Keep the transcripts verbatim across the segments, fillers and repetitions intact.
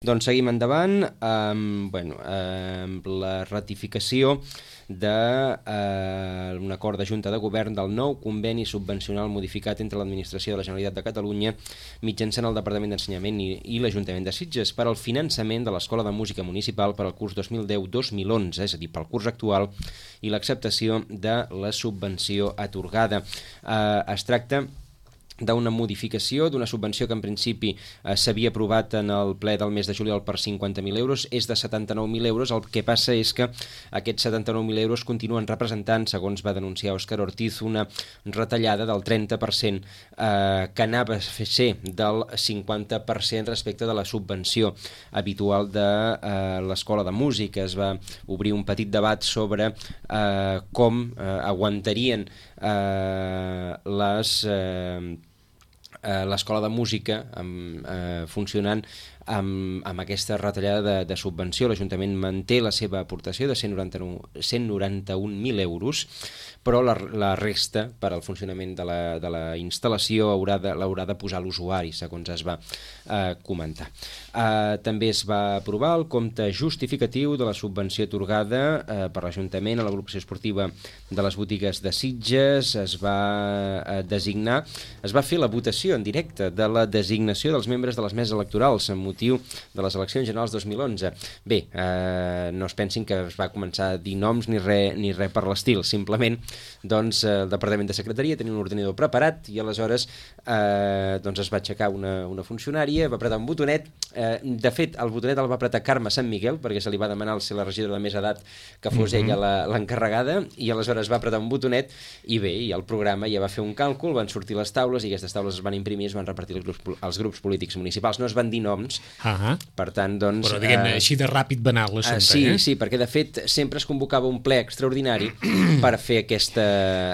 Doncs seguim endavant amb, bueno, amb la ratificació d'un eh, acord de Junta de Govern del nou conveni subvencional modificat entre l'Administració de la Generalitat de Catalunya mitjançant el Departament d'Ensenyament i, i l'Ajuntament de Sitges per al finançament de l'Escola de Música Municipal per al curs dos mil deu dos mil onze, és a dir, pel curs actual, i l'acceptació de la subvenció atorgada. Eh, es tracta d'una modificació d'una subvenció que en principi eh, s'havia aprovat en el ple del mes de juliol per cinquanta mil euros, és de setanta-nou mil euros. El que passa és que aquests setanta-nou mil euros continuen representant, segons va denunciar Òscar Ortiz, una retallada del trenta per cent eh, que anava a ser del cinquanta per cent respecte de la subvenció habitual de eh, l'Escola de Música. Es va obrir un petit debat sobre eh, com eh, aguantarien eh, les... Eh, l'Escola de Música amb, eh, funcionant amb, amb aquesta retallada de, de subvenció. L'Ajuntament manté la seva aportació de cent noranta-un mil euros, però la, la resta per al funcionament de la, de la instal·lació haurà de, l'haurà de posar l'usuari, segons es va eh, comentar. Eh, també es va aprovar el compte justificatiu de la subvenció atorgada eh, per l'Ajuntament a l'agrupació esportiva de les botigues de Sitges. Es va eh, designar, es va fer la votació en directe de la designació dels membres de les meses electorals amb motiu de les eleccions generals dos mil onze. Bé, eh, no es pensin que es va començar a dir noms ni res ni res per l'estil, simplement doncs el Departament de Secretaria tenia un ordinador preparat i aleshores eh, doncs es va aixecar una, una funcionària, va apretar un botonet. Eh, de fet, el botonet el va apretar Carme Sant Miguel, perquè se li va demanar al ser la regidora de més edat que fos mm-hmm. ella l'encarregada, i aleshores va apretar un botonet i bé, i el programa ja va fer un càlcul, van sortir les taules i aquestes taules es van imprimir i es van repartir als grups, als grups polítics municipals. No es van dir noms, uh-huh. per tant, doncs... Però diguem-ne, eh, així de ràpid va anar l'assumpte, eh, sí, eh? Sí, perquè de fet sempre es convocava un ple extraordinari per fer aquesta,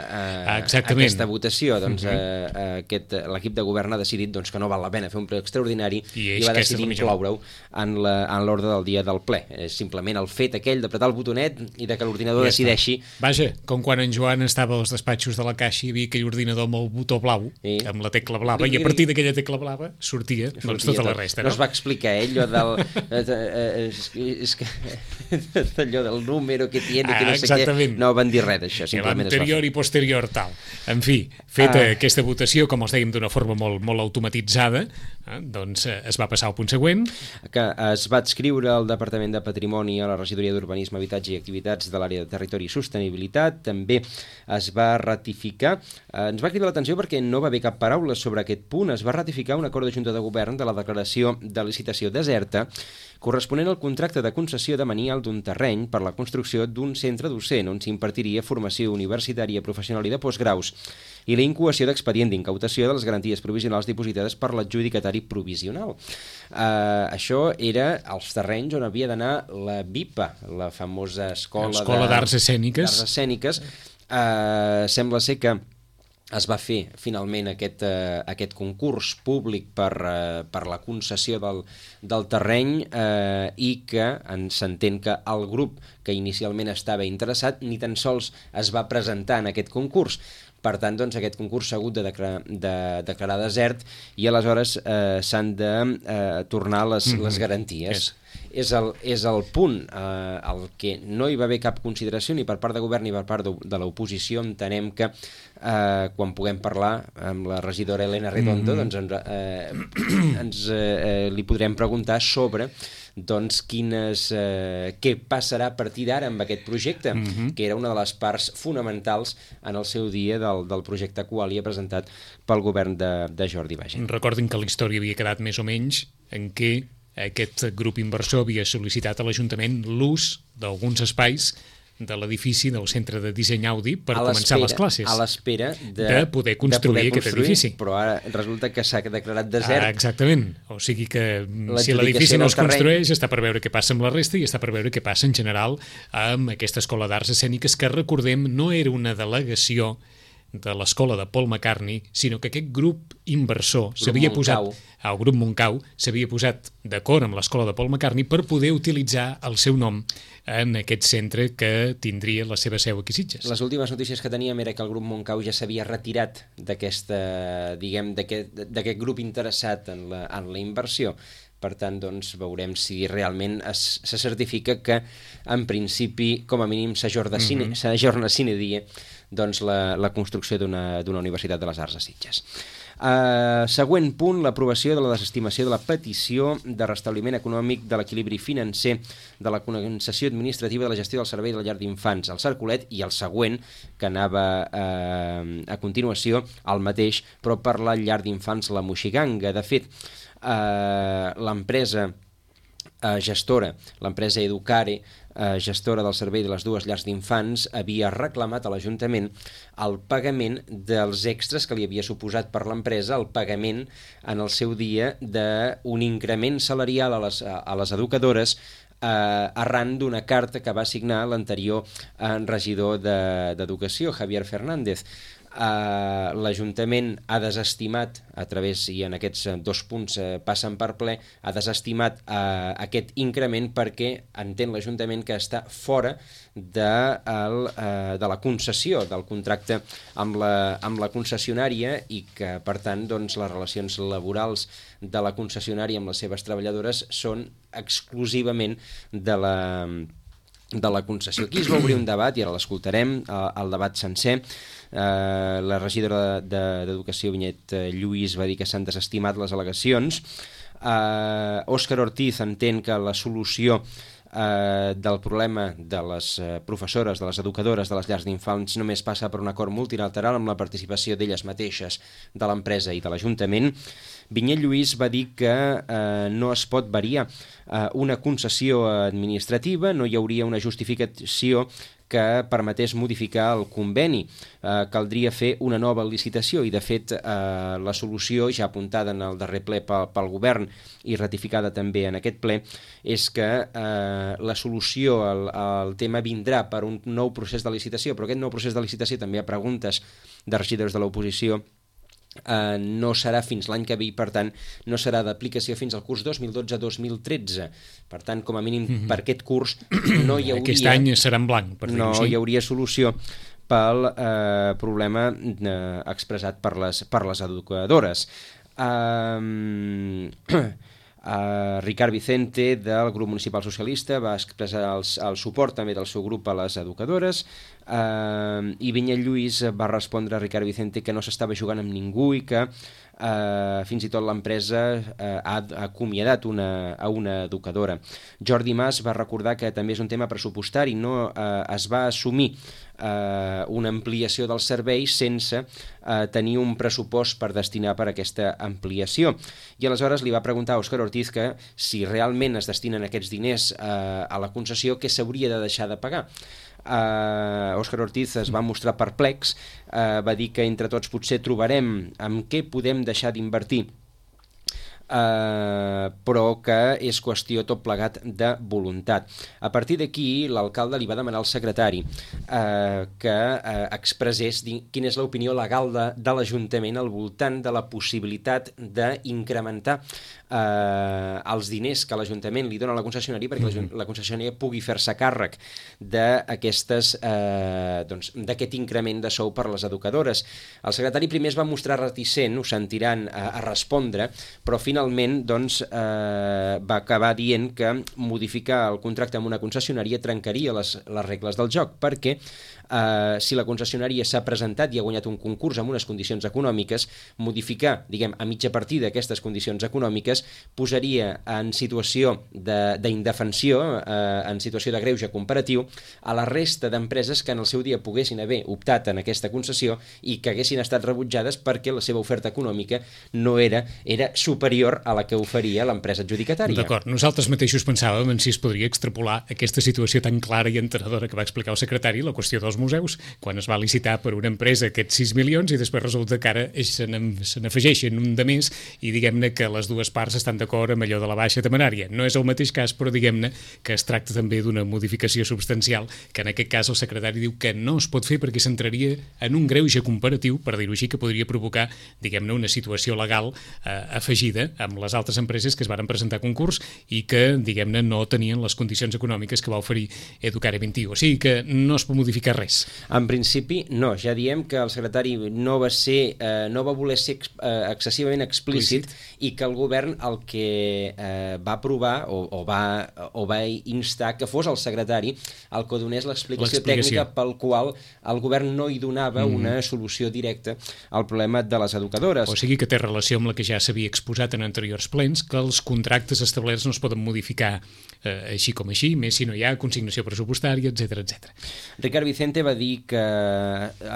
eh, aquesta votació. Doncs uh-huh. eh, aquest, l'equip de govern ha decidit doncs, que no val la pena fer un ple extraordinari i, i va decidir incloure-ho en l'ordre del dia del ple. És simplement el fet aquell d'apretar el botonet i de que l'ordinador ja decideixi... Vaja, com quan en Joan estava als despatxos de la caixa i hi havia aquell ordinador amb el botó blau, sí. amb la tecla blava, i a partir d'aquella tecla blava sortia, sortia doncs tota tot. La resta. No, no es va explicar eh, allò del... és, és que, allò del número que tiene, ah, que no sé què. No van dir res d'això, simplement es va fer. I posterior tal. En fi, feta ah. aquesta votació, com els dèiem, d'una forma molt, molt automatitzada, eh, doncs eh, es va passar al punt següent. Que es va adscriure al Departament de Patrimoni a la Regidoria d'Urbanisme, Habitatge i Activitats de l'àrea de Territori i Sostenibilitat. També es va ratificar, eh, ens va cridar l'atenció perquè no va haver cap paraula sobre aquest punt, es va ratificar un acord de Junta de Govern de la declaració de licitació deserta corresponent al contracte de concessió de manial d'un terreny per la construcció d'un centre docent on s'impartiria formació universitària, professional i de postgraus i la incoació d'expedient d'incautació de les garanties provisionals dipositades per l'adjudicatari provisional. Uh, això era els terrenys on havia d'anar la BIPA, la famosa escola, escola d'arts escèniques. D'arts escèniques. Uh, sembla ser que es va fer finalment aquest, eh, aquest concurs públic per, eh, per la concessió del, del terreny eh, i que s'entén que el grup que inicialment estava interessat ni tan sols es va presentar en aquest concurs. Per tant, doncs, aquest concurs s'ha hagut de declarar, de declarar desert i aleshores eh, s'han de eh, tornar les, mm-hmm. les garanties. Yes. És el, és el punt eh, el que no hi va haver cap consideració ni per part de govern ni per part de, de l'oposició. Entenem que eh, quan puguem parlar amb la regidora Elena Redondo mm-hmm. doncs ens, eh, ens eh, li podrem preguntar sobre doncs quines, eh, què passarà a partir d'ara amb aquest projecte, mm-hmm. que era una de les parts fonamentals en el seu dia del, del projecte Qualia presentat pel govern de, de Jordi Baiget. Recordin que la història havia quedat més o menys en què aquest grup inversor havia sol·licitat a l'Ajuntament l'ús d'alguns espais de l'edifici del Centre de Disseny Audi per començar les classes. A l'espera de, de poder construir, de poder construir aquest edifici. Però ara resulta que s'ha declarat desert. Ah, exactament. O sigui que si l'edifici no es construeix, està per veure què passa amb la resta i està per veure què passa en general amb aquesta escola d'arts escèniques que, recordem, no era una delegació de l'escola de Paul McCartney, sinó que aquest grup inversor s'havia posat, el grup Montcau s'havia posat d'acord amb l'escola de Paul McCartney per poder utilitzar el seu nom en aquest centre que tindria la seva seu aquí a Sitges. Les últimes notícies que teníem era que el grup Montcau ja s'havia retirat d'aquesta, diguem, d'aquest, d'aquest grup interessat en la, en la inversió. per tant, doncs, veurem si realment es, se certifica que, en principi, com a mínim, s'ajorna sine, mm-hmm. sine die doncs, la, la construcció d'una Universitat de les Arts a Sitges. Uh, següent punt, l'aprovació de la desestimació de la petició de restabliment econòmic de l'equilibri financer de la concessió administrativa de la gestió del servei de la llar d'infants al Cercolet, i el següent, que anava uh, a continuació, el mateix, però per la llar d'infants La Moixiganga. De fet, uh, l'empresa uh, gestora, l'empresa Educare, Uh, gestora del servei de les dues llars d'infants, havia reclamat a l'Ajuntament el pagament dels extras que li havia suposat per l'empresa, el pagament en el seu dia d'un increment salarial a les, a les educadores eh, arran d'una carta que va signar l'anterior eh, regidor d'Educació, de, Javier Fernández. Uh, l'Ajuntament ha desestimat, a través, i en aquests dos punts uh, passen per ple, ha desestimat uh, aquest increment perquè entén l'Ajuntament que està fora de, el, uh, de la concessió, del contracte amb la, amb la concessionària, i que, per tant, doncs, les relacions laborals de la concessionària amb les seves treballadores són exclusivament de la... de la concessió. Aquí es va obrir un debat, i ara l'escoltarem, el debat sencer. Uh, la regidora d'Educació, Vinyet Lluís, va dir que s'han desestimat les al·legacions. Uh, Òscar Ortiz entén que la solució uh, del problema de les uh, professores, de les educadores de les llars d'infants només passa per un acord multilateral amb la participació d'elles mateixes, de l'empresa i de l'Ajuntament. Vinyet Lluís va dir que eh, no es pot variar eh, una concessió administrativa, no hi hauria una justificació que permetés modificar el conveni. Eh, caldria fer una nova licitació, i de fet eh, la solució, ja apuntada en el darrer ple pel, pel govern i ratificada també en aquest ple, és que eh, la solució al, al tema vindrà per un nou procés de licitació, però aquest nou procés de licitació, també a preguntes de regidors de l'oposició, Uh, no serà fins l'any que ve, i per tant no serà d'aplicació fins al curs dos mil dotze dos mil tretze. Per tant, com a mínim mm-hmm. per aquest curs no hi hauria... Aquest any serà en blanc, per dir-ho no així. hi hauria solució pel eh, problema eh, expressat per les, per les educadores. Um, Uh, Ricard Vicente, del grup municipal socialista, va expressar el, el suport també del seu grup a les educadores, uh, i Vinyet Lluís va respondre a Ricard Vicente que no s'estava jugant amb ningú i que uh, fins i tot l'empresa uh, ha acomiadat una, a una educadora. Jordi Mas va recordar que també és un tema pressupostari, no uh, es va assumir Uh, una ampliació del servei sense uh, tenir un pressupost per destinar per aquesta ampliació. I aleshores li va preguntar a Òscar Ortiz que si realment es destinen aquests diners uh, a la concessió, què s'hauria de deixar de pagar. Uh, Òscar Ortiz es va mostrar perplex, uh, va dir que entre tots potser trobarem amb què podem deixar d'invertir, Uh, però que és qüestió tot plegat de voluntat. A partir d'aquí, l'alcalde li va demanar al secretari uh, que uh, expressés quina és l'opinió legal de, de l'Ajuntament al voltant de la possibilitat d'incrementar uh, els diners que l'Ajuntament li dona a la concessionària perquè mm-hmm. la concessionària pugui fer-se càrrec d'aquestes uh, doncs, d'aquest increment de sou per les educadores. El secretari primer es va mostrar reticent, ho sentiran, a, a respondre, però finalment finalment doncs, eh, va acabar dient que modificar el contracte amb una concessionària trencaria les, les regles del joc, perquè eh, si la concessionària s'ha presentat i ha guanyat un concurs amb unes condicions econòmiques, modificar, diguem, a mitja partida aquestes condicions econòmiques posaria en situació d'indefensió, eh, en situació de greuge comparatiu, a la resta d'empreses que en el seu dia poguessin haver optat en aquesta concessió i que haguessin estat rebutjades perquè la seva oferta econòmica no era, era superior a la que oferia l'empresa adjudicatària. D'acord, nosaltres mateixos pensàvem en si es podria extrapolar aquesta situació tan clara i entenedora que va explicar el secretari, la qüestió dels museus, quan es va licitar per una empresa aquests sis milions i després resulta que ara se n'afegeixen un de més i diguem-ne que les dues parts estan d'acord amb allò de la baixa temerària. No és el mateix cas, però diguem-ne que es tracta també d'una modificació substancial que en aquest cas el secretari diu que no es pot fer perquè s'entraria en un greuge comparatiu, per dir-ho així, que podria provocar, diguem-ne, una situació legal eh, afegida amb les altres empreses que es van presentar a concurs i que, diguem-ne, no tenien les condicions econòmiques que va oferir Educare vint i u. O sigui que no es pot modificar res. res. En principi, no. Ja diem que el secretari no va ser, eh, no va voler ser ex, eh, excessivament explícit, explícit i que el govern el que eh, va aprovar o, o, va, o va instar que fos el secretari el que donés l'explicació tècnica pel qual el govern no hi donava mm. una solució directa al problema de les educadores. O sigui que té relació amb la que ja s'havia exposat en anteriors plens, que els contractes establerts no es poden modificar eh, així com així, més si no hi ha consignació pressupostària, etcètera, etcètera. Ricard Vicente va dir que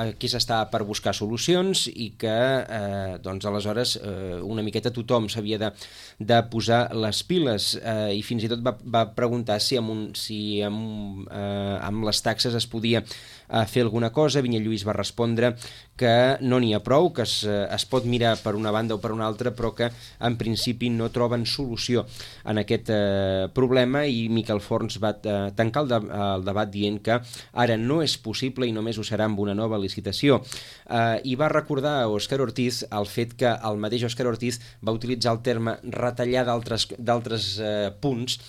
aquí s'estava per buscar solucions i que eh, doncs aleshores eh, una miqueta tothom s'havia de, de posar les piles eh, i fins i tot va, va preguntar si amb, un, si amb, eh, amb les taxes es podia eh, fer alguna cosa. Vinyet Lluís va respondre que no n'hi ha prou, que es, es pot mirar per una banda o per una altra, però que en principi no troben solució en aquest eh, problema, i Miquel Forns va eh, tancar el, de, el debat dient que ara no és possible i només ho serà amb una nova licitació. Eh, I va recordar a Òscar Ortiz el fet que el mateix Òscar Ortiz va utilitzar el terme retallar d'altres eh, punts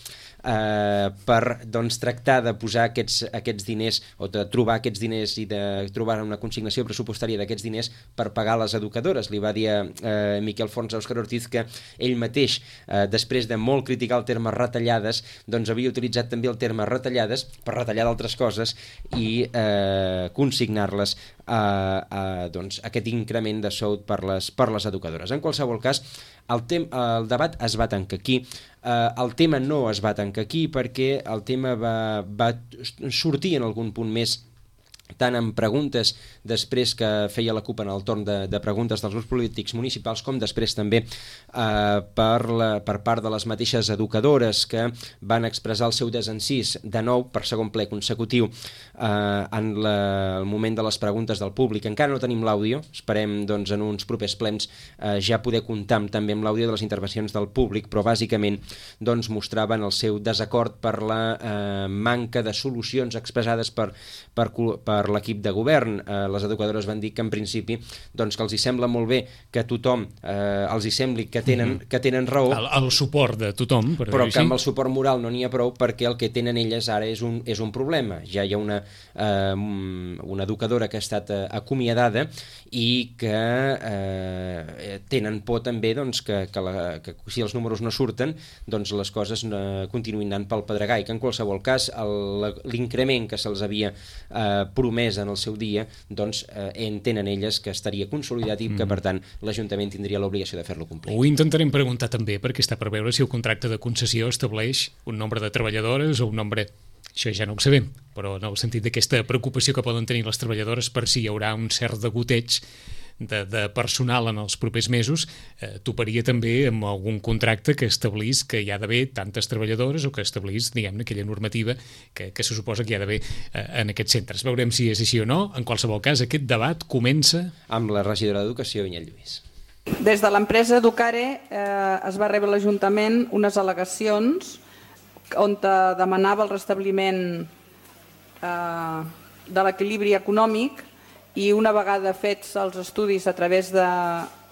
eh, per doncs, tractar de posar aquests, aquests diners o de trobar aquests diners i de trobar una consignació pressupostària d'aquests diners per pagar les educadores. Li va dir a eh, Miquel Forns a Òscar Ortiz que ell mateix, eh, després de molt criticar el terme retallades, doncs havia utilitzat també el terme retallades per retallar d'altres coses i eh, consignar-les a, a doncs, aquest increment de sou per les, per les educadores. En qualsevol cas, el, tem, el debat es va tancar aquí. Uh, el tema no es va tancar aquí perquè el tema va, va sortir en algun punt més, tant en preguntes després que feia la CUP en el torn de, de preguntes dels grups polítics municipals, com després també eh, per, la, per part de les mateixes educadores que van expressar el seu desencís de nou per segon ple consecutiu eh, en la, el moment de les preguntes del públic. Encara no tenim l'àudio, esperem doncs, en uns propers plens eh, ja poder comptar també amb l'àudio de les intervencions del públic, però bàsicament doncs, mostraven el seu desacord per la eh, manca de solucions expressades per, per, per per l'equip de govern. Eh, les educadores van dir que en principi doncs, que els hi sembla molt bé que tothom eh, els hi sembli que tenen, que tenen raó, el, el suport de tothom, per però que amb el suport moral no n'hi ha prou, perquè el que tenen elles ara és un, és un problema. Ja hi ha una, eh, una educadora que ha estat eh, acomiadada i que eh, tenen por també doncs, que, que, la, que si els números no surten doncs les coses no, continuïn anant pel pedregar, i que en qualsevol cas l'increment que se'ls havia eh, promès en el seu dia, doncs eh, entenen elles que estaria consolidat i que, per tant, l'Ajuntament tindria l'obligació de fer-lo complir. Ho intentarem preguntar també, perquè està per veure si el contracte de concessió estableix un nombre de treballadores o un nombre... Això ja no ho sabem, però en el sentit d'aquesta preocupació que poden tenir les treballadores per si hi haurà un cert degoteig de, de personal en els propers mesos, eh, toparia també amb algun contracte que establís que hi ha d'haver tantes treballadores o que establís, diguem-ne, aquella normativa que, que se suposa que hi ha d'haver eh, en aquests centres. Veurem si és així o no. En qualsevol cas, aquest debat comença... amb la regidora d'Educació, Vinyet Lluís. Des de l'empresa Educare eh, es va rebre a l'Ajuntament unes al·legacions on demanava el restabliment eh, de l'equilibri econòmic, i una vegada fets els estudis a través de,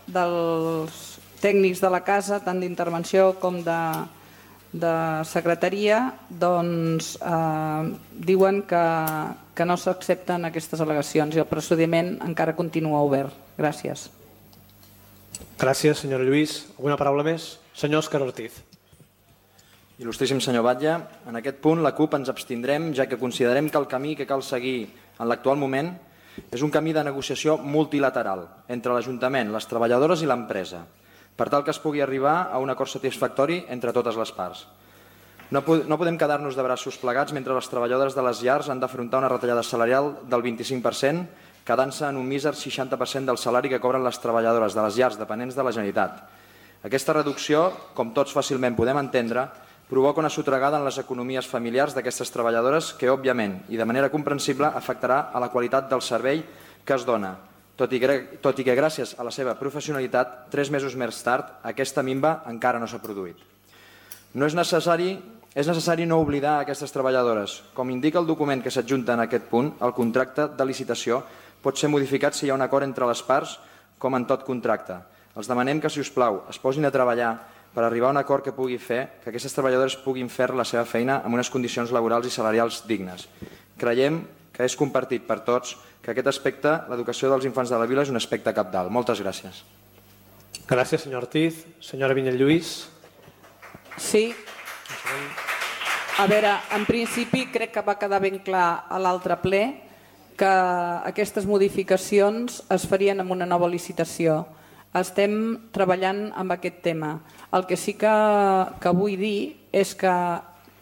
dels tècnics de la casa, tant d'intervenció com de, de secretaria, doncs eh, diuen que, que no s'accepten aquestes al·legacions i el procediment encara continua obert. Gràcies. Gràcies, senyora Lluís. Alguna paraula més? Senyor Òscar Ortiz. Il·lustríssim senyor Batlle, en aquest punt la CUP ens abstindrem, ja que considerem que el camí que cal seguir en l'actual moment és un camí de negociació multilateral entre l'Ajuntament, les treballadores i l'empresa, per tal que es pugui arribar a un acord satisfactori entre totes les parts. No, no podem quedar-nos de braços plegats mentre les treballadores de les llars han d'afrontar una retallada salarial del vint-i-cinc per cent, quedant-se en un míser seixanta per cent del salari que cobren les treballadores de les llars dependents de la Generalitat. Aquesta reducció, com tots fàcilment podem entendre, provoca una sotregada en les economies familiars d'aquestes treballadores que, òbviament, i de manera comprensible, afectarà a la qualitat del servei que es dona, tot i que, tot i que gràcies a la seva professionalitat, tres mesos més tard, aquesta minva encara no s'ha produït. No és necessari, és necessari no oblidar aquestes treballadores. Com indica el document que s'adjunta en aquest punt, el contracte de licitació pot ser modificat si hi ha un acord entre les parts, com en tot contracte. Els demanem que, si us plau, es posin a treballar per arribar a un acord que pugui fer que aquestes treballadores puguin fer la seva feina amb unes condicions laborals i salarials dignes. Creiem que que és compartit per tots, que aquest aspecte, l'educació dels infants de la vila, és un aspecte cabdal. Moltes gràcies. Gràcies, senyor Ortiz. Senyora Vinyet-Lluís. Sí. A veure, en principi crec que va quedar ben clar a l'altre ple que aquestes modificacions es farien amb una nova licitació. Estem treballant amb aquest tema. El que sí que, que vull dir és que,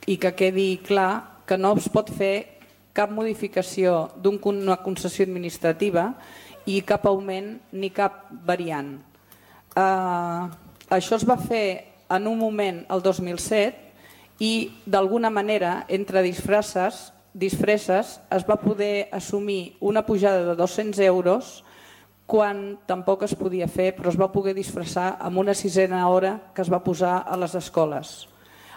i que quedi clar, que no es pot fer cap modificació d'una concessió administrativa i cap augment ni cap variant. Uh, això es va fer en un moment, el dos mil set, i d'alguna manera, entre disfresses, disfresses, es va poder assumir una pujada de dos-cents euros quan tampoc es podia fer, però es va poder disfressar amb una sisena hora que es va posar a les escoles.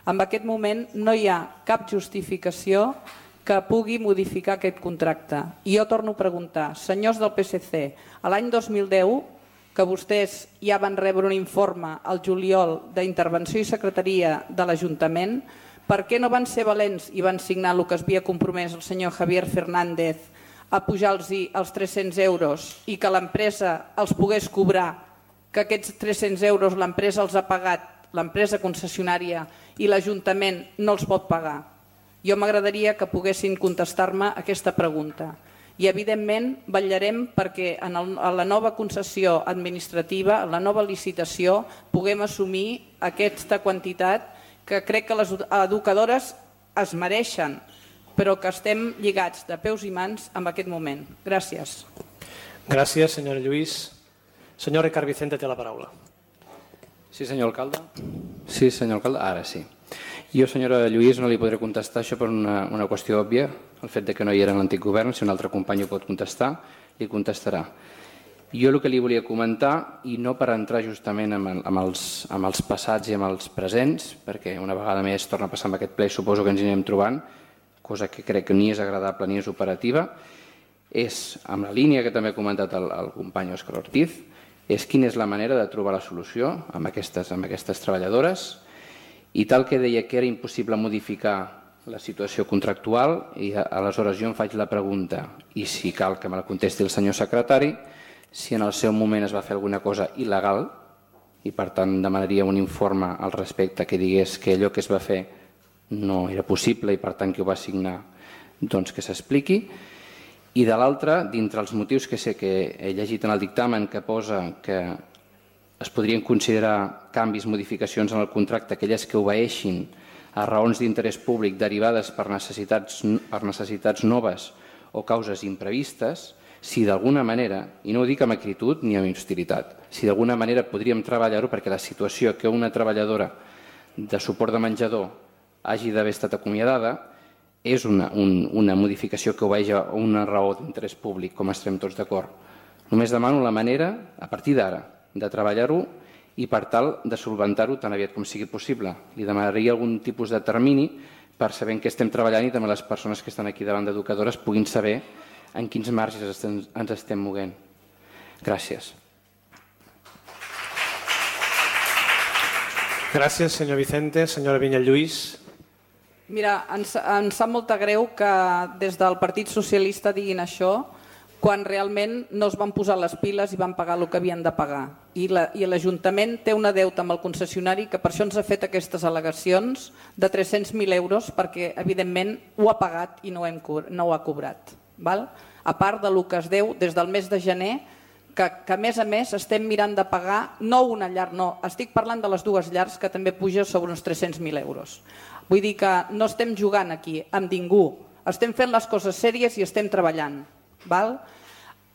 En aquest moment no hi ha cap justificació que pugui modificar aquest contracte. I jo torno a preguntar, senyors del P S C, a l'any dos mil deu, que vostès ja van rebre un informe al juliol d'Intervenció i Secretaria de l'Ajuntament, per què no van ser valents i van signar el que es havia compromès el senyor Javier Fernández a pujar-los els tres-cents euros i que l'empresa els pogués cobrar, que aquests tres-cents euros l'empresa els ha pagat, l'empresa concessionària, i l'Ajuntament no els pot pagar? Jo m'agradaria que poguessin contestar-me aquesta pregunta. I evidentment vetllarem perquè en la nova concessió administrativa, en la nova licitació, puguem assumir aquesta quantitat que crec que les educadores es mereixen, però que estem lligats de peus i mans en aquest moment. Gràcies. Gràcies, senyora Lluís. Senyor Ricard Vicente té la paraula. Sí, senyor alcalde. Sí, senyor alcalde, ara sí. Jo, senyora Lluís, no li podré contestar això per una, una qüestió òbvia, el fet de que no hi era en l'antic govern. Si un altre company ho pot contestar, li contestarà. Jo el que li volia comentar, i no per entrar justament amb, amb, els, amb els passats i amb els presents, perquè una vegada més torna a passar amb aquest ple i suposo que ens anirem trobant, cosa que crec que ni és agradable ni és operativa, és, amb la línia que també ha comentat el, el company Òscar Ortiz, és quina és la manera de trobar la solució amb aquestes, amb aquestes treballadores. I tal que deia que era impossible modificar la situació contractual, i aleshores jo em faig la pregunta, i si cal que me la contesti el senyor secretari, si en el seu moment es va fer alguna cosa il·legal, i per tant demanaria un informe al respecte que digués que allò que es va fer no era possible i per tant que ho va signar, doncs que s'expliqui. I de l'altra, dintre els motius que sé que he llegit en el dictamen que posa que es podrien considerar canvis, modificacions en el contracte, aquelles que obeeixin a raons d'interès públic derivades per necessitats, per necessitats noves o causes imprevistes, si d'alguna manera, i no ho dic amb acritud ni amb hostilitat, si d'alguna manera podríem treballar-ho perquè la situació que una treballadora de suport de menjador hagi d'haver estat acomiadada és una, un, una modificació que obeeix a una raó d'interès públic, com estem tots d'acord. Només demano la manera, a partir d'ara, de treballar-ho i per tal de solventar-ho tan aviat com sigui possible. Li demanaria algun tipus de termini per saber en què estem treballant i també les persones que estan aquí davant d'educadores puguin saber en quins marges estem, ens estem movent. Gràcies. Gràcies, senyor Vicente. Senyora Vinyet-Lluís. Mira, ens, ens sap molta greu que des del Partit Socialista diguin això quan realment no es van posar les piles i van pagar el que havien de pagar. I l'Ajuntament té una deuta amb el concessionari que per això ens ha fet aquestes al·legacions de tres-cents mil euros perquè, evidentment, ho ha pagat i no, hem, no ho ha cobrat. Val? A part del que es deu des del mes de gener, que, que a més a més estem mirant de pagar no una llar, no, estic parlant de les dues llars que també puja sobre uns tres-cents mil euros. Vull dir que no estem jugant aquí amb ningú, estem fent les coses sèries i estem treballant.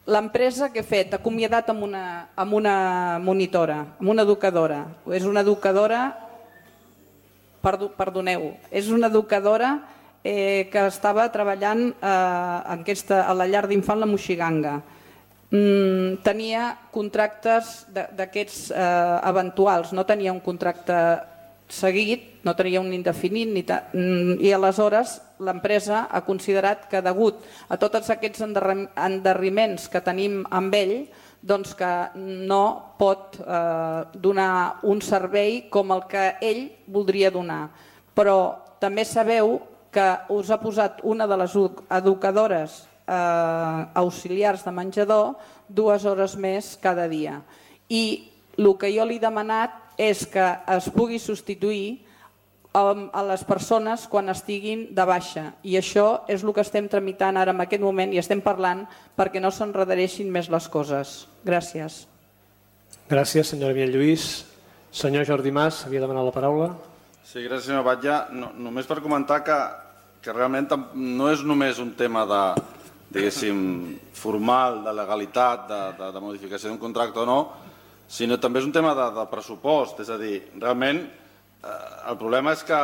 L'empresa que he fet, acomiadat amb una, amb una monitora, amb una educadora. És una educadora, perdoneu, és una educadora eh, que estava treballant eh, en aquesta, a la llar d'infant La Moixiganga. Mm, tenia contractes d'aquests eh, eventuals, no tenia un contracte seguit, no tenia un indefinit ni ta... i aleshores l'empresa ha considerat que degut a tots aquests endarreriments que tenim amb ell, doncs que no pot eh, donar un servei com el que ell voldria donar. Però també sabeu que us ha posat una de les educadores auxiliars de menjador dues hores més cada dia. I el que jo li he demanat és que es pugui substituir a les persones quan estiguin de baixa. I això és el que estem tramitant ara en aquest moment i estem parlant perquè no s'enredareixin més les coses. Gràcies. Gràcies, senyora Vinyet Lluís. Senyor Jordi Mas, havia demanat la paraula. Sí, gràcies, senyor Batlle. No, només per comentar que, que realment no és només un tema de, diguéssim, formal, de legalitat, de, de, de modificació d'un contracte o no, sinó també és un tema de, de pressupost. És a dir, realment el problema és que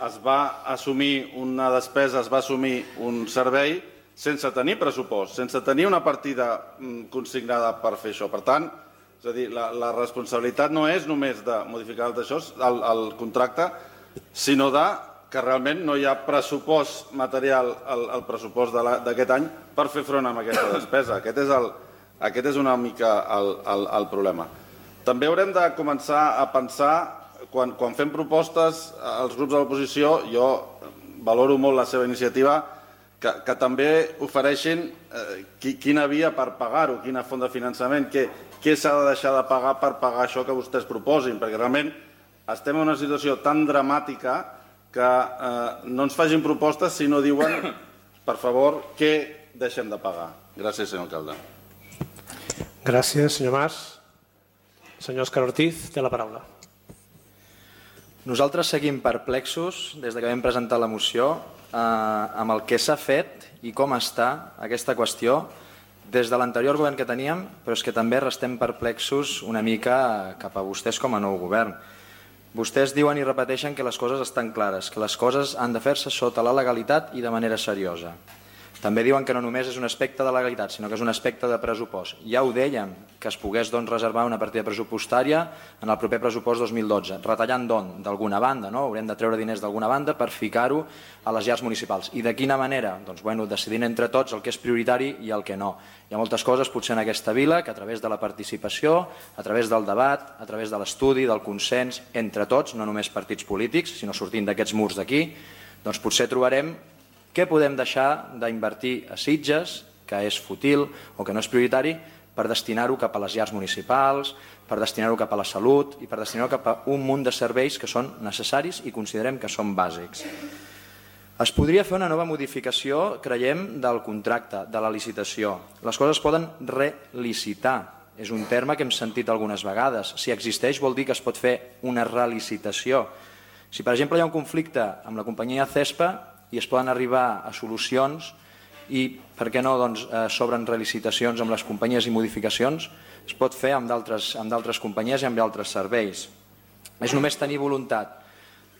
es va assumir una despesa, es va assumir un servei sense tenir pressupost, sense tenir una partida consignada per fer això. Per tant, és a dir, la, la responsabilitat no és només de modificar el, el, el contracte, sinó de que realment no hi ha pressupost material al, al pressupost d'aquest any per fer front a aquesta despesa. Aquest és, el, aquest és una mica el, el, el problema. També haurem de començar a pensar. Quan, quan fem propostes als grups de l'oposició, jo valoro molt la seva iniciativa, que, que també ofereixin eh, qui, quina via per pagar-ho, quina font de finançament, què, què s'ha de deixar de pagar per pagar això que vostès proposin, perquè realment estem en una situació tan dramàtica que eh, no ens facin propostes si no diuen, per favor, què deixem de pagar. Gràcies, senyor alcalde. Gràcies, senyor Mas. Senyor Òscar Ortiz, té la paraula. Nosaltres seguim perplexos des que vam presentar la moció eh, amb el que s'ha fet i com està aquesta qüestió des de l'anterior govern que teníem, però és que també restem perplexos una mica cap a vostès com a nou govern. Vostès diuen i repeteixen que les coses estan clares, que les coses han de fer-se sota la legalitat i de manera seriosa. També diuen que no només és un aspecte de legalitat, sinó que és un aspecte de pressupost. Ja ho dèiem, que es pogués doncs, reservar una partida pressupostària en el proper pressupost dos mil dotze. Retallant d'on? D'alguna banda, no? Haurem de treure diners d'alguna banda per ficar-ho a les llars municipals. I de quina manera? Doncs bueno, decidint entre tots el que és prioritari i el que no. Hi ha moltes coses potser en aquesta vila que a través de la participació, a través del debat, a través de l'estudi, del consens, entre tots, no només partits polítics, sinó sortint d'aquests murs d'aquí, doncs potser trobarem què podem deixar d'invertir a Sitges, que és fútil o que no és prioritari, per destinar-ho cap a les llars municipals, per destinar-ho cap a la salut i per destinar-ho cap a un munt de serveis que són necessaris i considerem que són bàsics. Es podria fer una nova modificació, creiem, del contracte, de la licitació. Les coses poden relicitar. És un terme que hem sentit algunes vegades. Si existeix vol dir que es pot fer una relicitació. Si, per exemple, hi ha un conflicte amb la companyia CESPA i es poden arribar a solucions i, per què no, doncs, eh, s'obren relicitacions amb les companyies i modificacions, es pot fer amb d'altres companyies i amb altres serveis. És només tenir voluntat.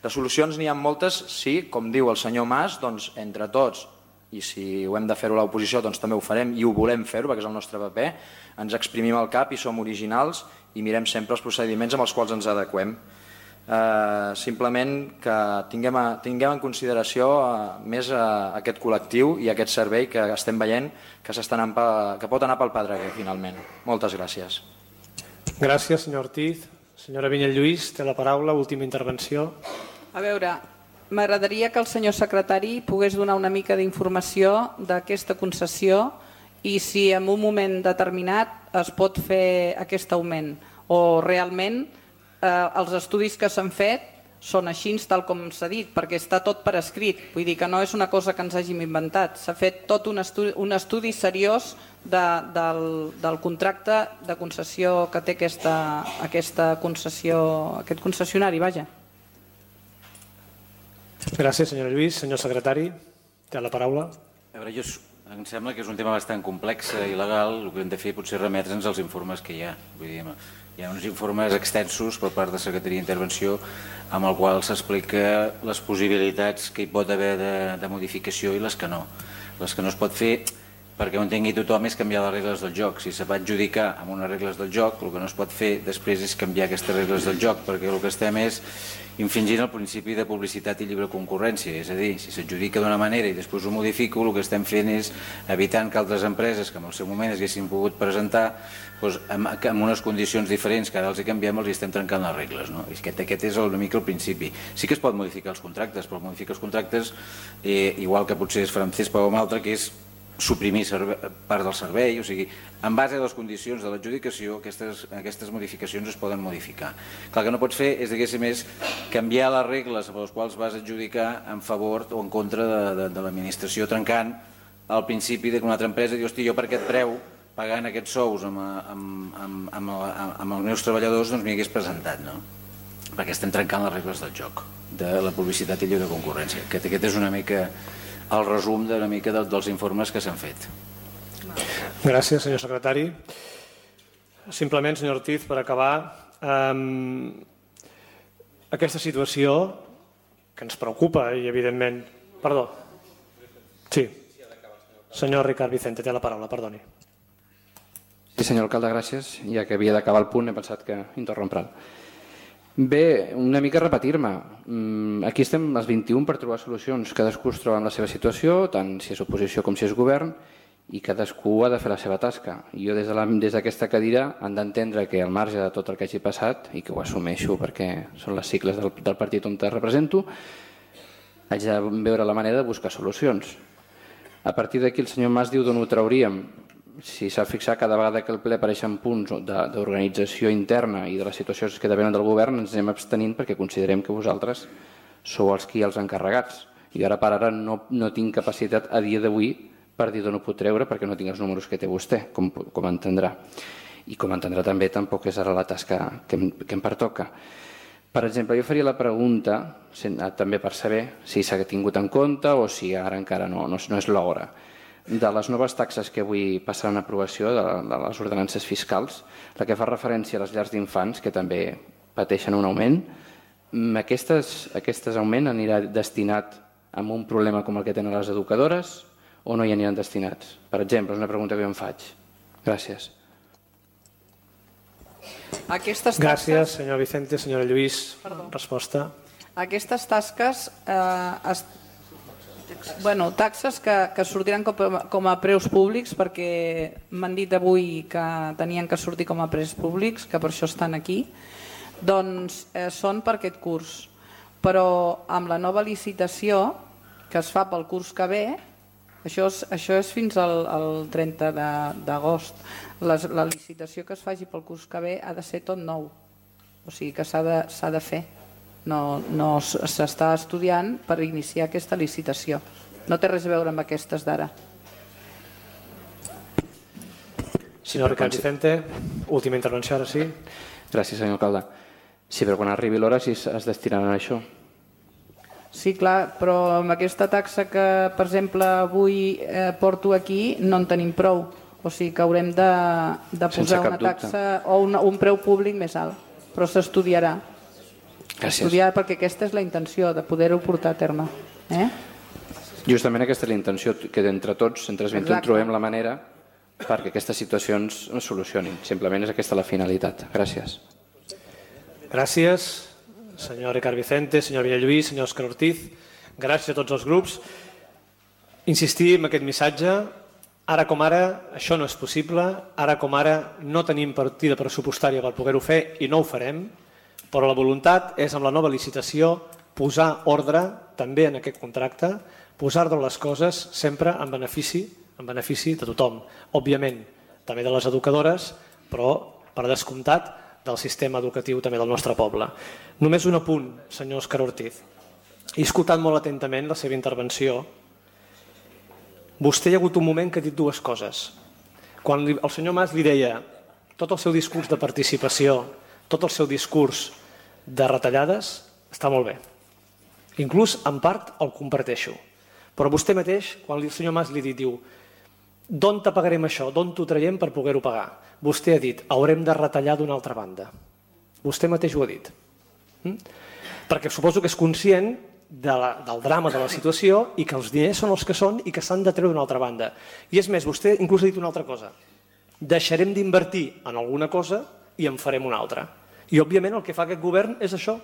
De solucions n'hi ha moltes, sí, com diu el senyor Mas, doncs, entre tots, i si ho hem de fer-ho a l'oposició, doncs també ho farem i ho volem fer-ho, perquè és el nostre paper, ens exprimim el cap i som originals i mirem sempre els procediments amb els quals ens adequem. Uh, simplement que tinguem, a, tinguem en consideració uh, més uh, aquest col·lectiu i aquest servei que estem veient que, anant pa, que pot anar pel pedreguer finalment. Moltes gràcies. Gràcies, senyor Ortiz. Senyora Vinyet Lluís, té la paraula, última intervenció. A veure, m'agradaria que el senyor secretari pogués donar una mica d'informació d'aquesta concessió i si en un moment determinat es pot fer aquest augment o realment Eh, els estudis que s'han fet són així tal com s'ha dit, perquè està tot per escrit, vull dir que no és una cosa que ens hàgim inventat, s'ha fet tot un estudi, un estudi seriós de, del, del contracte de concessió que té aquesta, aquesta concessió, aquest concessionari, vaja. Gràcies, senyora Lluís. Senyor secretari, té la paraula. A veure, jo, em sembla que és un tema bastant complex i legal, el que hem de fer potser remetre'ns als informes que hi ha, vull dir, hi ha uns informes extensos per part de Secretaria d'Intervenció amb el qual s'explica les possibilitats que hi pot haver de, de modificació i les que no. Les que no es pot fer, perquè ho entengui tothom, és canviar les regles del joc. Si se va adjudicar amb unes regles del joc, el que no es pot fer després és canviar aquestes regles del joc, perquè el que estem és infringint el principi de publicitat i lliure concurrència. És a dir, si s'adjudica d'una manera i després ho modifico, el que estem fent és evitant que altres empreses que en el seu moment haguessin pogut presentar doncs, amb, amb unes condicions diferents que ara els hi canviem, els hi estem trencant les regles. No? I aquest, aquest és una mica el principi. Sí que es pot modificar els contractes, però modificar els contractes, eh, igual que potser es farà amb CESPA o amb altre, que és suprimir part del servei, o sigui, en base a les condicions de l'adjudicació aquestes, aquestes modificacions es poden modificar. Clar, el que no pots fer és, diguéssim, és canviar les regles per les quals vas adjudicar en favor o en contra de, de, de l'administració, trencant al principi que una altra empresa diu, hosti, jo per aquest preu, pagant aquests sous amb, amb, amb, amb, amb els meus treballadors, doncs m'hi hagués presentat, no? Perquè estem trencant les regles del joc, de la publicitat i lliure concurrència. Aquest, aquest és una mica el resum d'una mica de, dels informes que s'han fet. Gràcies, senyor secretari. Simplement, senyor Ortiz, per acabar, eh, aquesta situació que ens preocupa i, evidentment... Perdó. Sí. Senyor Ricard Vicente, té la paraula, perdoni. Sí, senyor alcalde, gràcies. Ja que havia d'acabar el punt, he pensat que interrompre'l. Bé, una mica repetir-me. Aquí estem els vint-i-un per trobar solucions. Cadascú es troba en la seva situació, tant si és oposició com si és govern, i cadascú ha de fer la seva tasca. Jo des d'aquesta cadira han d'entendre que al marge de tot el que hagi passat, i que ho assumeixo perquè són les sigles del, del partit on te represento, haig de veure la manera de buscar solucions. A partir d'aquí el senyor Mas diu d'on ho trauríem. Si s'ha fixat, cada vegada que el ple apareixen punts d'organització interna i de les situacions que depenen del govern, ens anem abstenint perquè considerem que vosaltres sou els qui els encarregats. I ara per ara no, no tinc capacitat a dia d'avui per dir d'on ho puc treure perquè no tinc els números que té vostè, com, com entendrà. I com entendrà també, tampoc és ara la tasca que em, que em pertoca. Per exemple, jo faria la pregunta, també per saber si s'ha tingut en compte o si ara encara no, no, no és l'hora, de les noves taxes que avui passaran a aprovació de, de les ordenances fiscals, la que fa referència a les llars d'infants, que també pateixen un augment, aquestes, aquestes augment anirà destinat a un problema com el que tenen les educadores o no hi aniran destinats? Per exemple, és una pregunta que jo em faig. Gràcies. Aquestes tasques... Gràcies, senyor Vicente. Senyora Lluís, Perdó. resposta. Aquestes tasques, eh, es... bueno, taxes que, que sortiran com a, com a preus públics, perquè m'han dit avui que tenien que sortir com a preus públics, que per això estan aquí, doncs eh, són per aquest curs. Però amb la nova licitació que es fa pel curs que ve, això és, això és fins al, al trenta d'agost, la licitació que es faci pel curs que ve ha de ser tot nou, o sigui que s'ha de, s'ha de fer. No, no s'està estudiant per iniciar aquesta licitació. No té res a veure amb aquestes d'ara. Senyor Ricard Vicente, última intervenció, ara sí. Gràcies, senyor alcalde. Sí, però quan arribi l'hora sí es destinaran a això. Sí, clar, però amb aquesta taxa que, per exemple, avui eh, porto aquí, no en tenim prou. O sigui que haurem de, de posar una taxa o una, un preu públic més alt. Però s'estudiarà. Gràcies. Estudiar, perquè aquesta és la intenció, de poder-ho portar a terme. Eh? Justament aquesta és la intenció, que entre tots, entre els vint-i-un, trobem la manera perquè aquestes situacions es solucionin. Simplement és aquesta la finalitat. Gràcies. Gràcies, senyor Ricard Vicente, senyor Villalluís, senyor Òscar Ortiz. Gràcies a tots els grups. Insistir en aquest missatge. Ara com ara, això no és possible. Ara com ara, no tenim partida pressupostària per poder-ho fer i no ho farem. Però la voluntat és, amb la nova licitació, posar ordre també en aquest contracte, posar-ne les coses sempre en benefici, en benefici de tothom. Òbviament, també de les educadores, però per descomptat del sistema educatiu també del nostre poble. Només un apunt, senyor Òscar Ortiz. He escoltat molt atentament la seva intervenció. Vostè hi ha hagut un moment que ha dit dues coses. Quan el senyor Mas li deia tot el seu discurs de participació, tot el seu discurs de retallades, està molt bé. Inclús, en part, el comparteixo. Però vostè mateix, quan el senyor Mas li ha dit, diu, d'on te pagarem això, d'on t'ho traiem per poder-ho pagar? Vostè ha dit, haurem de retallar d'una altra banda. Vostè mateix ho ha dit. Mm? Perquè suposo que és conscient de la, del drama de la situació i que els diners són els que són i que s'han de treure d'una altra banda. I és més, vostè inclús ha dit una altra cosa. Deixarem d'invertir en alguna cosa i en farem una altra. I, òbviament, el que fa aquest govern és això,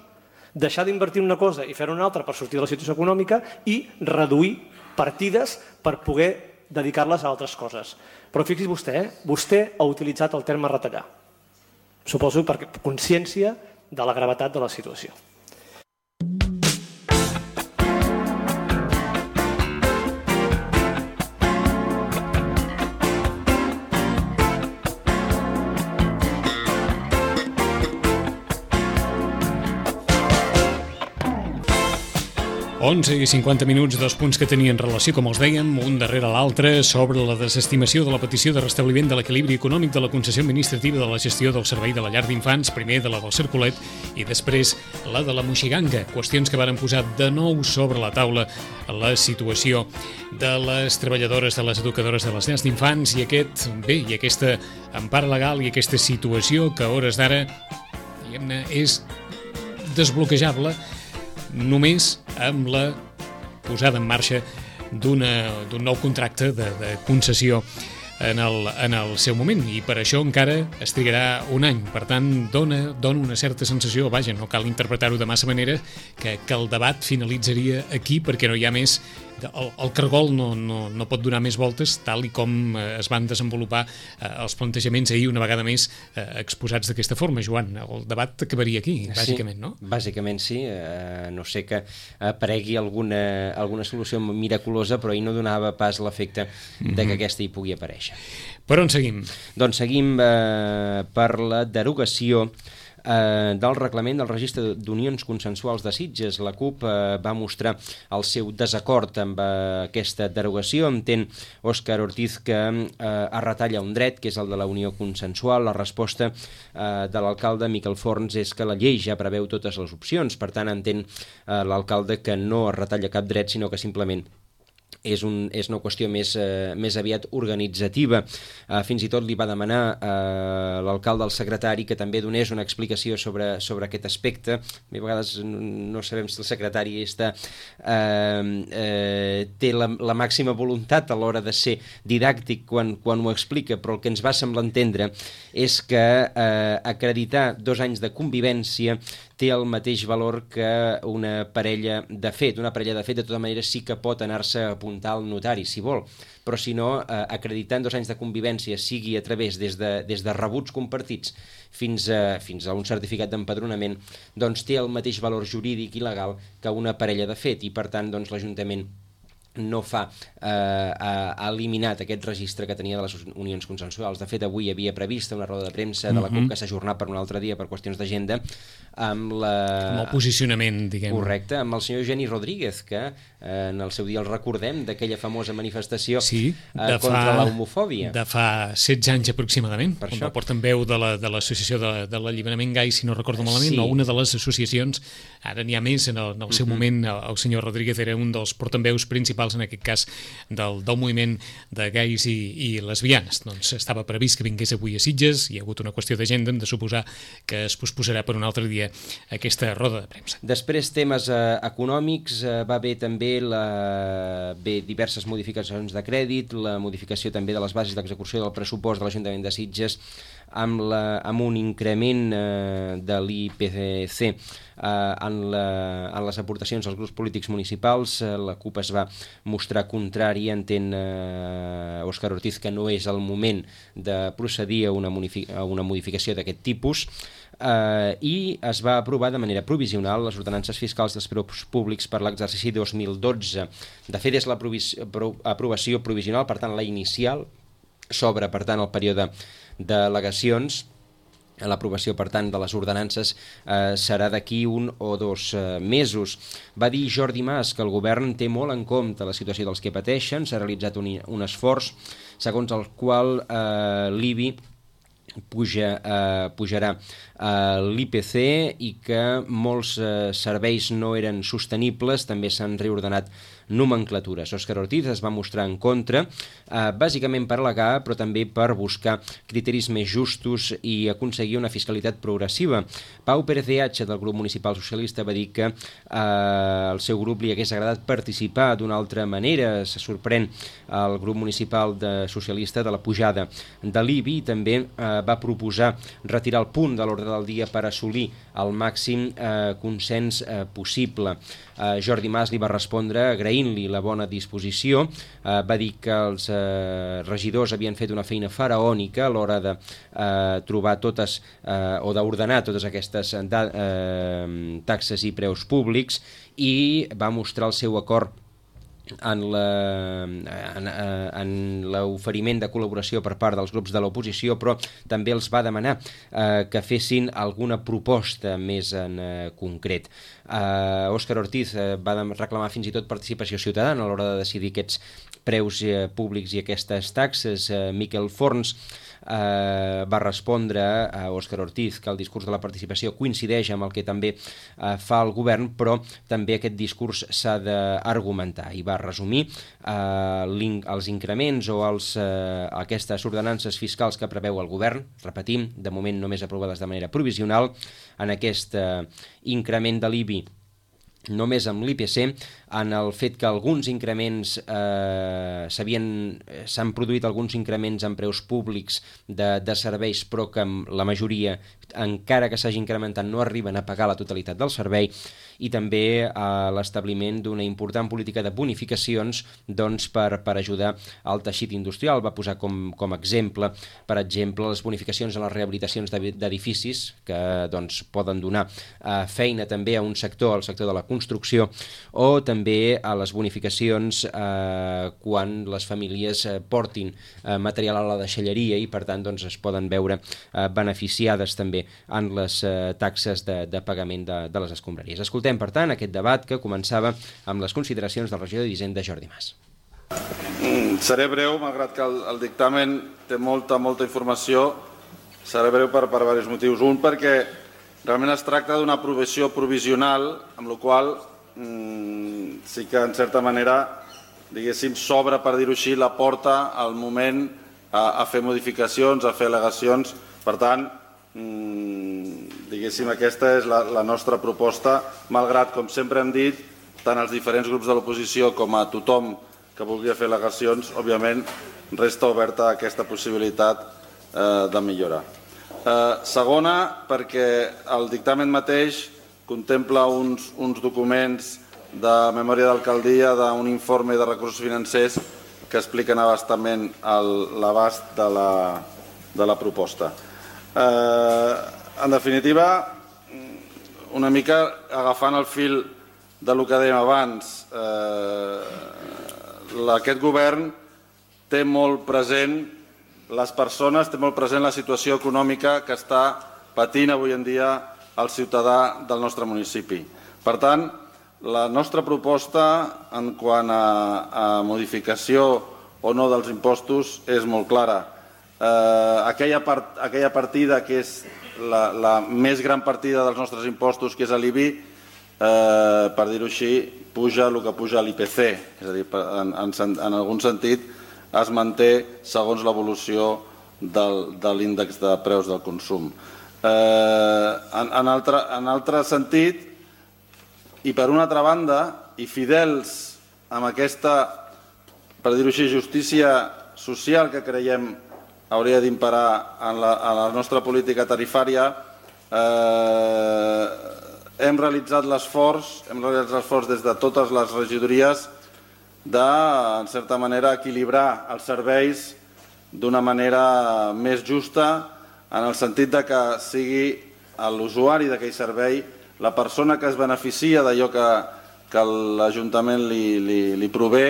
deixar d'invertir en una cosa i fer-ne una altra per sortir de la situació econòmica i reduir partides per poder dedicar-les a altres coses. Però fixi's vostè, eh? vostè ha utilitzat el terme retallar. Suposo per consciència de la gravetat de la situació. onze i cinquanta minuts, dos punts que tenien relació, com els dèiem, un darrere l'altre, sobre la desestimació de la petició de restabliment de l'equilibri econòmic de la concessió administrativa de la gestió del servei de la llar d'infants, primer de la del Cercolet i després la de la Moixiganga. Qüestions que varen posar de nou sobre la taula la situació de les treballadores, de les educadores de les llars d'infants i aquest, bé, i aquesta empara legal i aquesta situació que a hores d'ara, diguem-ne, és desbloquejable només amb la posada en marxa d'un nou contracte de, de concessió en el, en el seu moment, i per això encara es trigarà un any. Per tant, dona, dona una certa sensació, vaja, no cal interpretar-ho de massa manera, que, que el debat finalitzaria aquí perquè no hi ha més. El, el cargol no, no, no pot donar més voltes, tal i com es van desenvolupar eh, els plantejaments ahir una vegada més eh, exposats d'aquesta forma. Joan, el debat acabaria aquí, bàsicament, sí, no? Bàsicament sí, eh, no sé que aparegui alguna, alguna solució miraculosa, però ahir no donava pas l'efecte mm-hmm. de que aquesta hi pugui aparèixer. Per on seguim? Doncs seguim eh, per la derogació Eh, del reglament del registre d'unions consensuals de Sitges. La CUP eh, va mostrar el seu desacord amb eh, aquesta derogació. Entén Òscar Ortiz que eh, es retalla un dret, que és el de la unió consensual. La resposta eh, de l'alcalde Miquel Forns és que la llei ja preveu totes les opcions. Per tant, entén eh, l'alcalde que no es retalla cap dret, sinó que simplement és, un, és una qüestió més, eh, més aviat organitzativa. Eh, fins i tot li va demanar eh, l'alcalde al secretari que també donés una explicació sobre, sobre aquest aspecte. A vegades no sabem si el secretari està, eh, eh, té la, la màxima voluntat a l'hora de ser didàctic quan, quan ho explica, però el que ens va semblar entendre és que eh, acreditar dos anys de convivència té el mateix valor que una parella de fet. Una parella de fet, de tota manera, sí que pot anar-se a apuntar al notari, si vol, però si no, eh, acreditant dos anys de convivència, sigui a través des de, des de rebuts compartits fins a, fins a un certificat d'empadronament, doncs té el mateix valor jurídic i legal que una parella de fet, i per tant doncs, l'Ajuntament no fa, eh, ha, ha eliminat aquest registre que tenia de les unions consensuals. De fet, avui hi havia prevista una roda de premsa de la CUP que s'ha ajornat per un altre dia per qüestions d'agenda, amb la... amb el posicionament, diguem. Correcte, amb el senyor Eugeni Rodríguez, que eh, en el seu dia el recordem d'aquella famosa manifestació sí, eh, contra la homofòbia. De fa setze anys aproximadament, per on això. va portar veu de l'associació de, de l'alliberament gai, si no recordo malament, sí. O una de les associacions, ara n'hi ha més, en el, en el seu uh-huh. moment el, el senyor Rodríguez era un dels portaveus principals en aquest cas del, del moviment de gais i, i lesbianes. Doncs estava previst que vingués avui a Sitges, hi ha hagut una qüestió d'agenda, hem de suposar que es posposarà per un altre dia aquesta roda de premsa. Després, temes eh, econòmics, eh, va haver també la... bé, diverses modificacions de crèdit, la modificació també de les bases d'execució del pressupost de l'Ajuntament de Sitges amb, la, amb un increment eh, de l'I P C eh, en, la, en les aportacions als grups polítics municipals. Eh, la CUP es va mostrar contrari, entén eh, Òscar Ortiz que no és el moment de procedir a una, a una modificació d'aquest tipus. Uh, i es va aprovar de manera provisional les ordenances fiscals dels preus públics per l'exercici dos mil dotze. De fet, és l'aprovació provisional, per tant, la inicial, s'obre, per tant, el període d'al·legacions. L'aprovació, per tant, de les ordenances eh, serà d'aquí un o dos eh, mesos. Va dir Jordi Mas que el govern té molt en compte la situació dels que pateixen. S'ha realitzat un, un esforç segons el qual eh, l'I B I puja, eh, pujarà eh, l'I P C i que molts eh, serveis no eren sostenibles. També s'han reordenat nomenclatures. Òscar Ortiz es va mostrar en contra, eh, bàsicament per al·legar, però també per buscar criteris més justos i aconseguir una fiscalitat progressiva. Pau Pérez de Hacha, del grup municipal socialista, va dir que eh, al seu grup li hagués agradat participar d'una altra manera. Se sorprèn el grup municipal de socialista de la pujada de l'I B I. També eh, va proposar retirar el punt de l'ordre del dia per assolir el màxim eh, consens eh, possible. Eh, Jordi Mas li va respondre agraint-li la bona disposició. Eh, va dir que els eh, regidors havien fet una feina faraònica a l'hora de eh, trobar totes eh, o d'ordenar totes aquestes eh, taxes i preus públics, i va mostrar el seu acord en l'oferiment de col·laboració per part dels grups de l'oposició, però també els va demanar eh, que fessin alguna proposta més en eh, concret. Eh, Òscar Ortiz eh, va reclamar fins i tot participació ciutadana a l'hora de decidir aquests preus eh, públics i aquestes taxes. Eh, Miquel Forns eh, va respondre a Òscar Ortiz que el discurs de la participació coincideix amb el que també eh, fa el govern, però també aquest discurs s'ha d'argumentar, i va resumir eh, els increments o els, eh, aquestes ordenances fiscals que preveu el govern, repetim, de moment només aprovades de manera provisional, en aquest eh, increment de l'I B I només amb l'I P C, en el fet que alguns increments eh, s'han produït alguns increments en preus públics de, de serveis, però que la majoria, encara que s'hagi incrementat, no arriben a pagar la totalitat del servei, i també a l'establiment d'una important política de bonificacions doncs, per, per ajudar al teixit industrial. Va posar com, com exemple, per exemple, les bonificacions en les rehabilitacions d'edificis, que doncs, poden donar eh, feina també a un sector, al sector de la construcció, o també a les bonificacions eh, quan les famílies eh, portin eh, material a la deixalleria i per tant doncs, es poden veure eh, beneficiades també en les eh, taxes de, de pagament de, de les escombraries. Escoltem, per tant, aquest debat que començava amb les consideracions del regidor d'Hisenda, Jordi Mas. Mm, seré breu, malgrat que el, el dictamen té molta, molta informació. Seré breu per, per diversos motius. Un, perquè realment es tracta d'una aprovació provisional, amb la qual mm, sí que, en certa manera, diguéssim, s'obre, per dir-ho així, la porta al moment a, a fer modificacions, a fer al·legacions. Per tant, diguéssim, aquesta és la, la nostra proposta, malgrat, com sempre hem dit, tant als diferents grups de l'oposició com a tothom que vulgui fer al·legacions, òbviament resta oberta aquesta possibilitat eh, de millorar. Eh, segona, perquè el dictamen mateix contempla uns, uns documents de memòria d'alcaldia, d'un informe de recursos financers que expliquen abastament l'abast de, la, de la proposta. Eh, en definitiva, una mica agafant el fil de lo que dèiem abans, eh, aquest govern té molt present les persones, té molt present la situació econòmica que està patint avui en dia el ciutadà del nostre municipi. Per tant, la nostra proposta en quant a, a modificació o no dels impostos és molt clara. Eh, aquella, part, aquella partida que és la, la més gran partida dels nostres impostos, que és l'I B I, eh, per dir-ho així, puja el que puja l'I P C, és a dir, en, en, en algun sentit es manté segons l'evolució de l'índex de preus del consum. Eh, en, en, altre, en altre sentit, i per una altra banda, i fidels amb aquesta, per dir-ho així, justícia social que creiem hauria d'imperar en, en la nostra política tarifària, eh, hem realitzat l'esforç, hem realitzat l'esforç des de totes les regidories de, en certa manera, equilibrar els serveis d'una manera més justa, en el sentit de que sigui l'usuari d'aquell servei, la persona que es beneficia d'allò que, que l'Ajuntament li, li, li prové,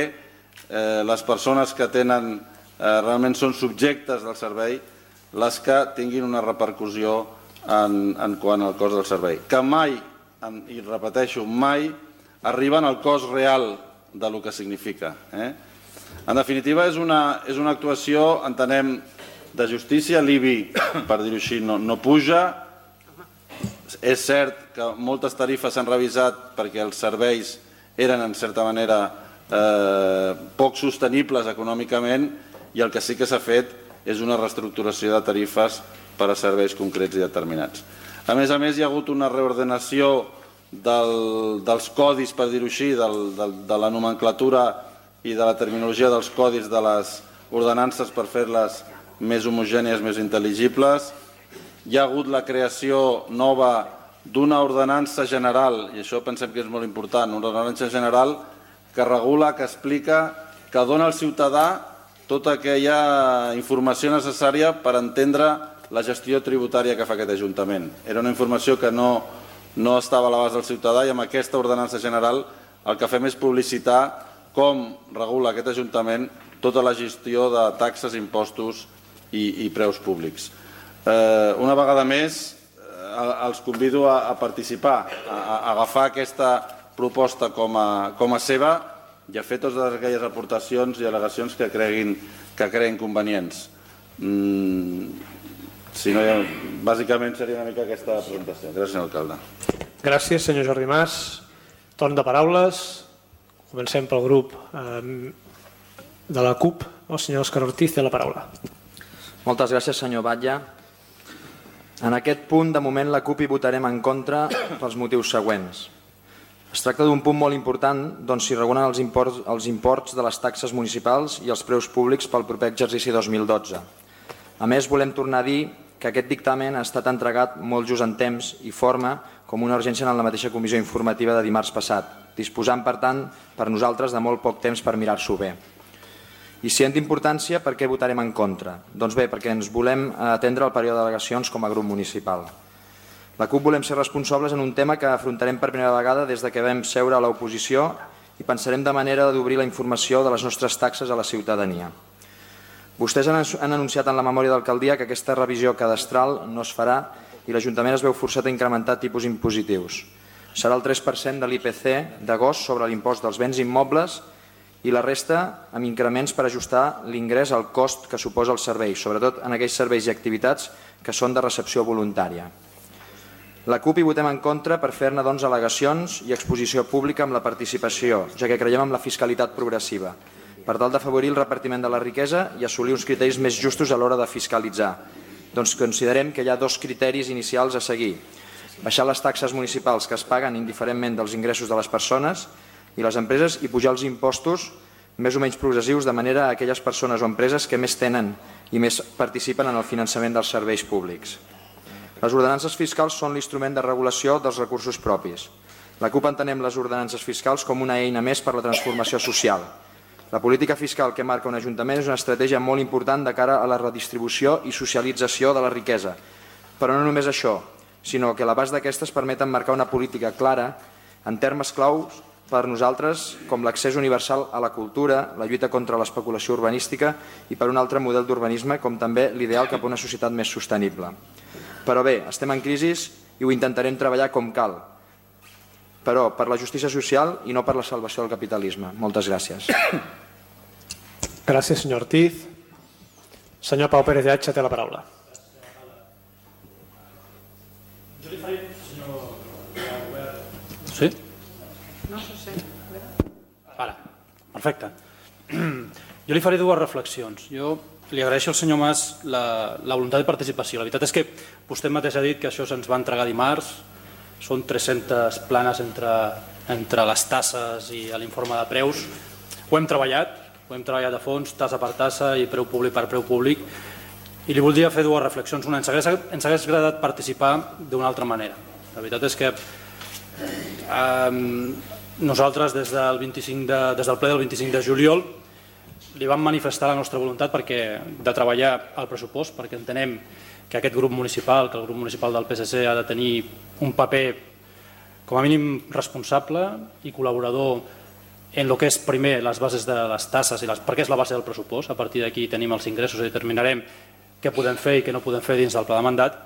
eh, les persones que tenen Eh, realment són subjectes del servei, les que tinguin una repercussió en, en quant al cost del servei. Que mai, i repeteixo, mai arriben al cost real de lo que significa. Eh? En definitiva, és una, és una actuació, entenem, de justícia. L'I B I, per dir-ho així, no, no puja. És cert que moltes tarifes s'han revisat perquè els serveis eren, en certa manera, eh, poc sostenibles econòmicament, i el que sí que s'ha fet és una reestructuració de tarifes per a serveis concrets i determinats. A més a més, hi ha hagut una reordenació del, dels codis, per dir-ho així, del, del, de la nomenclatura i de la terminologia dels codis de les ordenances per fer-les més homogènies, més intel·ligibles. Hi ha hagut la creació nova d'una ordenança general, i això pensem que és molt important, una ordenança general que regula, que explica, que dona al ciutadà tota aquella informació necessària per entendre la gestió tributària que fa aquest Ajuntament. Era una informació que no, no estava a l'abast del ciutadà, i amb aquesta ordenança general el que fem és publicitar com regula aquest Ajuntament tota la gestió de taxes, impostos i, i preus públics. Eh, una vegada més, eh, els convido a, a participar, a, a agafar aquesta proposta com a, com a seva i a fer totes aquelles aportacions i al·legacions que creguin, que creguin convenients. Mm, si no, bàsicament seria una mica aquesta presentació. Gràcies, senyor alcalde. Gràcies, senyor Jordi Mas. Torn de paraules. Comencem pel grup eh, de la CUP. El senyor Òscar Ortiz té la paraula. Moltes gràcies, senyor Batlle. En aquest punt, de moment, la CUP hi votarem en contra pels motius següents. Es tracta d'un punt molt important d'on s'hi regulen els imports, els imports de les taxes municipals i els preus públics pel proper exercici dos mil dotze. A més, volem tornar a dir que aquest dictamen ha estat entregat molt just en temps i forma com una urgència en la mateixa comissió informativa de dimarts passat, disposant, per tant, per nosaltres de molt poc temps per mirar-s'ho bé. I si hem d'importància, per què votarem en contra? Doncs bé, perquè ens volem atendre el període d'al·legacions com a grup municipal. La CUP volem ser responsables en un tema que afrontarem per primera vegada des que vam seure a l'oposició i pensarem de manera d'obrir la informació de les nostres taxes a la ciutadania. Vostès han anunciat en la memòria d'alcaldia que aquesta revisió cadastral no es farà i l'Ajuntament es veu forçat a incrementar tipus impositius. Serà el tres per cent de l'I P C d'agost sobre l'impost dels béns immobles i la resta amb increments per ajustar l'ingrés al cost que suposa el servei, sobretot en aquells serveis i activitats que són de recepció voluntària. La CUP hi votem en contra per fer-ne doncs al·legacions i exposició pública amb la participació, ja que creiem en la fiscalitat progressiva, per tal d'afavorir el repartiment de la riquesa i assolir uns criteris més justos a l'hora de fiscalitzar. Doncs considerem que hi ha dos criteris inicials a seguir. Baixar les taxes municipals que es paguen indiferentment dels ingressos de les persones i les empreses i pujar els impostos més o menys progressius de manera a aquelles persones o empreses que més tenen i més participen en el finançament dels serveis públics. Les ordenances fiscals són l'instrument de regulació dels recursos propis. La CUP entenem les ordenances fiscals com una eina més per a la transformació social. La política fiscal que marca un ajuntament és una estratègia molt important de cara a la redistribució i socialització de la riquesa. Però no només això, sinó que a l'abast d'aquestes permeten marcar una política clara en termes claus per nosaltres com l'accés universal a la cultura, la lluita contra l'especulació urbanística i per un altre model d'urbanisme com també l'ideal cap a una societat més sostenible. Però bé, estem en crisi i ho intentarem treballar com cal, però per la justícia social i no per la salvació del capitalisme. Moltes gràcies. Gràcies, senyor Ortiz. Senyor Pau Pérez de Atxa té la paraula. Jo li faré, senyor Albert... Sí? No sé si... Ara, perfecte. Jo li faré dues reflexions. Jo li agraeixo al senyor Mas la, la voluntat de participació. La veritat és que vostè mateix ha dit que això se'ns va entregar dimarts, són tres-centes planes entre, entre les tasses i l'informe de preus. Ho hem treballat, ho hem treballat a fons, tassa per tassa i preu públic per preu públic, i li voldria fer dues reflexions. Una, ens hagués, ens hagués agradat participar d'una altra manera. La veritat és que eh, nosaltres des del, vint-i-cinc de, des del ple del vint-i-cinc de juliol li vam manifestar la nostra voluntat perquè, de treballar al pressupost, perquè entenem que aquest grup municipal, que el grup municipal del P S C ha de tenir un paper com a mínim responsable i col·laborador en el que és primer les bases de les tasses, i les, perquè és la base del pressupost. A partir d'aquí tenim els ingressos i determinarem què podem fer i què no podem fer dins del pla de mandat.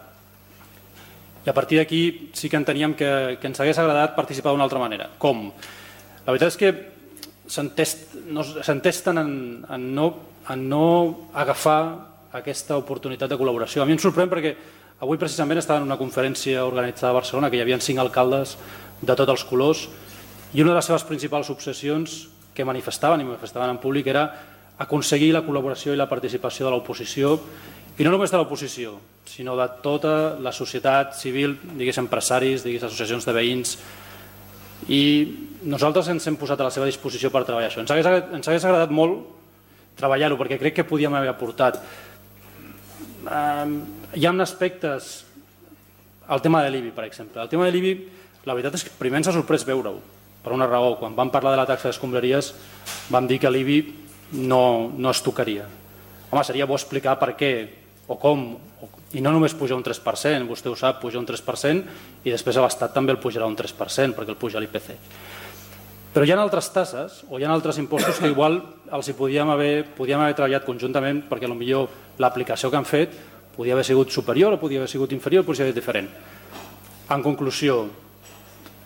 I a partir d'aquí sí que enteníem que, que ens hagués agradat participar d'una altra manera. Com? La veritat és que s'entesten en, en, no, en no agafar aquesta oportunitat de col·laboració. A mi em sorprèn perquè avui precisament estava en una conferència organitzada a Barcelona que hi havia cinc alcaldes de tots els colors i una de les seves principals obsessions que manifestaven i manifestaven en públic era aconseguir la col·laboració i la participació de l'oposició, i no només de l'oposició, sinó de tota la societat civil, digués empresaris, digués associacions de veïns, i nosaltres ens hem posat a la seva disposició per treballar això. Ens hagués, ens hagués agradat molt treballar-ho, perquè crec que podíem haver aportat. Um, hi ha aspectes, el tema de l'I B I, per exemple. El tema de l'I B I, la veritat és que primer ens ha sorprès veure-ho, per una raó. Quan vam parlar de la taxa d'escombraries vam dir que l'I B I no, no es tocaria. Home, seria bo explicar per què o com, i no només pujar un tres per cent, vostè ho sap, puja un tres per cent i després a l'Estat també el pujarà un tres per cent perquè el puja l'I P C. Però hi ha altres tasses o hi ha altres impostos que igual els hi podíem haver, podíem haver treballat conjuntament perquè potser l'aplicació que han fet podia haver sigut superior o podia haver sigut inferior, podia haver diferent. En conclusió,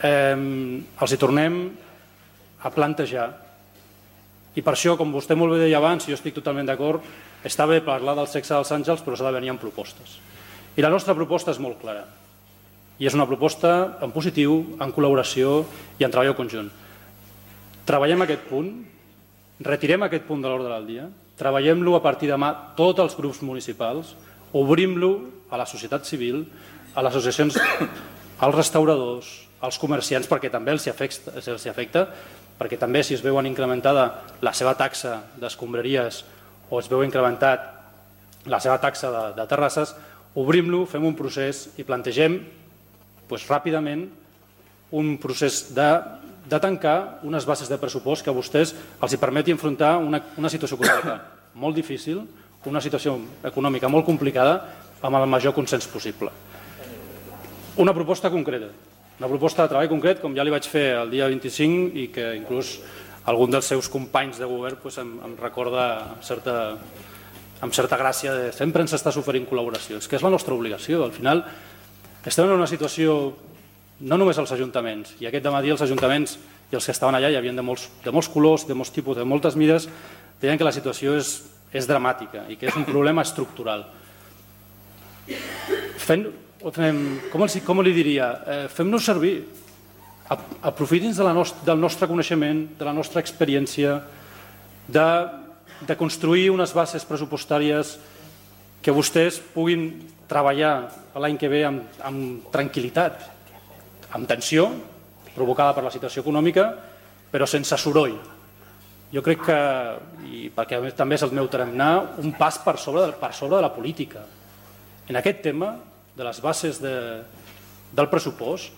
eh, els hi tornem a plantejar, i per això, com vostè molt bé deia abans, jo estic totalment d'acord, està bé parlar del sexe dels àngels, però s'ha de venir amb propostes. I la nostra proposta és molt clara. I és una proposta en positiu, en col·laboració i en treball conjunt. Treballem aquest punt, retirem aquest punt de l'ordre del dia, treballem-lo a partir de demà tots els grups municipals, obrim-lo a la societat civil, a les associacions, als restauradors, als comerciants, perquè també els afecta, els afecta, perquè també si es veuen incrementada la seva taxa d'escombraries o es veu incrementat la seva taxa de, de terrasses, obrim-lo, fem un procés i plantegem doncs, ràpidament un procés de, de tancar unes bases de pressupost que a vostès els hi permeti enfrontar una, una situació econòmica molt difícil, una situació econòmica molt complicada, amb el major consens possible. Una proposta concreta, una proposta de treball concret, com ja li vaig fer el dia vint-i-cinc i que inclús algun dels seus companys de govern doncs, em, em recorda amb certa, amb certa gràcia de sempre ens està oferint col·laboració. És que és la nostra obligació. Al final estem en una situació, no només els ajuntaments, i aquest dematí els ajuntaments i els que estaven allà hi havia de molts, de molts colors, de molts tipus, de moltes mides, deien que la situació és, és dramàtica i que és un problema estructural. Fent, fem, com, els, com li diria? Eh, fem-nos servir. Aprofitin de la nost del nostre coneixement, de la nostra experiència, de, de construir unes bases pressupostàries que vostès puguin treballar l'any que ve amb, amb tranquil·litat, amb tensió, provocada per la situació econòmica, però sense soroll. Jo crec que, i perquè també és el meu tarannà, un pas per sobre, per sobre de la política. En aquest tema de les bases de, del pressupost,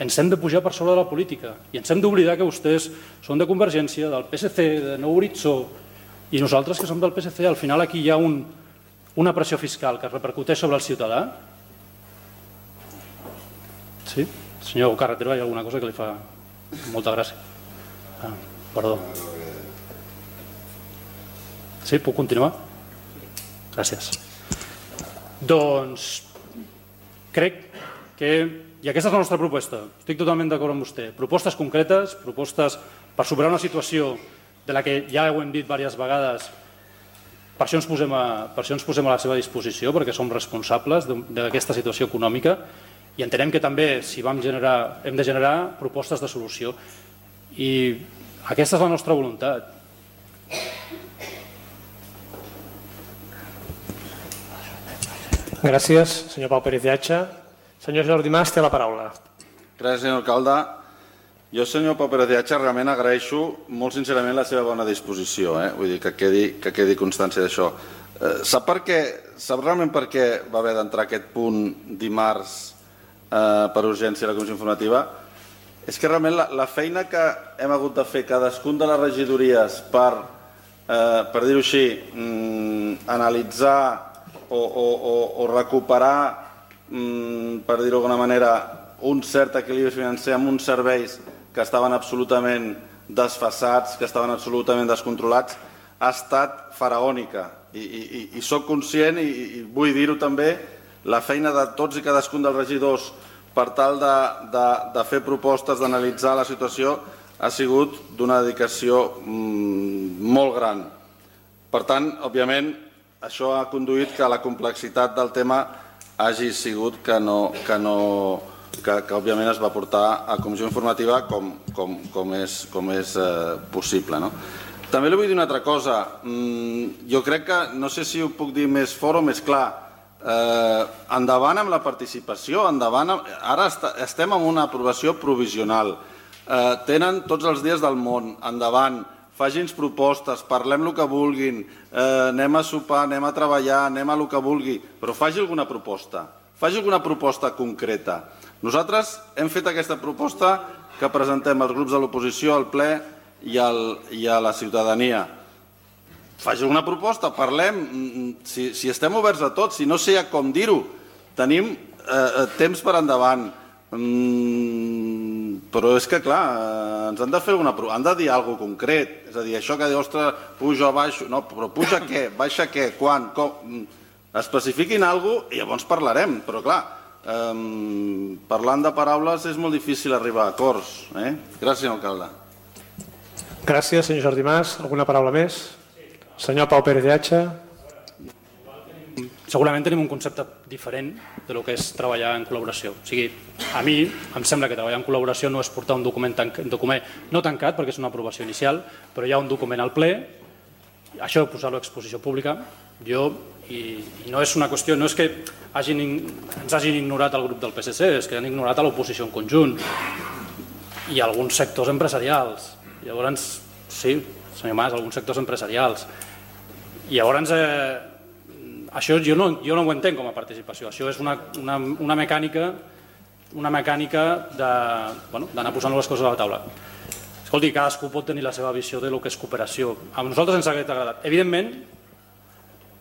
ens hem de pujar per sobre de la política i ens hem d'oblidar que vostès són de Convergència, del P S C, de Nou Horitzó, i nosaltres que som del P S C, al final aquí hi ha un, una pressió fiscal que repercuteix sobre el ciutadà. Sí? Senyor Carretero, hi ha alguna cosa que li fa molta gràcia? Ah, perdó. Sí, puc continuar? Gràcies. Doncs crec que, i aquesta és la nostra proposta, estic totalment d'acord amb vostè, propostes concretes, propostes per superar una situació de la que ja ho hem dit diverses vegades, per això ens posem a, per això ens posem a la seva disposició, perquè som responsables d'aquesta situació econòmica i entenem que també si vam generar, hem de generar propostes de solució. I aquesta és la nostra voluntat. Gràcies, senyor Pau Pérez Llatxa. Senyor Jordi Mas, té la paraula. Gràcies, senyor alcalde. Jo, senyor Pau Pérez Llatxa, realment agraeixo molt sincerament la seva bona disposició, eh? Vull dir que quedi, que quedi constància d'això. Eh, sap, per què, sap realment per què va haver d'entrar aquest punt dimarts eh, per urgència a la comissió informativa? És que realment la, la feina que hem hagut de fer cadascun de les regidories per, eh, per dir-ho així, mm, analitzar o, o, o, o recuperar, mm, per dir-ho d'alguna manera, un cert equilibri financer amb uns serveis que estaven absolutament desfasats, que estaven absolutament descontrolats, ha estat faraònica. I, i, i soc conscient, i, i vull dir-ho també, la feina de tots i cadascun dels regidors per tal de, de, de fer propostes, d'analitzar la situació, ha sigut d'una dedicació mm, molt gran. Per tant, òbviament, això ha conduït que la complexitat del tema hagi sigut que no... Que no Que, que òbviament es va portar a comissió informativa com, com, com és, com és eh, possible. No? També li vull dir una altra cosa. Mm, jo crec que, no sé si ho puc dir més fort o més clar, eh, endavant amb la participació, endavant amb, ara est estem en una aprovació provisional, eh, tenen tots els dies del món, endavant, fagi'ns propostes, parlem el que vulguin, eh, anem a sopar, anem a treballar, anem a el que vulgui, però faci alguna proposta, faci alguna proposta concreta. Nosaltres hem fet aquesta proposta que presentem als grups de l'oposició, al ple i, al, i a la ciutadania. Faci alguna proposta, parlem, si, si estem oberts a tot, si no sé com dir-ho, tenim eh, temps per endavant. Mm, però és que, clar, ens han de fer alguna... han de dir alguna cosa concret. És a dir, això que diu, ostres, pujo, baixo... No, però puja què? Baixa què? Quan? Com? Especifiquin alguna cosa i llavors parlarem. Però, clar, eh, parlant de paraules és molt difícil arribar a acords. Eh? Gràcies, senyor alcalde. Gràcies, senyor Jordi Mas. Alguna paraula més? Senyor Pau Pérez de Hacha. Segurament tenim un concepte diferent de lo que és treballar en col·laboració. O sigui, a mi em sembla que treballar en col·laboració no és portar un document, un document no tancat, perquè és una aprovació inicial, però hi ha un document al ple, això de posar-lo a exposició pública, jo, i, i no és una qüestió, no és que hagin, ens hagin ignorat el grup del P S C, és que han ignorat a l'oposició en conjunt i alguns sectors empresarials. Llavors, sí, senyor Mas, alguns sectors empresarials. I llavors... Eh, Això jo no, jo no ho entenc com a participació, això és una, una, una mecànica, una mecànica de, bueno, d'anar posant les coses a la taula. Escolti, cadascú pot tenir la seva visió de lo que és cooperació. A nosaltres ens hauria agradat. Evidentment,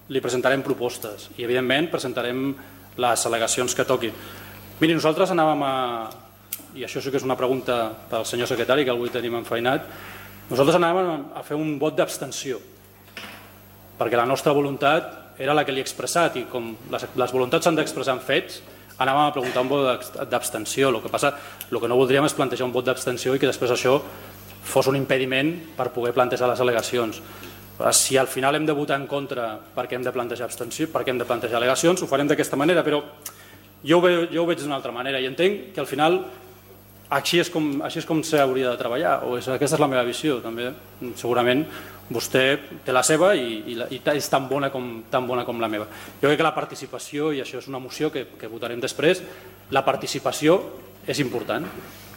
li presentarem propostes i evidentment presentarem les al·legacions que toqui. Miri, nosaltres anàvem a, i això sí que és una pregunta pel senyor secretari, que avui tenim enfeinat, nosaltres anàvem a fer un vot d'abstenció, perquè la nostra voluntat era la que li he expressat i com les, les voluntats s'han d'expressar en fets, anàvem a preguntar un vot d'abstenció. El que passa, el que no voldríem és plantejar un vot d'abstenció i que després això fos un impediment per poder plantejar les al·legacions. Si al final hem de votar en contra perquè hem de plantejar abstenció, perquè hem de plantejar al·legacions, ho farem d'aquesta manera, però jo ho, ve, jo ho veig d'una altra manera i entenc que al final així és com, així és com s'hauria de treballar, o és, aquesta és la meva visió també. Segurament vostè té la seva i, i, i és tan bona, com, tan bona com la meva. Jo crec que la participació, i això és una moció que, que votarem després, la participació és important,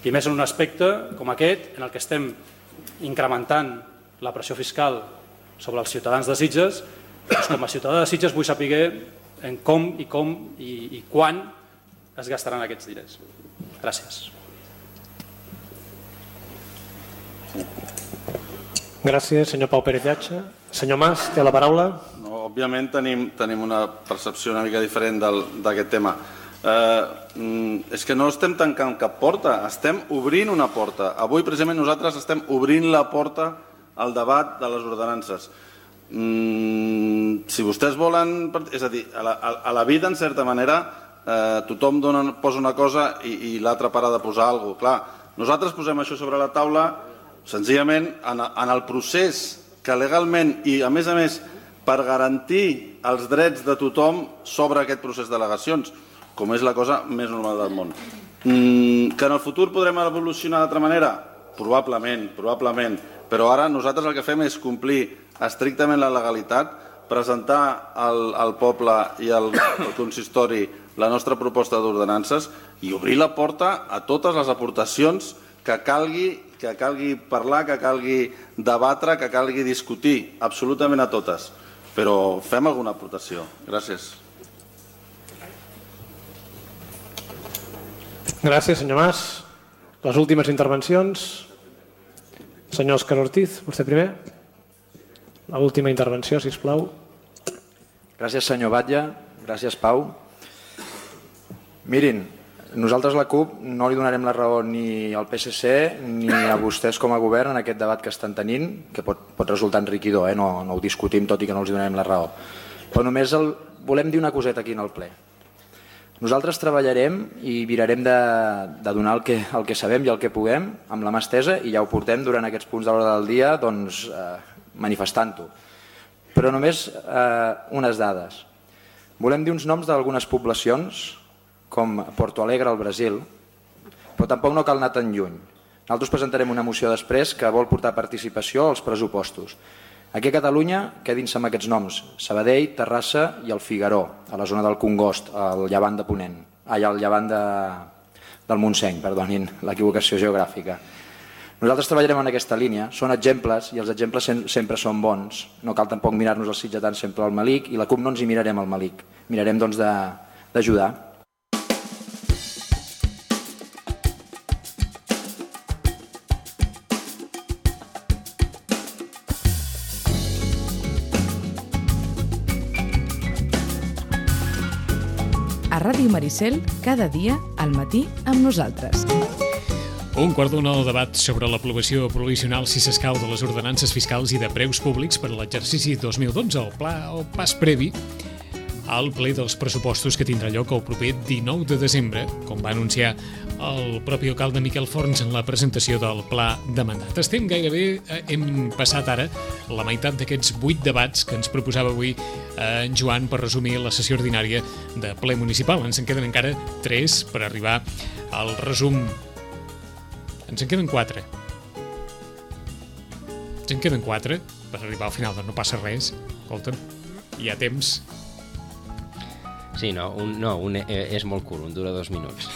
i més en un aspecte com aquest, en el que estem incrementant la pressió fiscal sobre els ciutadans de Sitges. Doncs com a ciutadà de Sitges vull saber en com i com i, i quan es gastaran aquests diners. Gràcies. Gràcies, senyor Pau Pérez de Hacha. Senyor Mas, té la paraula. No, òbviament tenim, tenim una percepció una mica diferent d'aquest tema. Eh, és que no estem tancant cap porta, estem obrint una porta. Avui, precisament, nosaltres estem obrint la porta al debat de les ordenances. Mm, si vostès volen... És a dir, a la, a la vida, en certa manera, eh, tothom dona, posa una cosa i, i l'altra para de posar alguna cosa. Clar, nosaltres posem això sobre la taula senzillament en, en el procés que legalment i a més a més per garantir els drets de tothom sobre aquest procés d'al·legacions, com és la cosa més normal del món. Mm, que en el futur podrem evolucionar d'altra manera? Probablement, probablement, però ara nosaltres el que fem és complir estrictament la legalitat, presentar al, al poble i al, al consistori la nostra proposta d'ordenances i obrir la porta a totes les aportacions que calgui que calgui parlar, que calgui debatre, que calgui discutir, absolutament a totes. Però fem alguna aportació. Gràcies. Gràcies, senyor Mas. Les últimes intervencions. Senyor Òscar Ortiz, vostè primer. L'última intervenció, sisplau. Gràcies, senyor Batlle. Gràcies, Pau. Mirin, nosaltres la CUP no li donarem la raó ni al P S C ni a vostès com a govern en aquest debat que estan tenint, que pot, pot resultar enriquidor, eh? no, no ho discutim tot i que no els donarem la raó. Però només el, volem dir una coseta aquí en el ple. Nosaltres treballarem i mirarem de, de donar el que, el que sabem i el que puguem amb la mà estesa i ja ho portem durant aquests punts de l'hora del dia doncs, eh, manifestant-ho. Però només eh, unes dades. Volem dir uns noms d'algunes poblacions com Porto Alegre al Brasil, però tampoc no cal anar tan lluny. Nosaltres presentarem una moció després que vol portar participació als pressupostos. Aquí a Catalunya, quedin-se amb aquests noms: Sabadell, Terrassa i el Figaró, a la zona del Congost, al llevant de Ponent, ai, al llevant de, del Montseny, perdonin l'equivocació geogràfica. Nosaltres treballarem en aquesta línia, són exemples i els exemples sempre són bons. No cal tampoc mirar-nos els sitgetans sempre al malic i la CUP no ens hi mirarem al malic, mirarem doncs d'ajudar. A Ràdio Maricel, cada dia, al matí, amb nosaltres. Un quart d'una al debat sobre l'aprovació provisional, si s'escau, de les ordenances fiscals i de preus públics per a l'exercici dos mil dotze, el pla o pas previ al ple dels pressupostos que tindrà lloc el proper dinou de desembre, com va anunciar el propi alcalde Miquel Forns en la presentació del pla de mandat. Estem gairebé, hem passat ara la meitat d'aquests vuit debats que ens proposava avui en Joan per resumir la sessió ordinària de ple municipal. Ens en queden encara tres per arribar al resum. Ens en queden quatre. Ens en queden quatre per arribar al final, doncs no passa res. Escolta'm, hi ha temps. Sí, no, un, no un, eh, és molt curt, un dura dos minuts.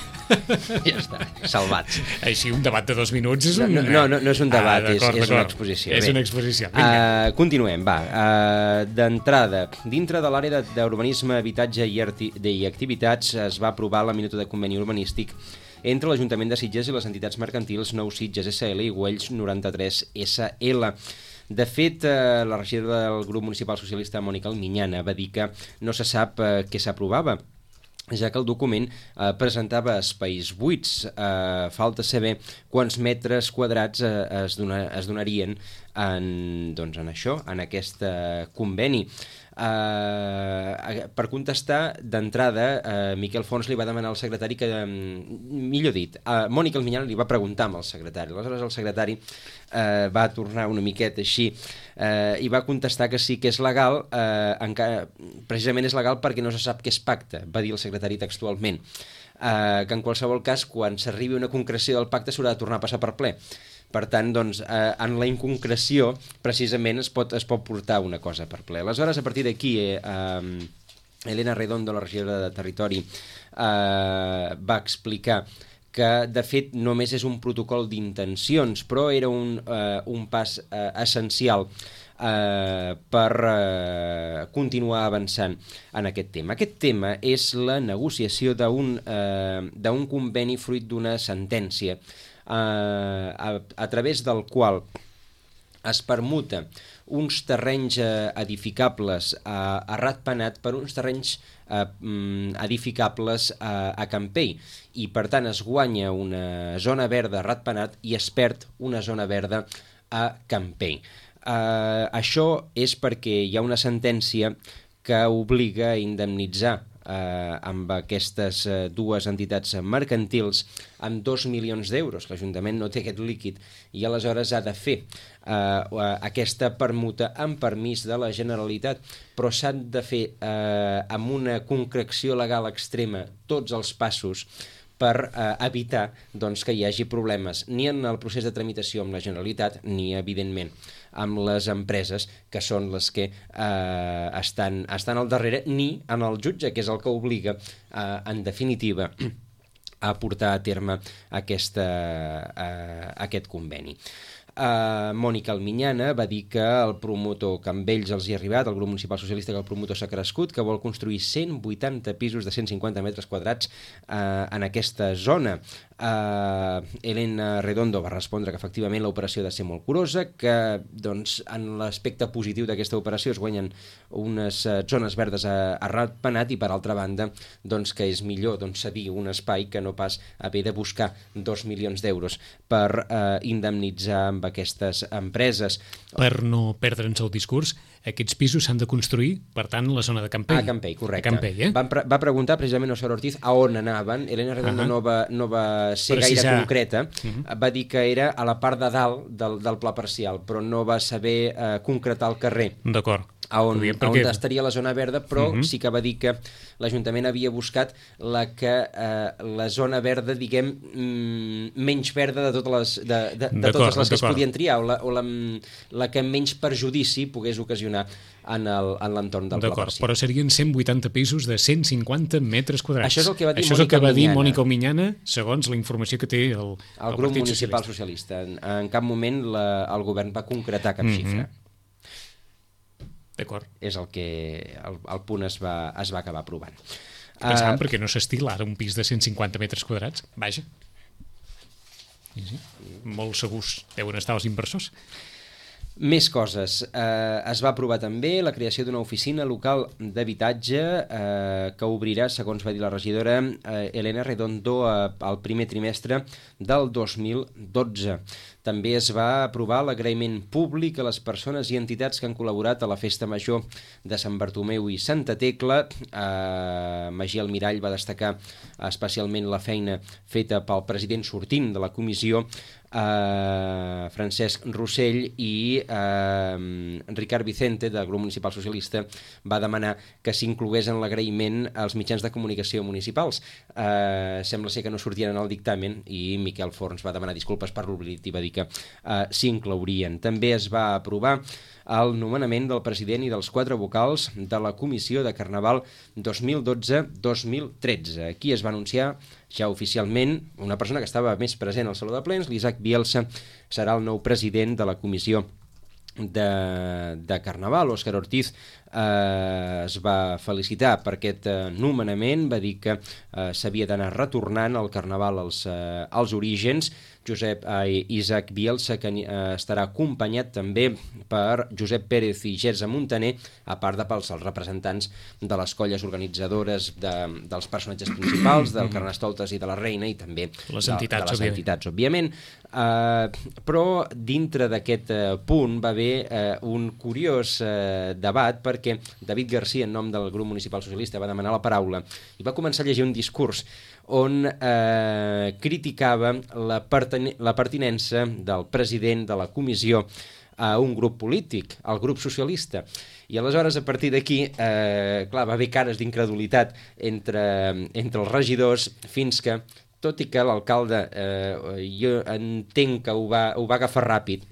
Ja està, salvats. Així, un debat de dos minuts és un... No, no, no, no és un debat, ah, és, és una exposició. És Bé, una exposició. Uh, continuem, va. Uh, D'entrada, dintre de l'àrea d'urbanisme, habitatge i, arti i activitats es va aprovar la minuta de conveni urbanístic entre l'Ajuntament de Sitges i les entitats mercantils Nou Sitges S L i Güells noranta-tres S L. De fet, eh, la regidora del grup municipal socialista, Mònica Alminyana, va dir que no se sap eh, què s'aprovava, ja que el document eh, presentava espais buits. Eh, falta saber quants metres quadrats eh, es, dona, es donarien en, doncs, en això, en aquest eh, conveni. Uh, per contestar, d'entrada, uh, Miquel Forns li va demanar al secretari que, um, millor dit, uh, Mònica Alminyana li va preguntar amb el secretari. Aleshores el secretari uh, va tornar una miqueta així uh, i va contestar que sí que és legal, uh, encara, precisament és legal perquè no se sap què es pacta, va dir el secretari textualment. Uh, que en qualsevol cas, quan s'arribi una concreció del pacte s'haurà de tornar a passar per ple. Per tant, doncs, eh, en la inconcreció, precisament, es pot, es pot portar una cosa per ple. Aleshores, a partir d'aquí, eh, eh, Elena Redondo, la regidora de Territori, eh, va explicar que, de fet, només és un protocol d'intencions, però era un, eh, un pas eh, essencial eh, per eh, continuar avançant en aquest tema. Aquest tema és la negociació d'un eh, d'un conveni fruit d'una sentència, Uh, a, a través del qual es permuta uns terrenys uh, edificables uh, a Ratpenat per uns terrenys uh, edificables uh, a Campell, i per tant es guanya una zona verda a Ratpenat i es perd una zona verda a Campell. Uh, això és perquè hi ha una sentència que obliga a indemnitzar Eh, amb aquestes eh, dues entitats mercantils amb dos milions d'euros. L'Ajuntament no té aquest líquid i aleshores ha de fer eh, aquesta permuta amb permís de la Generalitat, però s'han de fer eh, amb una concreció legal extrema tots els passos per eh, evitar doncs, que hi hagi problemes ni en el procés de tramitació amb la Generalitat ni, evidentment, amb les empreses que són les que eh, estan, estan al darrere, ni en el jutge, que és el que obliga, eh, en definitiva, a portar a terme aquesta, eh, aquest conveni. Uh, Mònica Alminyana va dir que el promotor, que amb ells els hi ha arribat, el grup municipal socialista, que el promotor s'ha crescut, que vol construir cent vuitanta pisos de cent cinquanta metres quadrats uh, en aquesta zona. Uh, Elena Redondo va respondre que efectivament l'operació ha de ser molt curosa, que doncs, en l'aspecte positiu d'aquesta operació es guanyen unes uh, zones verdes a, a Ratpenat, i per altra banda doncs, que és millor doncs, cedir un espai que no pas haver de buscar dos milions d'euros per uh, indemnitzar amb aquestes empreses. Per no perdre'ns el discurs, aquests pisos s'han de construir, per tant, a la zona de Campell. A Campell, correcte. A Campell, eh? Va, pre va preguntar precisament a Sara Ortiz a on anaven. Elena Redondo uh -huh. no, va, no va ser Precisar. gaire concreta. Uh -huh. Va dir que era a la part de dalt del, del pla parcial, però no va saber eh, concretar el carrer. D'acord. A on, a on estaria la zona verda, però uh -huh. sí que va dir que l'Ajuntament havia buscat la, que, eh, la zona verda, diguem, mm, menys verda de totes les, de, de, de totes les que es podien triar, o, la, o la, la que menys perjudici pogués ocasionar en l'entorn del pla parcial. Però serien cent vuitanta pisos de cent cinquanta metres quadrats. Això és el que va dir, Això és el que va dir Mònica Alminyana, segons la informació que té el, el, el grup municipal socialista. En, en cap moment la, el govern va concretar cap mm -hmm. xifra. D'acord. És el que el, el punt es va, es va acabar aprovant. Pensàvem uh, perquè no s'estila ara un pis de cent cinquanta metres quadrats. Vaja. Sí, sí. Molt segurs deuen estar els inversors. Més coses. Eh, es va aprovar també la creació d'una oficina local d'habitatge eh, que obrirà, segons va dir la regidora eh, Elena Redondo, eh, al primer trimestre del dos mil dotze. També es va aprovar l'agraïment públic a les persones i entitats que han col·laborat a la Festa Major de Sant Bartomeu i Santa Tecla. Eh, Magí Almirall va destacar especialment la feina feta pel president sortint de la comissió, Uh, Francesc Rossell, i uh, Ricard Vicente del grup municipal socialista va demanar que s'inclogués en l'agraïment als mitjans de comunicació municipals. Uh, sembla ser que no sortien en el dictamen i Miquel Forns va demanar disculpes per l'oblit i va dir que uh, s'inclourien. També es va aprovar el nomenament del president i dels quatre vocals de la Comissió de Carnaval dos mil dotze dos mil tretze. Aquí es va anunciar ja oficialment una persona que estava més present al Saló de Plens, l'Isaac Bielsa, serà el nou president de la Comissió de, de Carnaval. Òscar Ortiz eh, es va felicitar per aquest eh, nomenament, va dir que eh, s'havia d'anar retornant al Carnaval als, eh, als orígens. Josep eh, Isaac Bielsa, que eh, estarà acompanyat també per Josep Pérez i Gersa Montaner, a part de pels els representants de les colles organitzadores de, dels personatges principals, del Carnestoltes i de la Reina, i també les de, entitats, de les òbviament. entitats, òbviament. Uh, però dintre d'aquest uh, punt va haver uh, un curiós uh, debat, perquè David Garcia, en nom del grup municipal socialista, va demanar la paraula i va començar a llegir un discurs on eh, criticava la, perten la pertinença del president de la comissió a un grup polític, al grup socialista. I aleshores, a partir d'aquí, eh, clar, va haver cares d'incredulitat entre, entre els regidors, fins que, tot i que l'alcalde, eh, jo entenc que ho va, ho va agafar ràpid,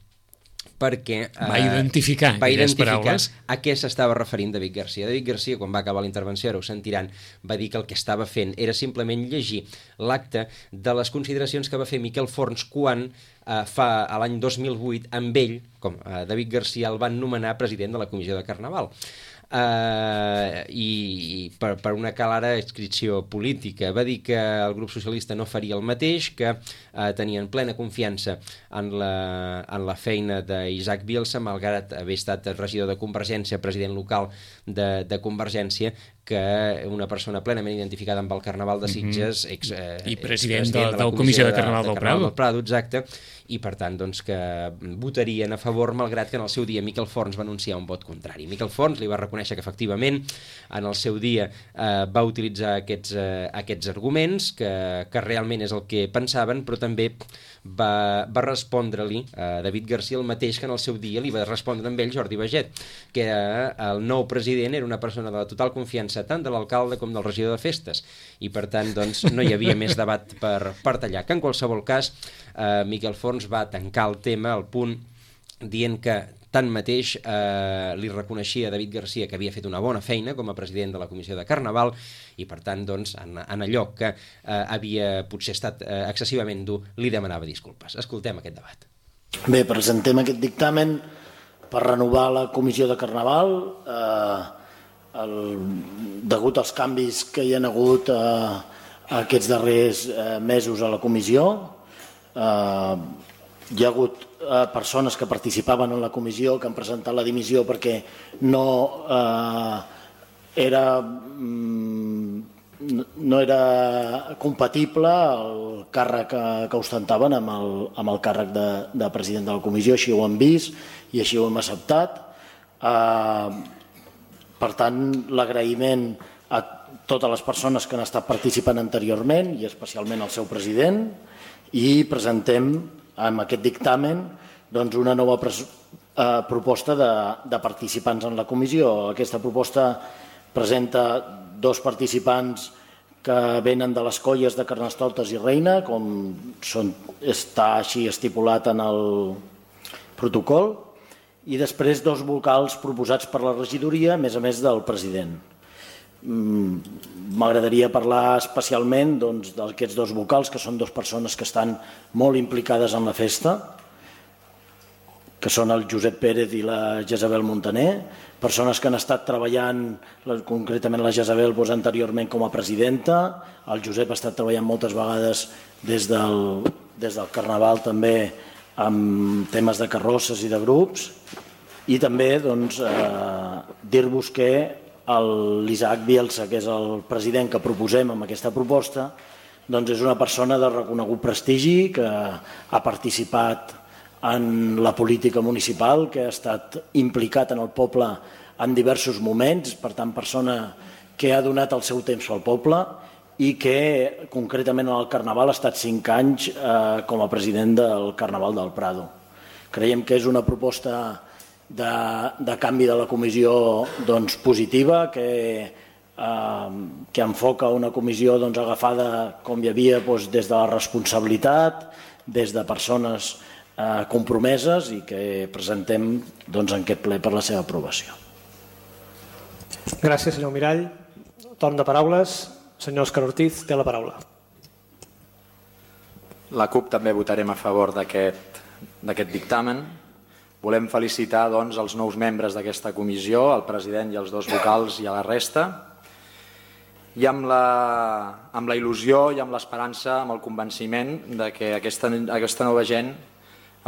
perquè eh, va identificar, va identificar paraules. A què s'estava referint David Garcia. David Garcia, quan va acabar la intervenció, ara ho sentiran, va dir que el que estava fent era simplement llegir l'acte de les consideracions que va fer Miquel Forns quan eh, fa a l'any dos mil vuit amb ell, com eh, David Garcia, el van nomenar president de la Comissió de Carnaval. Uh, i, i per, per una clara adscripció política. Va dir que el grup socialista no faria el mateix, que uh, tenien plena confiança en la, en la feina d'Isaac Bielsa, malgrat haver estat regidor de Convergència, president local de, de Convergència, que una persona plenament identificada amb el Carnaval de Sitges, mm-hmm. ex, eh, i president de, de, de la Comissió de, de Carnaval, de, del, Prado. del Prado, exacte, i per tant doncs, que votarien a favor, malgrat que en el seu dia Miquel Forns va anunciar un vot contrari. Miquel Forns li va reconèixer que efectivament en el seu dia eh, va utilitzar aquests, eh, aquests arguments, que, que realment és el que pensaven, però també va, va respondre-li a eh, David Garcia el mateix que en el seu dia li va respondre amb ell Jordi Baget, que eh, el nou president era una persona de la total confiança tant de l'alcalde com del regidor de festes, i per tant doncs, no hi havia més debat per, per tallar. Que en qualsevol cas eh, Miquel Forns va tancar el tema al punt dient que tanmateix eh, li reconeixia a David Garcia que havia fet una bona feina com a president de la Comissió de Carnaval, i per tant doncs, en, en allò que eh, havia potser estat eh, excessivament dur, li demanava disculpes. Escoltem aquest debat. Bé, presentem aquest dictamen per renovar la Comissió de Carnaval. Eh, el, degut als canvis que hi ha hagut eh, aquests darrers eh, mesos a la comissió, eh, hi ha hagut eh, persones que participaven en la comissió que han presentat la dimissió perquè no eh, era mm, no era compatible el càrrec que, que ostentaven amb el, amb el càrrec de, de president de la comissió. Així ho hem vist i així ho hem acceptat. Eh, per tant, l'agraïment a totes les persones que han estat participant anteriorment i especialment al seu president, i presentem amb aquest dictamen doncs, una nova pres eh, proposta de, de participants en la comissió. Aquesta proposta presenta dos participants que venen de les colles de Carnestoltes i Reina, com són, està així estipulat en el protocol, i després dos vocals proposats per la regidoria, a més a més del president. M'agradaria parlar especialment doncs, d'aquests dos vocals, que són dues persones que estan molt implicades en la festa, que són el Josep Pérez i la Jezabel Montaner, persones que han estat treballant, concretament la Jezabel doncs, anteriorment com a presidenta, el Josep ha estat treballant moltes vegades des del, des del Carnaval també amb temes de carrosses i de grups, i també doncs, eh, dir-vos que l'Isaac Bielsa, que és el president que proposem amb aquesta proposta, doncs és una persona de reconegut prestigi, que ha participat en la política municipal, que ha estat implicat en el poble en diversos moments, per tant, persona que ha donat el seu temps al poble i que, concretament en el Carnaval, ha estat cinc anys eh, com a president del Carnaval del Prado. Creiem que és una proposta de, de canvi de la comissió doncs, positiva, que, eh, que enfoca una comissió doncs, agafada com hi havia doncs, des de la responsabilitat, des de persones eh, compromeses i que presentem doncs, en aquest ple per la seva aprovació. Gràcies, senyor Mirall. Torn de paraules. Senyor Òscar Ortiz, té la paraula. La CUP també votarem a favor d'aquest dictamen. Volem felicitar doncs, els nous membres d'aquesta comissió, el president i els dos vocals i a la resta. I amb la, amb la il·lusió i amb l'esperança, amb el convenciment de que aquesta, aquesta nova gent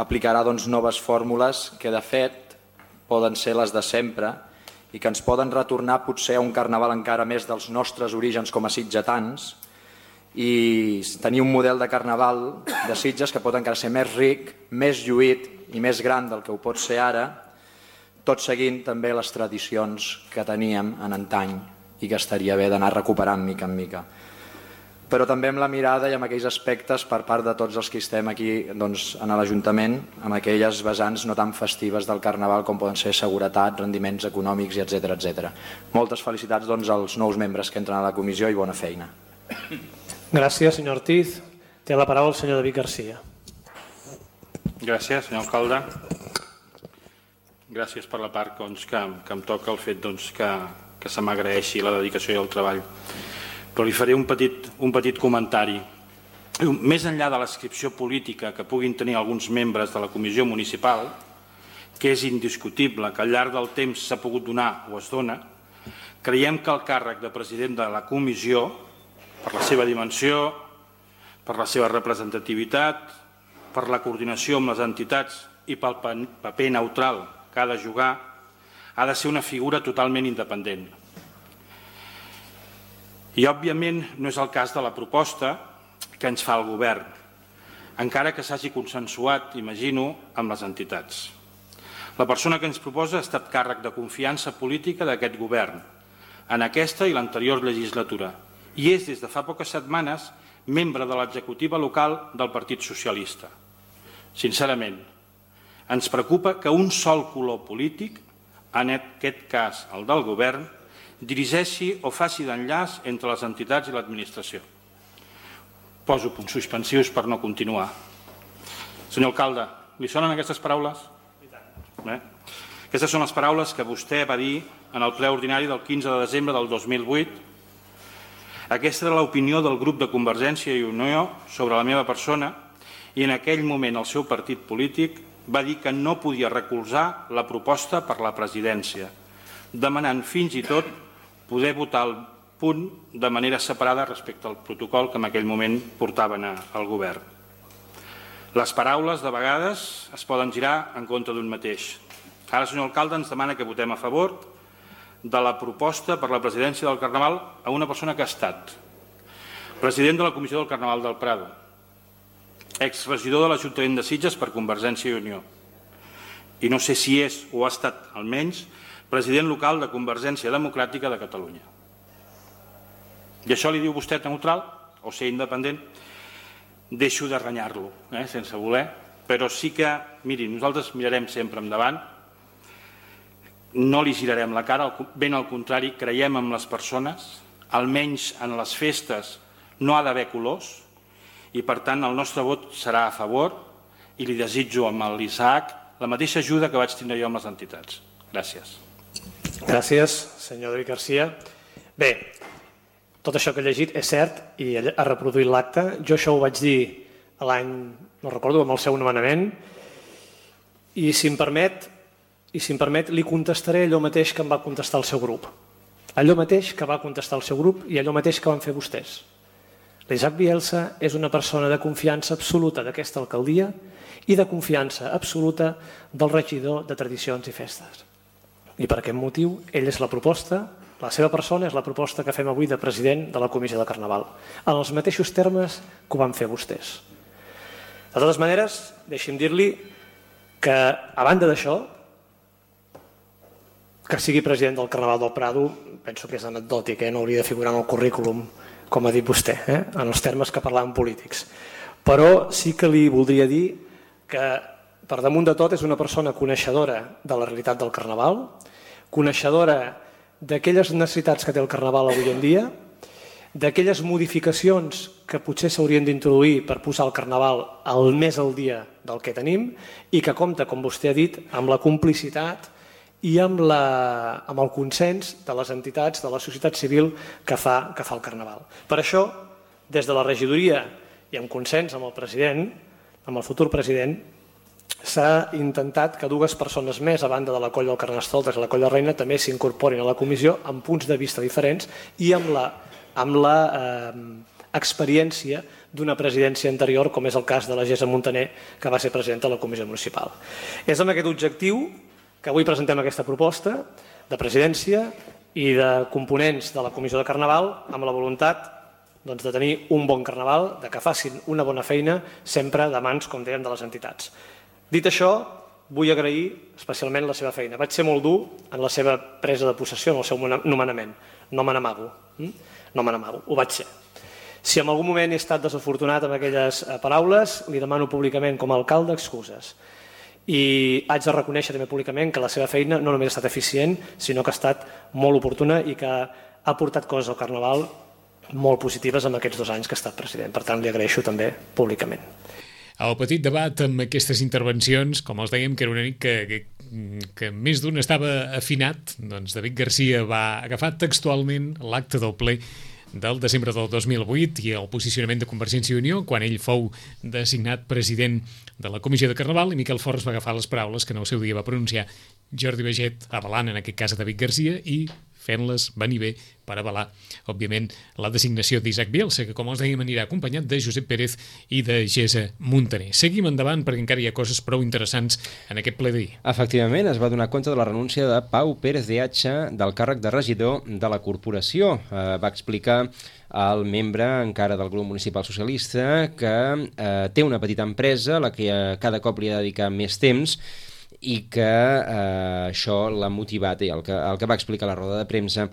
aplicarà doncs, noves fórmules que de fet poden ser les de sempre i que ens poden retornar potser a un carnaval encara més dels nostres orígens com a sitgetans i tenir un model de carnaval de Sitges que pot encara ser més ric, més lluït i més gran del que ho pot ser ara, tot seguint també les tradicions que teníem en antany i que estaria bé d'anar recuperant mica en mica. Però també amb la mirada i amb aquells aspectes per part de tots els que estem aquí doncs, en l'Ajuntament, amb aquelles vessants no tan festives del Carnaval com poden ser seguretat, rendiments econòmics, etcètera etcètera. Moltes felicitats doncs, als nous membres que entren a la comissió i bona feina. Gràcies, senyor Ortiz. Té la paraula el senyor David Garcia. Gràcies, senyor alcalde. Gràcies per la part doncs, que, que em toca el fet doncs, que, que se m'agraeixi la dedicació i el treball. Però li faré un petit, un petit comentari. Més enllà de l'adscripció política que puguin tenir alguns membres de la comissió municipal, que és indiscutible que al llarg del temps s'ha pogut donar o es dona, creiem que el càrrec de president de la comissió, per la seva dimensió, per la seva representativitat, per la coordinació amb les entitats i pel paper neutral que ha de jugar, ha de ser una figura totalment independent. I, òbviament, no és el cas de la proposta que ens fa el govern, encara que s'hagi consensuat, imagino, amb les entitats. La persona que ens proposa ha estat càrrec de confiança política d'aquest govern, en aquesta i l'anterior legislatura, i és, des de fa poques setmanes, membre de l'executiva local del Partit Socialista. Sincerament, ens preocupa que un sol color polític, en aquest cas el del govern, dirigeixi o faci d'enllaç entre les entitats i l'administració. Poso punts suspensius per no continuar. Senyor alcalde, li sonen aquestes paraules? Bé. Aquestes són les paraules que vostè va dir en el ple ordinari del quinze de desembre del dos mil vuit. Aquesta era l'opinió del grup de Convergència i Unió sobre la meva persona i en aquell moment el seu partit polític va dir que no podia recolzar la proposta per la presidència, demanant fins i tot poder votar el punt de manera separada respecte al protocol que en aquell moment portaven al govern. Les paraules, de vegades, es poden girar en contra d'un mateix. Ara, senyor alcalde, ens demana que votem a favor de la proposta per la presidència del Carnaval a una persona que ha estat president de la Comissió del Carnaval del Prado, exregidor de l'Ajuntament de Sitges per Convergència i Unió, i no sé si és o ha estat, almenys, president local de Convergència Democràtica de Catalunya. I això li diu vostè neutral o ser independent? Deixo de renyar-lo, eh, sense voler, però sí que, miri, nosaltres mirarem sempre endavant, no li girarem la cara, ben al contrari, creiem en les persones, almenys en les festes no ha d'haver colors, i per tant el nostre vot serà a favor i li desitjo amb l'Isaac la mateixa ajuda que vaig tindre jo amb les entitats. Gràcies. Gràcies, senyor David Garcia. Bé, tot això que he llegit és cert i ha reproduït l'acte. Jo això ho vaig dir l'any, no recordo, amb el seu nomenament, i si em permet, i si em permet, li contestaré allò mateix que em va contestar el seu grup. Allò mateix que va contestar el seu grup i allò mateix que van fer vostès. L'Isaac Bielsa és una persona de confiança absoluta d'aquesta alcaldia i de confiança absoluta del regidor de Tradicions i Festes. I per aquest motiu, ell és la proposta, la seva persona és la proposta que fem avui de president de la Comissió de Carnaval, en els mateixos termes que ho van fer vostès. De totes maneres, deixi'm dir-li que, a banda d'això, que sigui president del Carnaval del Prado, penso que és anecdòtic, eh? No hauria de figurar en el currículum, com ha dit vostè, eh? En els termes que parlàvem polítics. Però sí que li voldria dir que, per damunt de tot, és una persona coneixedora de la realitat del Carnaval, coneixedora d'aquelles necessitats que té el Carnaval avui en dia, d'aquelles modificacions que potser s'haurien d'introduir per posar el Carnaval al més al dia del que tenim i que compta, com vostè ha dit, amb la complicitat i amb, la, amb el consens de les entitats, de la societat civil que fa, que fa el Carnaval. Per això, des de la regidoria i en consens amb el president, amb el futur president, s'ha intentat que dues persones més, a banda de la colla del Carnestoltes i la colla Reina, també s'incorporin a la comissió amb punts de vista diferents i amb la, amb la eh, experiència d'una presidència anterior, com és el cas de la Gesa Montaner, que va ser presidenta de la comissió municipal. És amb aquest objectiu que avui presentem aquesta proposta de presidència i de components de la comissió de Carnaval amb la voluntat doncs, de tenir un bon Carnaval, de que facin una bona feina, sempre de mans, com dèiem, de les entitats. Dit això, vull agrair especialment la seva feina. Vaig ser molt dur en la seva presa de possessió, en el seu nomenament. No me n'amago. No me n'amago. Ho vaig ser. Si en algun moment he estat desafortunat amb aquelles paraules, li demano públicament com a alcalde excuses. I haig de reconèixer també públicament que la seva feina no només ha estat eficient, sinó que ha estat molt oportuna i que ha portat coses al Carnaval molt positives en aquests dos anys que ha estat president. Per tant, li agraeixo també públicament. El petit debat amb aquestes intervencions, com els dèiem, que era una nit que, que, que més d'un estava afinat, doncs David Garcia va agafar textualment l'acte del ple del desembre del dos mil vuit i el posicionament de Convergència i Unió quan ell fou designat president de la Comissió de Carnaval, i Miquel Forns va agafar les paraules que en el seu dia va pronunciar Jordi Baget, avalant en aquest cas a David Garcia i fent-les venir bé per avalar, òbviament, la designació d'Isaac Bielsa, que, com els dèiem, anirà acompanyat de Josep Pérez i de Gesa Montaner. Seguim endavant perquè encara hi ha coses prou interessants en aquest ple d'ahir. Efectivament, es va donar compte de la renúncia de Pau Pérez de Atxa del càrrec de regidor de la corporació. Eh, va explicar el membre encara del grup municipal socialista que eh, té una petita empresa a la que eh, cada cop li ha de dedicar més temps i que eh, això l'ha motivat, i el que, el que va explicar a la roda de premsa,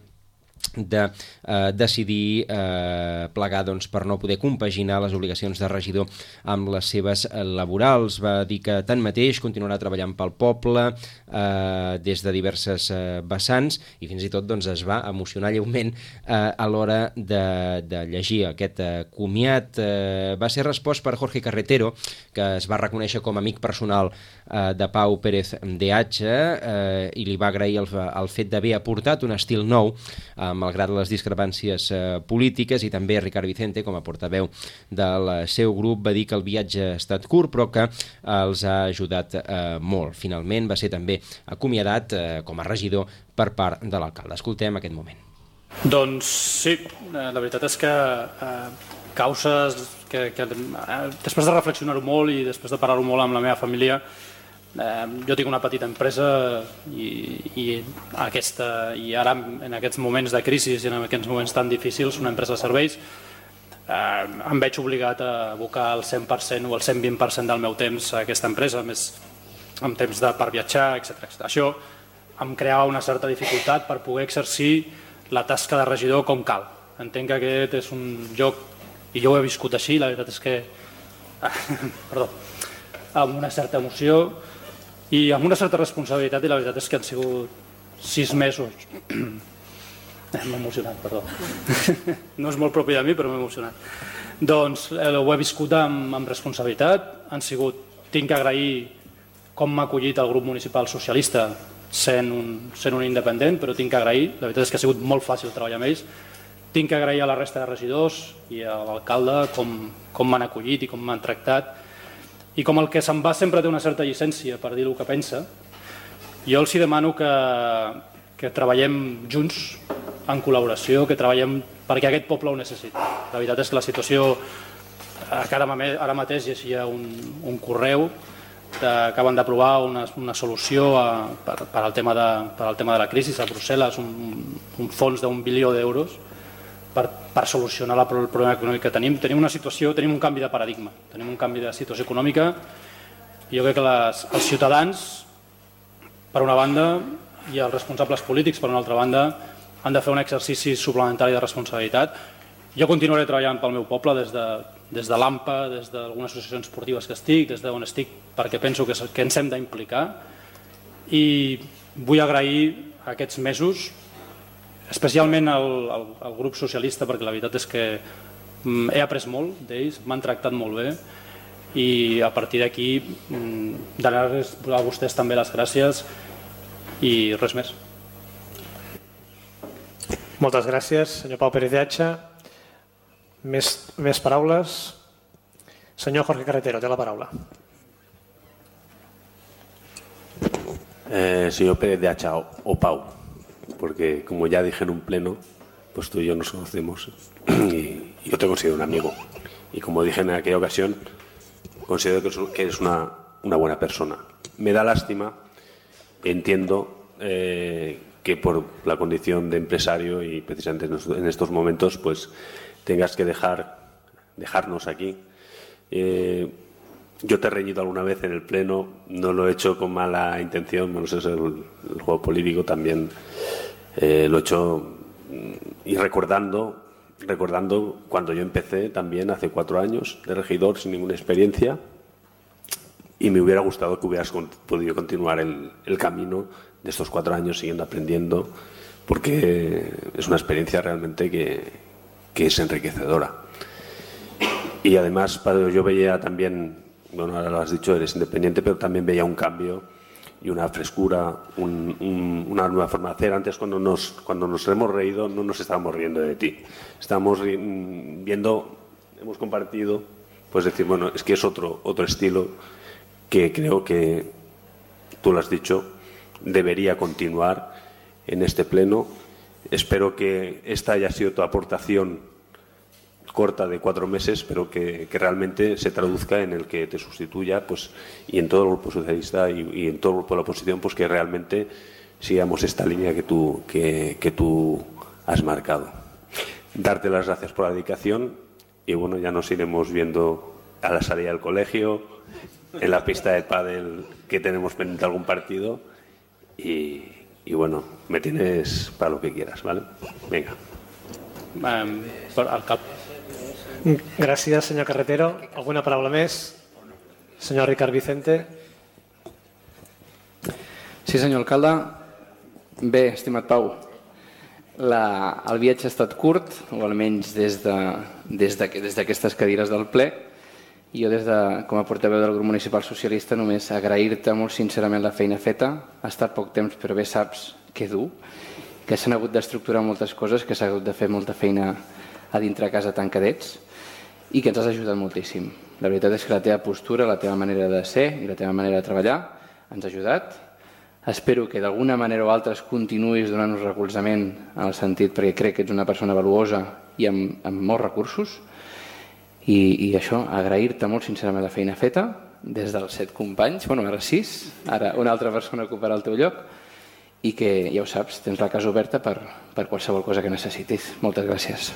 de eh, decidir eh, plegar doncs, per no poder compaginar les obligacions de regidor amb les seves eh, laborals. Va dir que tanmateix continuarà treballant pel poble eh, des de diverses eh, vessants, i fins i tot doncs, es va emocionar lleument eh, a l'hora de, de llegir aquest eh, comiat. Eh, va ser respost per Jorge Carretero, que es va reconèixer com a amic personal eh, de Pau Pérez de Atxa, eh, i li va agrair el, el fet d'haver aportat un estil nou eh, malgrat les discrepàncies eh, polítiques, i també Ricard Vicente, com a portaveu del seu grup, va dir que el viatge ha estat curt però que eh, els ha ajudat eh, molt. Finalment va ser també acomiadat eh, com a regidor per part de l'alcalde. Escoltem aquest moment. Doncs sí, la veritat és que eh, causes que, que eh, després de reflexionar-ho molt i després de parlar-ho molt amb la meva família, Eh, jo tinc una petita empresa i, i, aquesta, i ara en aquests moments de crisi i en aquests moments tan difícils, una empresa de serveis, eh, em veig obligat a abocar el cent per cent o el cent vint per cent del meu temps a aquesta empresa, més amb temps de, per viatjar, etcètera, etcètera. Això em creava una certa dificultat per poder exercir la tasca de regidor com cal. Entenc que aquest és un lloc, i jo ho he viscut així, la veritat és que perdó, amb una certa emoció i amb una certa responsabilitat, i la veritat és que han sigut sis mesos. M'he emocionat, perdó. No és molt propi de mi, però m'he emocionat. Doncs eh, ho he viscut amb, amb responsabilitat. Han sigut, tinc que agrair com m'ha acollit el grup municipal socialista sent un, sent un independent, però tinc que agrair, la veritat és que ha sigut molt fàcil treballar amb ells. Tinc que agrair a la resta de regidors i a l'alcalde com, com m'han acollit i com m'han tractat. I com el que se'n va sempre té una certa llicència per dir el que pensa, jo els demano que, que treballem junts en col·laboració, que treballem perquè aquest poble ho necessita. La veritat és que la situació, ara mateix llegia un, un correu que acaben d'aprovar una, una solució a, per, per, al tema de, per al tema de la crisi a Brussel·les, un, un fons d'un bilió d'euros per, per solucionar la, el problema econòmic que tenim. Tenim una situació, tenim un canvi de paradigma, tenim un canvi de situació econòmica i jo crec que les, els ciutadans, per una banda, i els responsables polítics, per una altra banda, han de fer un exercici suplementari de responsabilitat. Jo continuaré treballant pel meu poble des de, des de l'A M P A, des d'algunes associacions esportives que estic, des d'on estic, perquè penso que, que ens hem d'implicar. I vull agrair aquests mesos, especialment al, al, al grup socialista, perquè la veritat és que he après molt d'ells, m'han tractat molt bé i a partir d'aquí donar-los a vostès també les gràcies i res més. Moltes gràcies, senyor Pau Pérez de Hacha. Més, més paraules? Senyor Jorge Carretero, té la paraula. Eh, señor Pérez de Hacha o, o Pau, porque como ya dije en un pleno, pues tú y yo nos conocemos y yo te considero un amigo. Y como dije en aquella ocasión, considero que eres una, una buena persona. Me da lástima, entiendo eh, que por la condición de empresario y precisamente en estos momentos pues tengas que dejar, dejarnos aquí. Eh, yo te he reñido alguna vez en el pleno, no lo he hecho con mala intención, bueno, eso es el, el juego político también, eh, lo he hecho y recordando, recordando cuando yo empecé también hace cuatro años de regidor sin ninguna experiencia y me hubiera gustado que hubieras con, podido continuar el, el camino de estos cuatro años siguiendo aprendiendo, porque es una experiencia realmente que, que es enriquecedora. Y además yo veía también, bueno, ahora lo has dicho, eres independiente, pero también veía un cambio y una frescura, un, un, una nueva forma de hacer. Antes cuando nos, cuando nos hemos reído no nos estábamos riendo de ti, estábamos viendo, hemos compartido, pues decir, bueno, es que es otro, otro estilo que creo que, tú lo has dicho, debería continuar en este pleno. Espero que esta haya sido tu aportación corta de cuatro meses, pero que, que realmente se traduzca en el que te sustituya, pues, y en todo el grupo socialista y, y en todo el grupo de la oposición, pues que realmente sigamos esta línea que tú, que, que tú has marcado. Darte las gracias por la dedicación y bueno, ya nos iremos viendo a la salida del colegio, en la pista de pádel que tenemos pendiente algún partido y, y bueno, me tienes para lo que quieras, ¿vale? Venga. Um, al cap. Gràcies, senyor Carretero. Alguna paraula més? Senyor Ricard Vicente. Sí, senyor alcalde. Bé, estimat Pau, la, el viatge ha estat curt, o almenys des d'aquestes de, des de, cadires del ple, i jo, des de, com a portaveu del grup municipal socialista, només agrair-te molt sincerament la feina feta. Ha estat poc temps, però bé saps que dur, que s'han hagut d'estructurar moltes coses, que s'ha hagut de fer molta feina a dintre casa tancadets i que ens has ajudat moltíssim. La veritat és que la teva postura, la teva manera de ser i la teva manera de treballar ens ha ajudat. Espero que d'alguna manera o altra continuïs donant-nos recolzament en el sentit, perquè crec que ets una persona valuosa i amb, amb molts recursos. I, i això, agrair-te molt sincerament la feina feta des dels set companys, bueno, ara sis, ara una altra persona ocuparà el teu lloc i que, ja ho saps, tens la casa oberta per, per qualsevol cosa que necessitis. Moltes gràcies.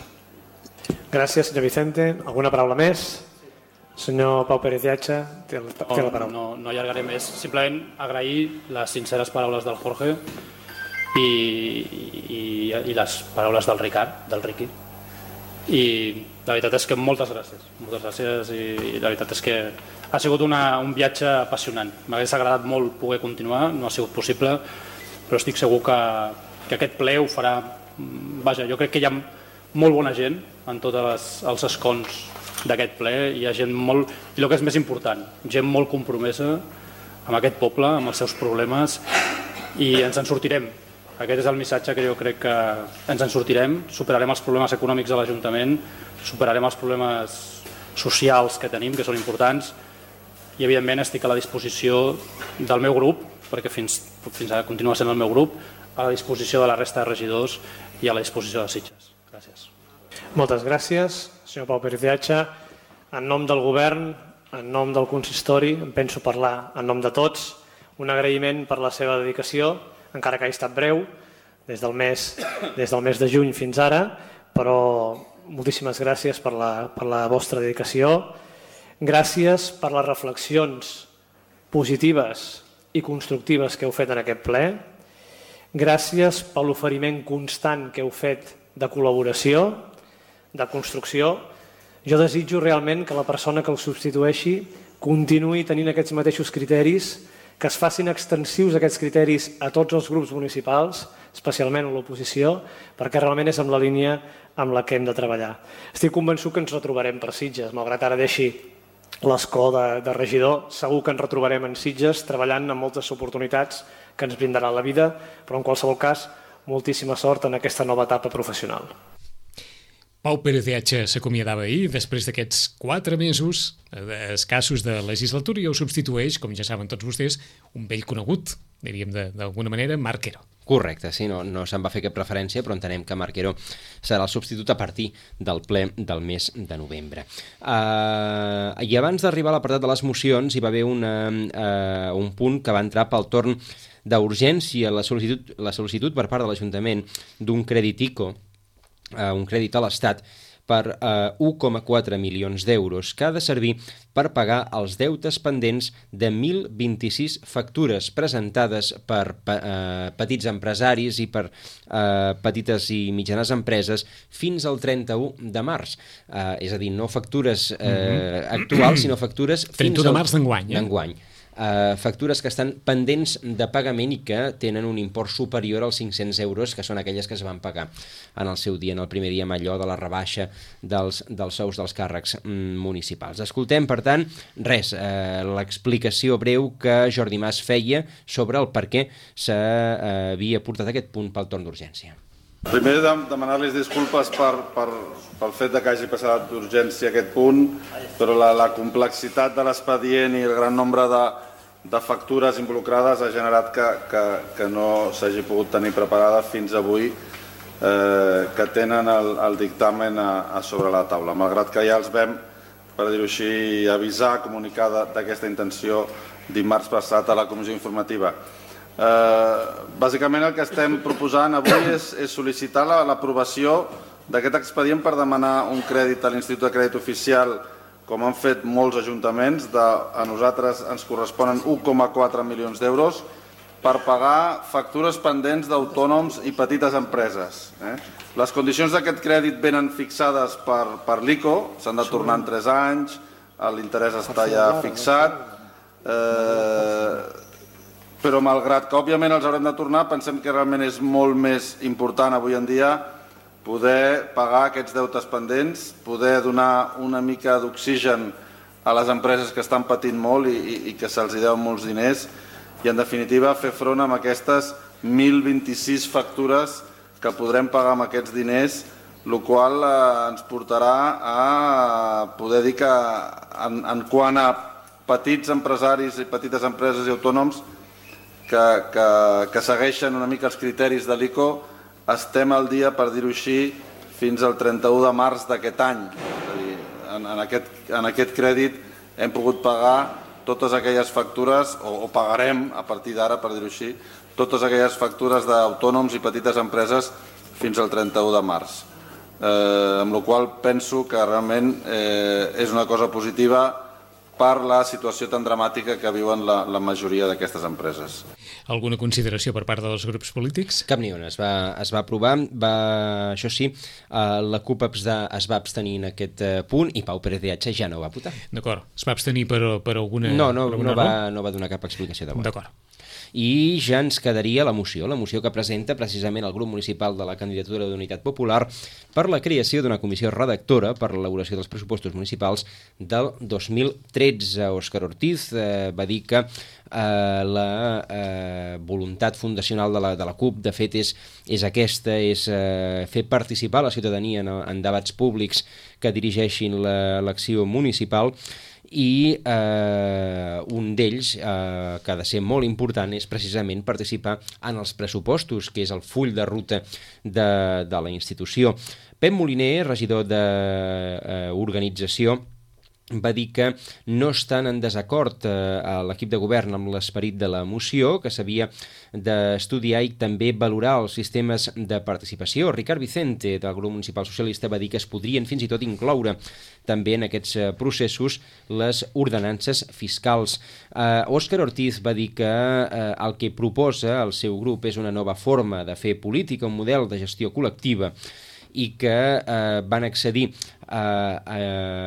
Gràcies, senyor Vicente. Alguna paraula més? Senyor Pau Pérez de Hacha, té la paraula. No, no allargaré més. Simplement agrair les sinceres paraules del Jorge i, i, i les paraules del Ricard, del Riqui. I la veritat és que moltes gràcies. Moltes gràcies i la veritat és que ha sigut una, un viatge apassionant. M'hagués agradat molt poder continuar, no ha sigut possible, però estic segur que, que aquest ple ho farà. Vaja, jo crec que hi ha molt bona gent en tots els escons d'aquest ple, hi ha gent molt, i el que és més important, gent molt compromesa amb aquest poble, amb els seus problemes, i ens en sortirem. Aquest és el missatge que jo crec que ens en sortirem, superarem els problemes econòmics de l'Ajuntament, superarem els problemes socials que tenim, que són importants, i evidentment estic a la disposició del meu grup, perquè fins, fins ara continua sent el meu grup, a la disposició de la resta de regidors i a la disposició de Sitges. Gràcies. Moltes gràcies, senyor Pau Pérez de Hacha. En nom del govern, en nom del consistori, em penso parlar en nom de tots, un agraïment per la seva dedicació, encara que hagi estat breu, des del mes, des del mes de juny fins ara, però moltíssimes gràcies per la, per la vostra dedicació. Gràcies per les reflexions positives i constructives que heu fet en aquest ple. Gràcies per l'oferiment constant que heu fet de col·laboració, de construcció. Jo desitjo realment que la persona que el substitueixi continuï tenint aquests mateixos criteris, que es facin extensius aquests criteris a tots els grups municipals, especialment a l'oposició, perquè realment és amb la línia amb la que hem de treballar. Estic convençut que ens retrobarem per Sitges, malgrat ara deixi l'escó de, de regidor, segur que ens retrobarem en Sitges treballant amb moltes oportunitats que ens brindarà la vida, però en qualsevol cas, moltíssima sort en aquesta nova etapa professional. Pau Pérez de Hacha s'acomiadava ahir després d'aquests quatre mesos escassos de legislatura i ho substitueix, com ja saben tots vostès, un vell conegut, diríem d'alguna manera, Marc Quero. Correcte, sí, no, no se'n va fer cap preferència, però entenem que Marc Quero serà el substitut a partir del ple del mes de novembre. Uh, I abans d'arribar a l'apartat de les mocions hi va haver una, uh, un punt que va entrar pel torn d'urgència, la sol·licitud, la sol·licitud per part de l'Ajuntament d'un crèdit ICO, uh, un crèdit a l'Estat, per uh, un coma quatre milions d'euros, que ha de servir per pagar els deutes pendents de mil vint-i-sis factures presentades per uh, petits empresaris i per uh, petites i mitjanes empreses fins al trenta-u de març. Uh, és a dir, no factures uh, mm-hmm. actuals, sinó factures fins trenta-u de març d'enguany. Eh? D'enguany. Uh, factures que estan pendents de pagament i que tenen un import superior als cinc-cents euros, que són aquelles que es van pagar en el seu dia, en el primer dia amb allò de la rebaixa dels, dels sous dels càrrecs mm, municipals. Escoltem, per tant, res, uh, l'explicació breu que Jordi Mas feia sobre el per què s'havia uh, portat aquest punt pel torn d'urgència. Primer, demanar-los disculpes per, per, pel fet que hagi passat d'urgència aquest punt, però la, la complexitat de l'expedient i el gran nombre de, de factures involucrades ha generat que, que, que no s'hagi pogut tenir preparada fins avui, eh, que tenen el, el dictamen a, a sobre la taula. Malgrat que ja els vam, per dir-ho així, avisar, comunicar d'aquesta intenció dimarts passat a la comissió informativa. Uh, bàsicament el que estem proposant avui és, és sol·licitar l'aprovació d'aquest expedient per demanar un crèdit a l'Institut de Crèdit Oficial, com han fet molts ajuntaments. De, a nosaltres ens corresponen un coma quatre milions d'euros per pagar factures pendents d'autònoms i petites empreses. Eh? Les condicions d'aquest crèdit venen fixades per, per l'ICO, s'han de tornar en tres anys, l'interès està ja fixat, eh, però malgrat que òbviament els haurem de tornar, pensem que realment és molt més important avui en dia poder pagar aquests deutes pendents, poder donar una mica d'oxigen a les empreses que estan patint molt i, i, i que se'ls deuen molts diners i, en definitiva, fer front amb aquestes mil vint-i-sis factures que podrem pagar amb aquests diners, el qual eh, ens portarà a poder dir que en, en quant a petits empresaris i petites empreses i autònoms Que, que, que segueixen una mica els criteris de l'ICO, estem al dia, per dir-ho així, fins al trenta-u de març d'aquest any. És a dir, en, en, aquest, en aquest crèdit hem pogut pagar totes aquelles factures, o, o pagarem a partir d'ara, per dir-ho així, totes aquelles factures d'autònoms i petites empreses fins al trenta-u de març. Eh, amb la qual penso que realment eh, és una cosa positiva per la situació tan dramàtica que viuen la, la majoria d'aquestes empreses. Alguna consideració per part dels grups polítics? Cap ni una. Es va, es va aprovar. Va, això sí, uh, la CUP es va abstenir en aquest uh, punt i Pau Pérez de Hacha ja no va votar. D'acord. Es va abstenir per, per alguna... No, no, per alguna no, va, no va donar cap explicació de vot. D'acord. I ja ens quedaria la moció, la moció que presenta precisament el grup municipal de la candidatura d'Unitat Popular per la creació d'una comissió redactora per l'elaboració dels pressupostos municipals del dos mil tretze. Òscar Ortiz eh, va dir que eh, la eh, voluntat fundacional de la, de la CUP, de fet, és, és aquesta, és eh, fer participar la ciutadania en, en debats públics que dirigeixin l'acció municipal. i eh, un d'ells, eh, que ha de ser molt important, és precisament participar en els pressupostos, que és el full de ruta de, de la institució. Pep Moliner, regidor d'Organització, va dir que no estan en desacord eh, a l'equip de govern amb l'esperit de la moció, que s'havia d'estudiar i també valorar els sistemes de participació. Ricard Vicente, del grup municipal socialista, va dir que es podrien fins i tot incloure també en aquests processos les ordenances fiscals. Eh, Òscar Ortiz va dir que eh, el que proposa el seu grup és una nova forma de fer política, un model de gestió col·lectiva, i que eh, van accedir a, a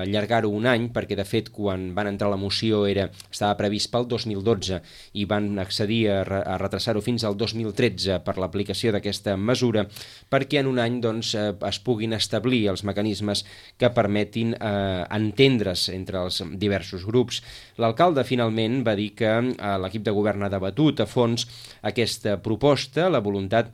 allargar-ho un any, perquè de fet quan van entrar la moció era, estava previst pel dos mil dotze i van accedir a, a retrasar-ho fins al dos mil tretze per l'aplicació d'aquesta mesura, perquè en un any doncs, eh, es puguin establir els mecanismes que permetin eh, entendre's entre els diversos grups. L'alcalde finalment va dir que eh, l'equip de govern ha debatut a fons aquesta proposta, la voluntat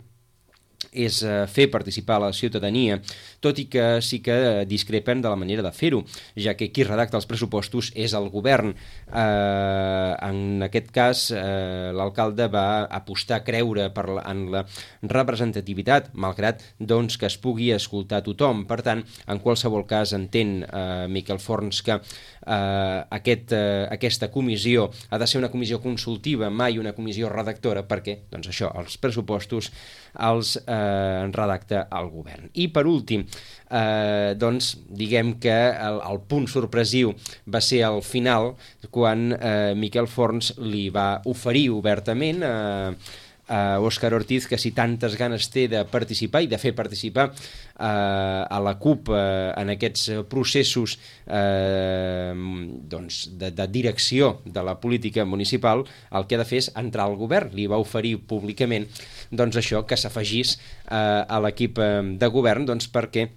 és fer participar a la ciutadania, tot i que sí que discrepen de la manera de fer-ho, ja que qui redacta els pressupostos és el govern. Eh, en aquest cas, eh, l'alcalde va apostar, creure per la, en la representativitat, malgrat doncs, que es pugui escoltar tothom. Per tant, en qualsevol cas, entén eh, Miquel Forns que eh, aquest, eh, aquesta comissió ha de ser una comissió consultiva, mai una comissió redactora, perquè doncs això, els pressupostos els eh, redacta el govern. I per últim, eh, doncs diguem que el, el punt sorpresiu va ser al final, quan eh, Miquel Forns li va oferir obertament a eh, a Òscar Ortiz que si tantes ganes té de participar i de fer participar eh, a la CUP eh, en aquests processos eh, doncs de, de direcció de la política municipal, el que ha de fer és entrar al govern. Li va oferir públicament doncs això, que s'afegís eh, a l'equip de govern, doncs perquè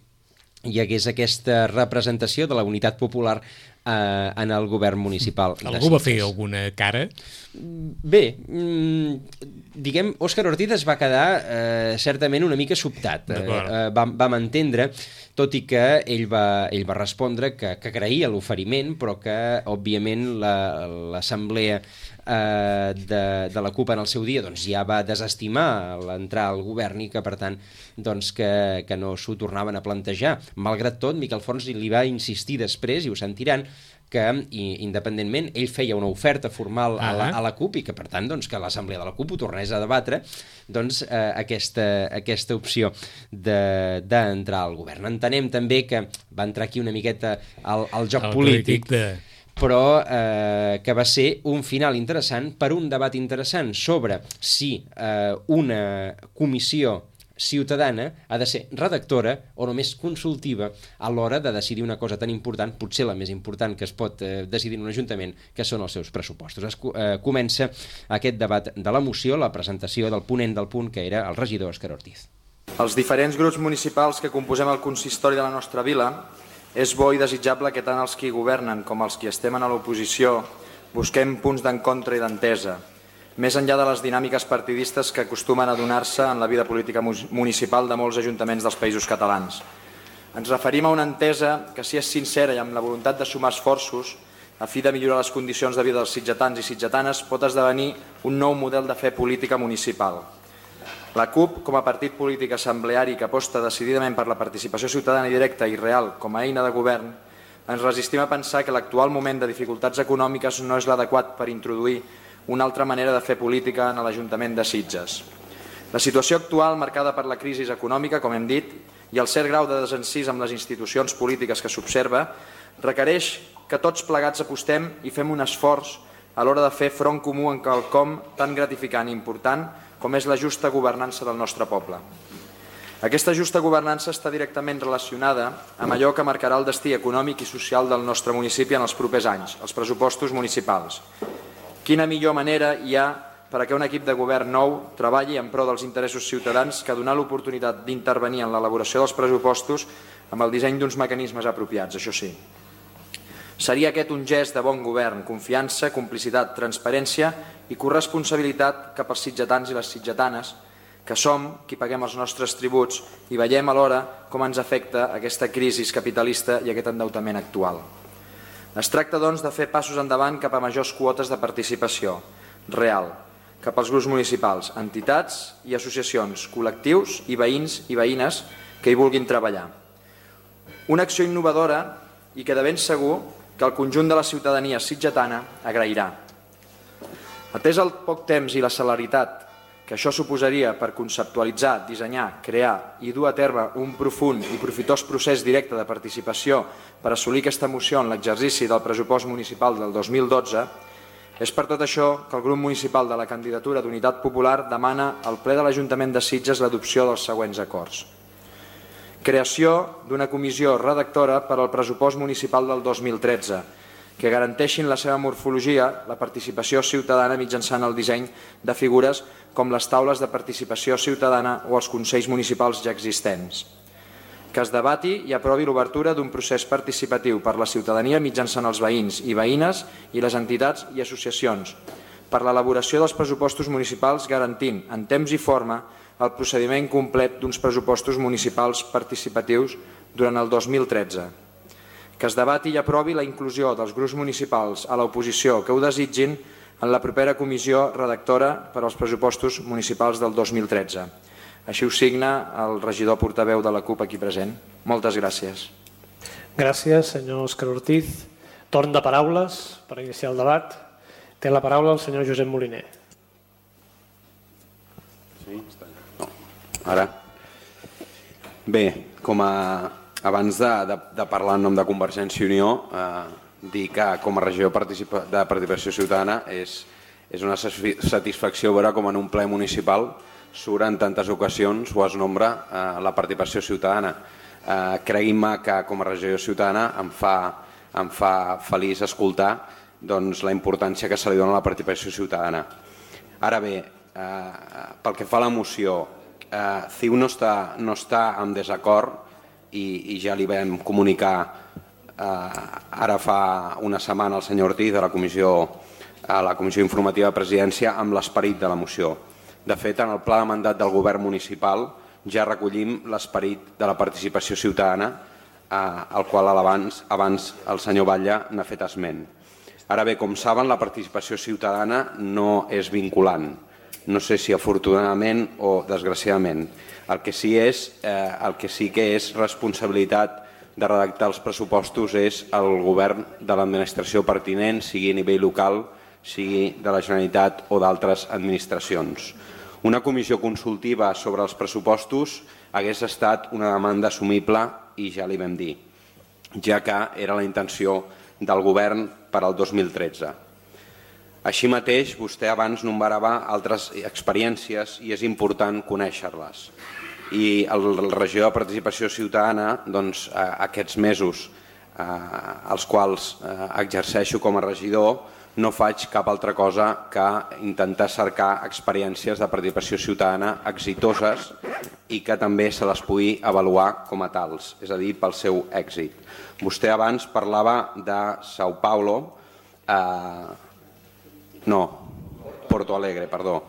hi hagués aquesta representació de la unitat popular eh, en el govern municipal. Algú va fer alguna cara? Bé, mmm, diguem, Òscar Ortiz es va quedar eh, certament una mica sobtat. Eh, eh, vam, vam entendre, tot i que ell va, ell va respondre que, que agraïa l'oferiment, però que, òbviament, l'assemblea eh, de, de la CUP en el seu dia doncs, ja va desestimar l'entrar al govern i que, per tant, doncs, que, que no s'ho tornaven a plantejar. Malgrat tot, Miquel Forns li va insistir després, i ho sentiran, que independentment ell feia una oferta formal a la, a la CUP i que per tant doncs, que l'assemblea de la CUP ho tornés a debatre doncs, eh, aquesta, aquesta opció d'entrar de, al govern. Entenem també que va entrar aquí una miqueta al, al joc el polític, de... però eh, que va ser un final interessant per un debat interessant sobre si eh, una comissió ciutadana ha de ser redactora o només consultiva a l'hora de decidir una cosa tan important, potser la més important que es pot eh, decidir en un ajuntament, que són els seus pressupostos. Es eh, comença aquest debat de la moció, la presentació del ponent del punt, que era el regidor Òscar Ortiz. Els diferents grups municipals que composem el consistori de la nostra vila, és bo i desitjable que tant els qui governen com els qui estem a l'oposició busquem punts d'encontre i d'entesa, més enllà de les dinàmiques partidistes que acostumen a donar-se en la vida política municipal de molts ajuntaments dels països catalans. Ens referim a una entesa que, si és sincera i amb la voluntat de sumar esforços a fi de millorar les condicions de vida dels sitgetans i sitgetanes, pot esdevenir un nou model de fer política municipal. La CUP, com a partit polític assembleari que aposta decididament per la participació ciutadana i directa i real com a eina de govern, ens resistim a pensar que l'actual moment de dificultats econòmiques no és l'adequat per introduir una altra manera de fer política en l'Ajuntament de Sitges. La situació actual, marcada per la crisi econòmica, com hem dit, i el cert grau de desencís amb les institucions polítiques que s'observa, requereix que tots plegats apostem i fem un esforç a l'hora de fer front comú en quelcom tan gratificant i important com és la justa governança del nostre poble. Aquesta justa governança està directament relacionada amb allò que marcarà el destí econòmic i social del nostre municipi en els propers anys, els pressupostos municipals. Quina millor manera hi ha perquè un equip de govern nou treballi en pro dels interessos ciutadans que donar l'oportunitat d'intervenir en l'elaboració dels pressupostos amb el disseny d'uns mecanismes apropiats, això sí. Seria aquest un gest de bon govern, confiança, complicitat, transparència i corresponsabilitat cap als sitgetans i les sitgetanes, que som qui paguem els nostres tributs i veiem alhora com ens afecta aquesta crisi capitalista i aquest endeutament actual. Es tracta, doncs, de fer passos endavant cap a majors quotes de participació real, cap als grups municipals, entitats i associacions, col·lectius i veïns i veïnes que hi vulguin treballar. Una acció innovadora i que de ben segur que el conjunt de la ciutadania sitgetana agrairà. Atès el poc temps i la celeritat que això suposaria per conceptualitzar, dissenyar, crear i dur a terme un profund i profitós procés directe de participació per assolir aquesta moció en l'exercici del pressupost municipal del dos mil dotze, és per tot això que el grup municipal de la candidatura d'Unitat Popular demana al ple de l'Ajuntament de Sitges l'adopció dels següents acords. Creació d'una comissió redactora per al pressupost municipal del dos mil tretze, que garanteixin la seva morfologia, la participació ciutadana mitjançant el disseny de figures com les taules de participació ciutadana o els consells municipals ja existents. Que es debati i aprovi l'obertura d'un procés participatiu per la ciutadania mitjançant els veïns i veïnes i les entitats i associacions per l'elaboració dels pressupostos municipals garantint en temps i forma el procediment complet d'uns pressupostos municipals participatius durant el dos mil tretze. Que es debati i aprovi la inclusió dels grups municipals a l'oposició que ho desitgin en la propera comissió redactora per als pressupostos municipals del dos mil tretze. Així ho signa el regidor portaveu de la CUP aquí present. Moltes gràcies. Gràcies, senyor Òscar Ortiz. Torn de paraules per iniciar el debat. Té la paraula el senyor Josep Moliner. Sí, està allà. No. Ara. Bé, com a... abans de, de, de parlar en nom de Convergència i Unió, eh, dir que com a regidor participa, de participació ciutadana és, és una satisfacció veure com en un ple municipal surt en tantes ocasions o es nombra eh, la participació ciutadana. Eh, Creguin-me que com a regidor ciutadana em fa, em fa feliç escoltar doncs, la importància que se li dona a la participació ciutadana. Ara bé, eh, pel que fa a la moció, eh, C I U no està, no està en desacord i, i ja li vam comunicar eh, ara fa una setmana al senyor Ortiz a la comissió, a la comissió informativa de presidència amb l'esperit de la moció. De fet, en el pla de mandat del govern municipal ja recollim l'esperit de la participació ciutadana, eh, al qual abans, abans el senyor Batlle n'ha fet esment. Ara bé, com saben, la participació ciutadana no és vinculant. No sé si afortunadament o desgraciadament. El que sí, és, eh, el que, sí que és responsabilitat de redactar els pressupostos és el govern de l'administració pertinent, sigui a nivell local, sigui de la Generalitat o d'altres administracions. Una comissió consultiva sobre els pressupostos hagués estat una demanda assumible i ja li vam dir, ja que era la intenció del govern per al dos mil tretze. Així mateix, vostè abans enumerava altres experiències i és important conèixer-les. I el regidor de participació ciutadana, doncs, aquests mesos eh, els quals eh, exerceixo com a regidor, no faig cap altra cosa que intentar cercar experiències de participació ciutadana exitoses i que també se les pugui avaluar com a tals, és a dir, pel seu èxit. Vostè abans parlava de São Paulo, eh, no, Porto Alegre, perdó.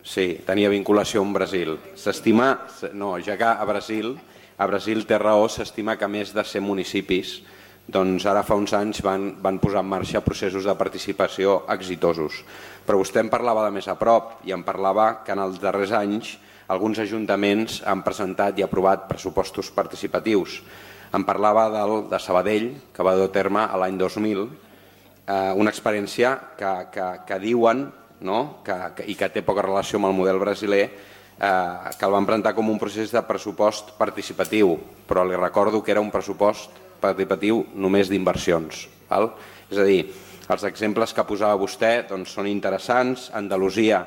Sí, tenia vinculació amb Brasil. S'estima, no, ja que a Brasil, a Brasil té raó, s'estima que més de cent municipis doncs ara fa uns anys van, van posar en marxa processos de participació exitosos. Però vostè em parlava de més a prop i em parlava que en els darrers anys alguns ajuntaments han presentat i aprovat pressupostos participatius. Em parlava del, de Sabadell, que va dur a terme l'any dos mil, eh, una experiència que, que, que diuen, no? que, que, i que té poca relació amb el model brasiler, eh, que el van presentar com un procés de pressupost participatiu, però li recordo que era un pressupost participatiu només d'inversions. És a dir, els exemples que posava vostè doncs, són interessants. A Andalusia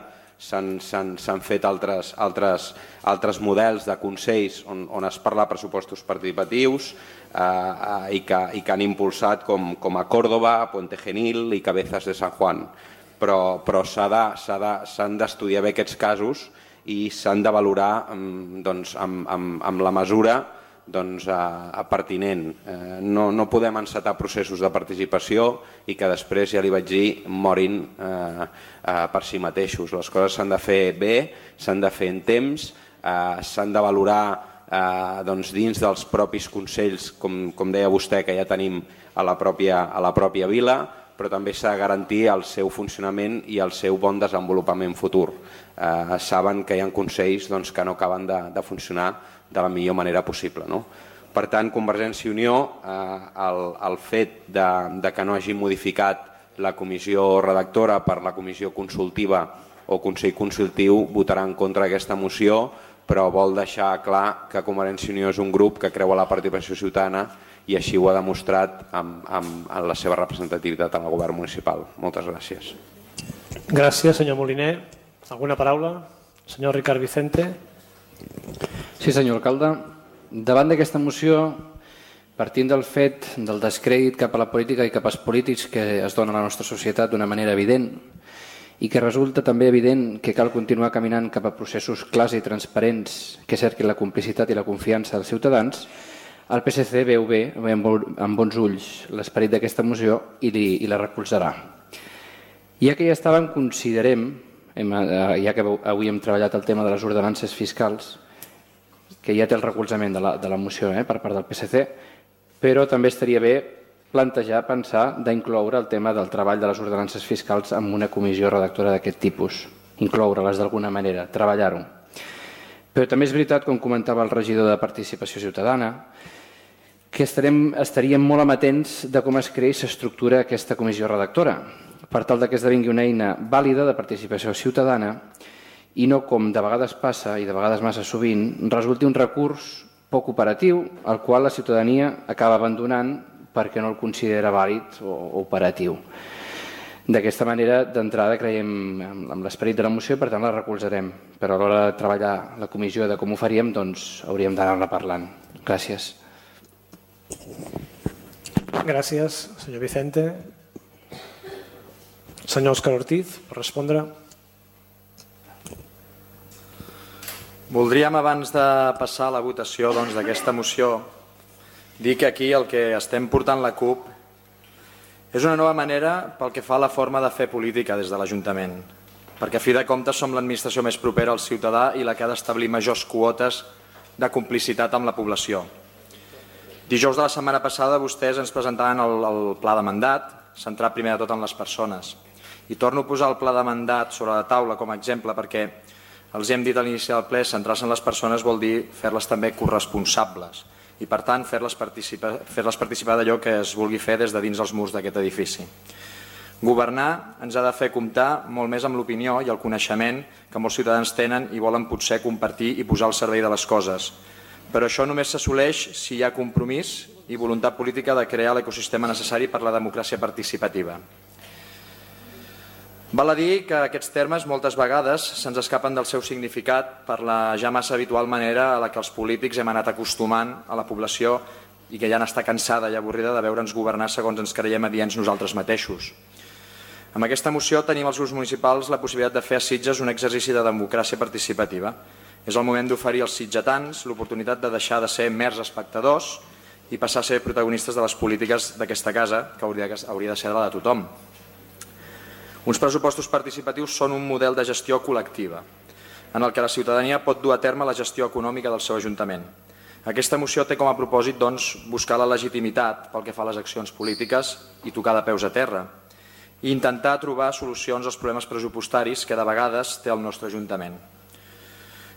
s'han fet altres, altres, altres models de consells on, on es parla de pressupostos participatius eh, eh, i, que, i que han impulsat com, com a Córdoba, Puente Genil i Cabezas de San Juan. Però, però s'han d'estudiar bé aquests casos i s'han de valorar doncs, amb, amb, amb la mesura doncs, a, a pertinent. Eh, no, no podem encetar processos de participació i que després, ja li vaig dir, morin eh, eh, per si mateixos. Les coses s'han de fer bé, s'han de fer en temps, eh, s'han de valorar eh, doncs dins dels propis consells, com, com deia vostè, que ja tenim a la pròpia, a la pròpia vila, però també s'ha de garantir el seu funcionament i el seu bon desenvolupament futur. Eh, saben que hi ha consells doncs, que no acaben de, de funcionar de la millor manera possible, no? Per tant, Convergència i Unió, eh, el, el fet de, de que no hagi modificat la comissió redactora per la comissió consultiva o Consell Consultiu, votarà en contra d'aquesta moció, però vol deixar clar que Convergència i Unió és un grup que creu a la participació ciutadana i així ho ha demostrat amb, amb, amb la seva representativitat en el govern municipal. Moltes gràcies. Gràcies, senyor Moliner. Alguna paraula? Senyor Ricard Vicente. Sí, senyor alcalde. Davant d'aquesta moció, partint del fet del descrèdit cap a la política i cap als polítics que es dona a la nostra societat d'una manera evident i que resulta també evident que cal continuar caminant cap a processos clars i transparents que cerquin la complicitat i la confiança dels ciutadans, el P S C veu bé, ve amb bons ulls l'esperit d'aquesta moció i, li, i la recolzarà. Ja que ja estàvem, considerem, hem, ja que avui hem treballat el tema de les ordenances fiscals, que ja té el recolzament de la, de la moció eh, per part del P S C, però també estaria bé plantejar, pensar d'incloure el tema del treball de les ordenances fiscals en una comissió redactora d'aquest tipus, incloure-les d'alguna manera, treballar-ho. Però també és veritat, com comentava el regidor de Participació Ciutadana, que estarem, estaríem molt amatents de com es crea i s'estructura aquesta comissió redactora, per tal que esdevingui una eina vàlida de participació ciutadana i no, com de vegades passa, i de vegades massa sovint, resulti un recurs poc operatiu, al qual la ciutadania acaba abandonant perquè no el considera vàlid o operatiu. D'aquesta manera, d'entrada, creiem en l'esperit de la moció i per tant la recolzarem. Però a l'hora de treballar la comissió de com ho faríem, doncs hauríem d'anar-la parlant. Gràcies. Gràcies, senyor Vicente. Senyor Òscar Ortiz, per respondre. Voldríem, abans de passar a la votació doncs, d'aquesta moció, dir que aquí el que estem portant la CUP és una nova manera pel que fa a la forma de fer política des de l'Ajuntament, perquè a fi de comptes som l'administració més propera al ciutadà i la que ha d'establir majors quotes de complicitat amb la població. Dijous de la setmana passada vostès ens presentaven el, el pla de mandat, centrat primer de tot en les persones. I torno a posar el pla de mandat sobre la taula com a exemple perquè els hem dit a l'inici del ple, centrar-se en les persones vol dir fer-les també corresponsables i, per tant, fer-les participar, fer-les participar d'allò que es vulgui fer des de dins els murs d'aquest edifici. Governar ens ha de fer comptar molt més amb l'opinió i el coneixement que molts ciutadans tenen i volen potser compartir i posar al servei de les coses. Però això només s'assoleix si hi ha compromís i voluntat política de crear l'ecosistema necessari per a la democràcia participativa. Val a dir que aquests termes moltes vegades se'ns escapen del seu significat per la ja massa habitual manera a la que els polítics hem anat acostumant a la població i que ja n'està cansada i avorrida de veure'ns governar segons ens creiem adients nosaltres mateixos. Amb aquesta moció tenim als grups municipals la possibilitat de fer a Sitges un exercici de democràcia participativa. És el moment d'oferir als sitgetans l'oportunitat de deixar de ser mers espectadors i passar a ser protagonistes de les polítiques d'aquesta casa, que hauria de ser la de tothom. Uns pressupostos participatius són un model de gestió col·lectiva, en el que la ciutadania pot dur a terme la gestió econòmica del seu ajuntament. Aquesta moció té com a propòsit doncs, buscar la legitimitat pel que fa a les accions polítiques i tocar de peus a terra, i intentar trobar solucions als problemes pressupostaris que de vegades té el nostre ajuntament.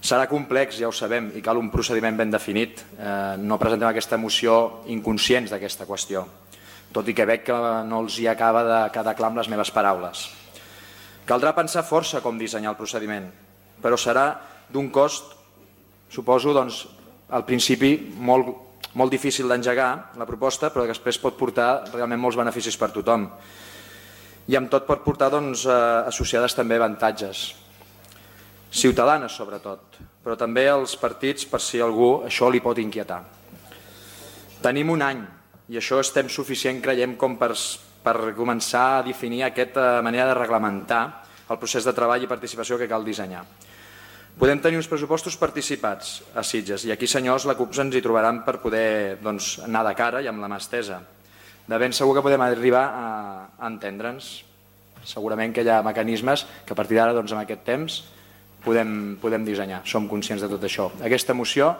Serà complex, ja ho sabem, i cal un procediment ben definit. Eh, no presentem aquesta moció inconscients d'aquesta qüestió, tot i que veig que no els hi acaba de quedar clar amb les meves paraules. Caldrà pensar força com dissenyar el procediment, però serà d'un cost, suposo, doncs, al principi molt, molt difícil d'engegar la proposta, però després pot portar realment molts beneficis per tothom. I amb tot pot portar doncs, associades també avantatges, ciutadanes sobretot, però també als partits per si algú això li pot inquietar. Tenim un any i això estem suficient, creiem, com per, per començar a definir aquesta manera de reglamentar el procés de treball i participació que cal dissenyar. Podem tenir uns pressupostos participats a Sitges i aquí, senyors, la CUP ens hi trobaran per poder doncs, anar de cara i amb la mà estesa. De ben segur que podem arribar a, a entendre'ns. Segurament que hi ha mecanismes que a partir d'ara, doncs, en aquest temps, podem, podem dissenyar. Som conscients de tot això. Aquesta moció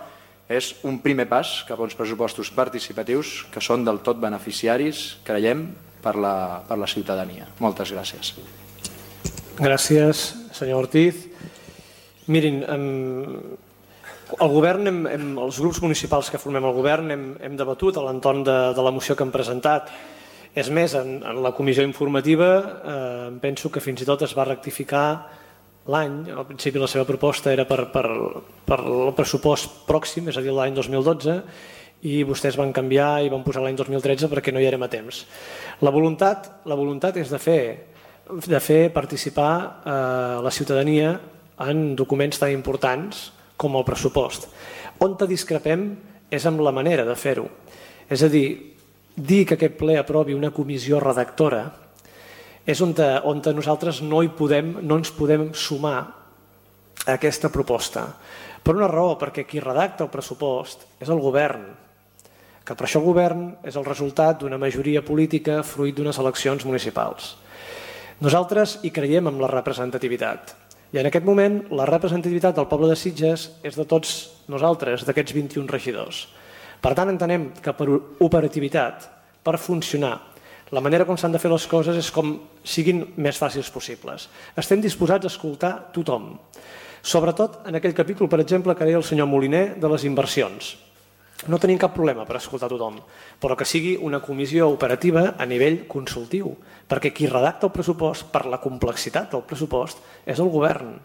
és un primer pas cap a uns pressupostos participatius que són del tot beneficiaris, creiem, per la, per la ciutadania. Moltes gràcies. Gràcies, senyor Ortiz. Mirin, el govern, hem, hem, els grups municipals que formem el govern hem, hem debatut a l'entorn de, de la moció que hem presentat. És més, en, en la comissió informativa eh, penso que fins i tot es va rectificar l'any. Al principi la seva proposta era per, per, per el pressupost pròxim, és a dir, l'any dos mil dotze, i vostès van canviar i van posar l'any dos mil tretze perquè no hi érem a temps. La voluntat, la voluntat és de fer, de fer participar eh, la ciutadania en documents tan importants com el pressupost. On discrepem és amb la manera de fer-ho. És a dir, dir que aquest ple aprovi una comissió redactora és on, te, on te nosaltres no, hi podem, no ens podem sumar a aquesta proposta. Per una raó, perquè qui redacta el pressupost és el govern, que per això el govern és el resultat d'una majoria política fruit d'unes eleccions municipals. Nosaltres hi creiem en la representativitat. I en aquest moment la representativitat del poble de Sitges és de tots nosaltres, d'aquests vint-i-un regidors. Per tant, entenem que per operativitat, per funcionar, la manera com s'han de fer les coses és com siguin més fàcils possibles. Estem disposats a escoltar tothom. Sobretot en aquell capítol, per exemple, que deia el senyor Moliner de les inversions. No tenim cap problema per escoltar tothom, però que sigui una comissió operativa a nivell consultiu, perquè qui redacta el pressupost per la complexitat del pressupost és el govern.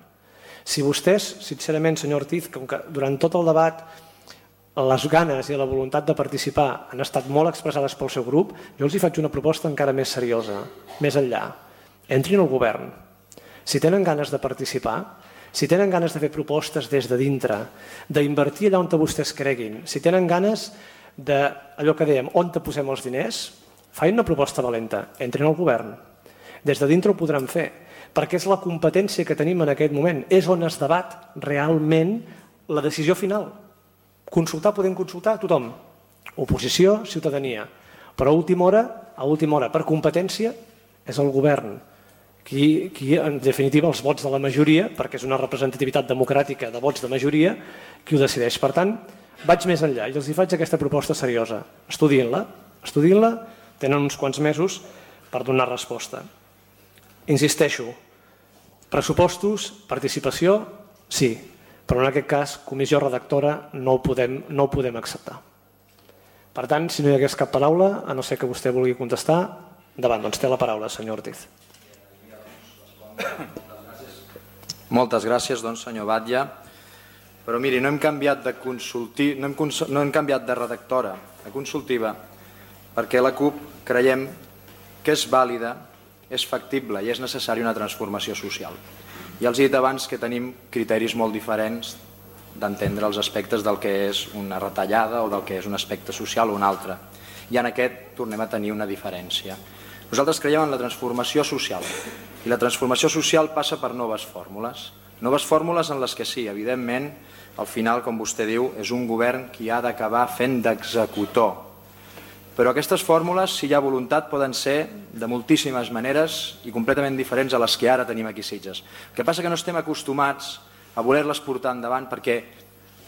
Si vostès, sincerament, senyor Ortiz, com que durant tot el debat les ganes i la voluntat de participar han estat molt expressades pel seu grup, jo els hi faig una proposta encara més seriosa, més enllà. Entrin al govern. Si tenen ganes de participar, si tenen ganes de fer propostes des de dintre, d'invertir allà on vostès creguin, si tenen ganes d'allò que dèiem, on te posem els diners, facin una proposta valenta, entrin al govern. Des de dintre ho podran fer, perquè és la competència que tenim en aquest moment, és on es debat realment la decisió final. Consultar, podem consultar a tothom, oposició, ciutadania, però a última hora, a última hora, per competència, és el govern. Qui, qui, en definitiva, els vots de la majoria, perquè és una representativitat democràtica de vots de majoria, qui ho decideix. Per tant, vaig més enllà i els hi faig aquesta proposta seriosa. Estudiïn-la, estudiïn-la, tenen uns quants mesos per donar resposta. Insisteixo, pressupostos, participació, sí, però en aquest cas, comissió redactora, no ho podem, no ho podem acceptar. Per tant, si no hi hagués cap paraula, a no ser que vostè vulgui contestar, endavant, doncs té la paraula, senyor Ortiz. Moltes gràcies, doncs, senyor Batlle. Però miri, no hem canviat de consulti... no hem, cons... no hem canviat de redactora a consultiva perquè la CUP creiem que és vàlida, és factible i és necessària una transformació social. Ja els he dit abans que tenim criteris molt diferents d'entendre els aspectes del que és una retallada o del que és un aspecte social o un altre. I en aquest tornem a tenir una diferència. Nosaltres creiem en la transformació social i la transformació social passa per noves fórmules. Noves fórmules en les que sí, evidentment, al final, com vostè diu, és un govern qui ha d'acabar fent d'executor. Però aquestes fórmules, si hi ha voluntat, poden ser de moltíssimes maneres i completament diferents a les que ara tenim aquí a Sitges. El que passa que no estem acostumats a voler-les portar endavant perquè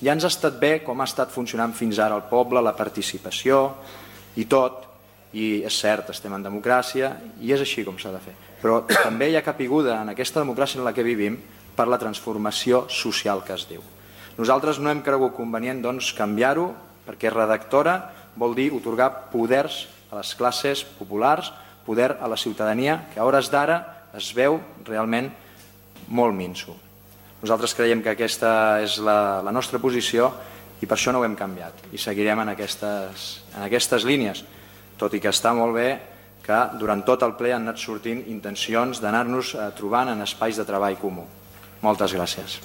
ja ens ha estat bé com ha estat funcionant fins ara el poble, la participació i tot. I és cert, estem en democràcia i és així com s'ha de fer. Però també hi ha capiguda en aquesta democràcia en la que vivim per la transformació social que es diu. Nosaltres no hem cregut convenient doncs, canviar-ho perquè redactora vol dir otorgar poders a les classes populars, poder a la ciutadania, que a hores d'ara es veu realment molt minso. Nosaltres creiem que aquesta és la, la nostra posició i per això no ho hem canviat i seguirem en aquestes, en aquestes línies. Tot i que està molt bé que durant tot el ple han anat sortint intencions d'anar-nos trobant en espais de treball comú. Moltes gràcies.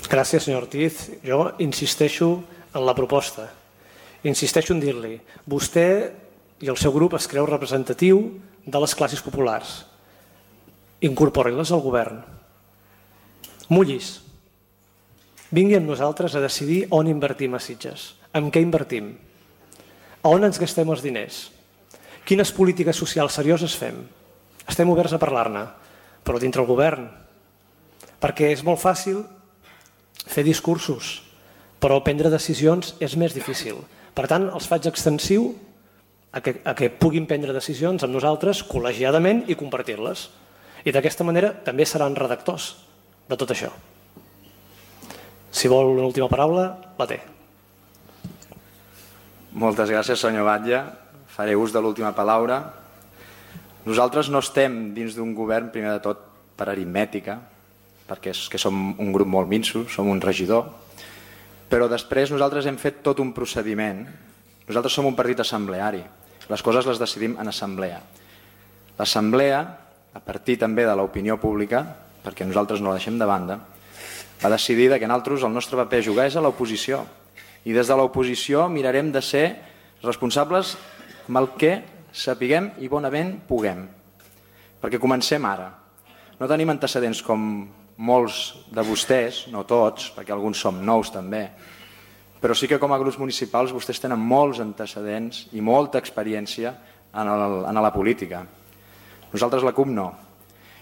Gràcies, senyor Ortiz. Jo insisteixo en la proposta. Insisteixo en dir-li, vostè i el seu grup es creu representatiu de les classes populars. Incorpori-les al govern. Mullis. Vingui amb nosaltres a decidir on invertim a Sitges. En què invertim? A on ens gastem els diners? Quines polítiques socials serioses fem? Estem oberts a parlar-ne, però dintre el govern. Perquè és molt fàcil fer discursos, però prendre decisions és més difícil. Per tant, els faig extensiu a que, a que puguin prendre decisions amb nosaltres col·legiadament i compartir-les. I d'aquesta manera també seran redactors de tot això. Si vol una última paraula, la té. Moltes gràcies, senyor Batlle. Faré ús de l'última paraula. Nosaltres no estem dins d'un govern, primer de tot, per aritmètica, perquè és que som un grup molt minso, som un regidor, però després nosaltres hem fet tot un procediment. Nosaltres som un partit assembleari. Les coses les decidim en assemblea. L'assemblea, a partir també de l'opinió pública, perquè nosaltres no la deixem de banda, va decidir que nosaltres el nostre paper a jugar és a l'oposició. I des de l'oposició mirarem de ser responsables amb el que sapiguem i bonament puguem. Perquè comencem ara. No tenim antecedents com molts de vostès, no tots, perquè alguns som nous també, però sí que com a grups municipals vostès tenen molts antecedents i molta experiència en, el, en la política. Nosaltres la C U P no.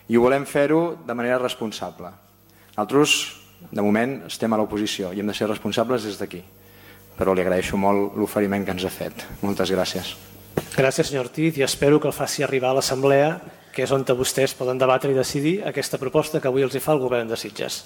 I ho volem fer-ho de manera responsable. Nosaltres, de moment, estem a l'oposició i hem de ser responsables des d'aquí. Però li agraeixo molt l'oferiment que ens ha fet. Moltes gràcies. Gràcies, senyor Ortiz, i espero que el faci arribar a l'Assemblea, que és on vostès poden debatre i decidir aquesta proposta que avui els hi fa el govern de Sitges.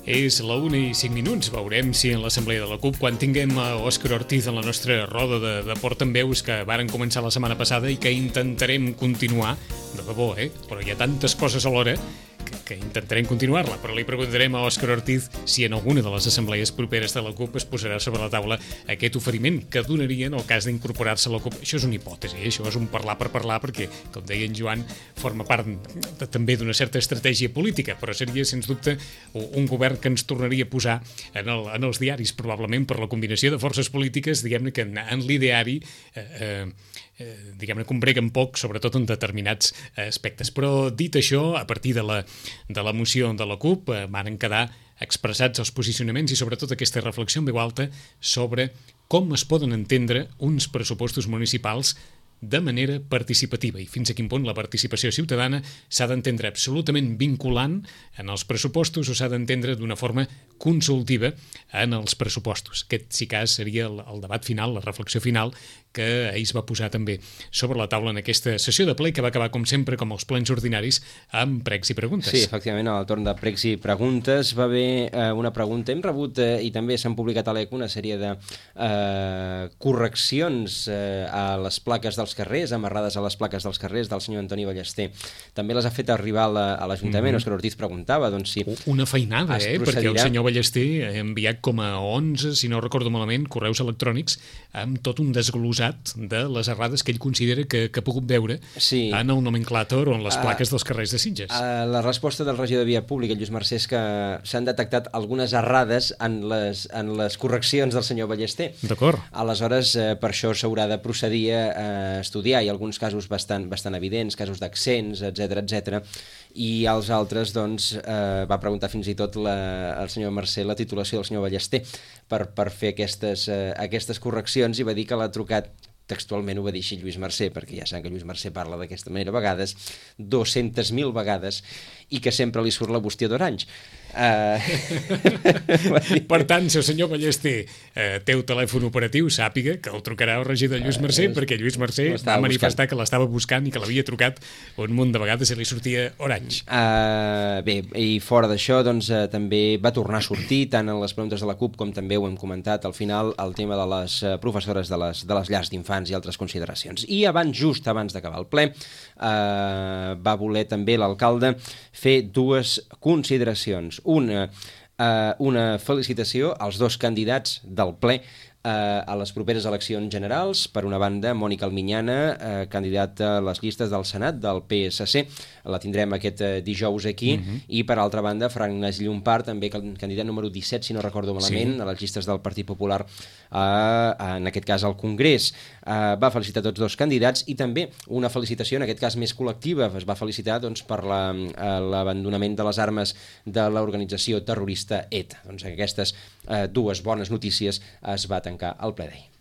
És la una i cinc minuts. Veurem si en l'assemblea de la C U P, quan tinguem a Òscar Ortiz en la nostra roda de, de portaveus que varen començar la setmana passada i que intentarem continuar, de debò, eh? Però hi ha tantes coses alhora que, que intentarem continuar-la, però li preguntarem a Òscar Ortiz si en alguna de les assemblees properes de la C U P es posarà sobre la taula aquest oferiment que donaria en el cas d'incorporar-se a la C U P. Això és una hipòtesi, eh? Això és un parlar per parlar, perquè, com deia en Joan, forma part de, també d'una certa estratègia política, però seria, sens dubte, un govern que ens tornaria a posar en, el, en els diaris, probablement per la combinació de forces polítiques, diguem-ne que en, en l'ideari eh, eh, diguem-ne que ombreguen poc, sobretot en determinats aspectes. Però dit això, a partir de la, de la moció de la C U P eh, van quedar expressats els posicionaments i sobretot aquesta reflexió en veu alta sobre com es poden entendre uns pressupostos municipals de manera participativa i fins a quin punt la participació ciutadana s'ha d'entendre absolutament vinculant en els pressupostos o s'ha d'entendre d'una forma consultiva en els pressupostos. Aquest, si cas, seria el, el debat final, la reflexió final que ahir es va posar també sobre la taula en aquesta sessió de ple que va acabar, com sempre, com els plens ordinaris, amb pregs i preguntes. Sí, efectivament, al torn de pregs i preguntes va haver eh, una pregunta. Hem rebut, eh, i també s'han publicat a l'E C una sèrie de eh, correccions eh, a les plaques dels carrers, amarrades a les plaques dels carrers del senyor Antoni Ballester. També les ha fet arribar a l'Ajuntament. Mm-hmm. Òscar Ortiz preguntava doncs, si una feinada, eh? procedirà... Perquè el senyor Ballester ha enviat com a onze, si no recordo malament, correus electrònics amb tot un desglosat de les errades que ell considera que, que ha pogut veure sí. en el nomenclàtor o en les plaques uh, dels carrers de Sitges. Uh, la resposta del regidor de Via Pública, Lluís Mercè, és que s'han detectat algunes errades en les, en les correccions del senyor Ballester. D'acord. Aleshores, uh, per això s'haurà de procedir a estudiar. Hi ha alguns casos bastant, bastant evidents, casos d'accents, etcètera, etcètera. I als altres, doncs, eh, va preguntar fins i tot la, el senyor Mercè la titulació del senyor Ballester per, per fer aquestes, eh, aquestes correccions, i va dir que l'ha trucat, textualment ho va dir així Lluís Mercè, perquè ja saben que Lluís Mercè parla d'aquesta manera a vegades, dues-centes mil vegades, i que sempre li surt la bústia d'Orange. Uh... Per tant, si el senyor Ballester uh, té un telèfon operatiu, sàpiga que el trucarà el regidor Lluís Mercè, uh, perquè Lluís Mercè va manifestar buscant. que l'estava buscant i que l'havia trucat un munt de vegades i li sortia Orange. Uh, bé, i fora d'això, doncs, uh, també va tornar a sortir, tant en les preguntes de la C U P com també ho hem comentat al final, el tema de les uh, professores de les, de les llars d'infants i altres consideracions. I abans, just abans d'acabar el ple, uh, va voler també l'alcalde fer dues consideracions. Una, eh, una felicitació als dos candidats del ple eh, a les properes eleccions generals. Per una banda, Mònica Alminyana, eh, candidata a les llistes del Senat del P S C, la tindrem aquest eh, dijous aquí, uh-huh. i per altra banda, Francesc Llompart, també candidat número disset, si no recordo malament, sí. a les llistes del Partit Popular, eh, en aquest cas al Congrés. Eh, va felicitar tots dos candidats i també una felicitació, en aquest cas més col·lectiva, es va felicitar doncs, per la, eh, l'abandonament de les armes de l'organització terrorista E T A. Doncs aquestes eh, dues bones notícies es va tancar el ple d'ahir.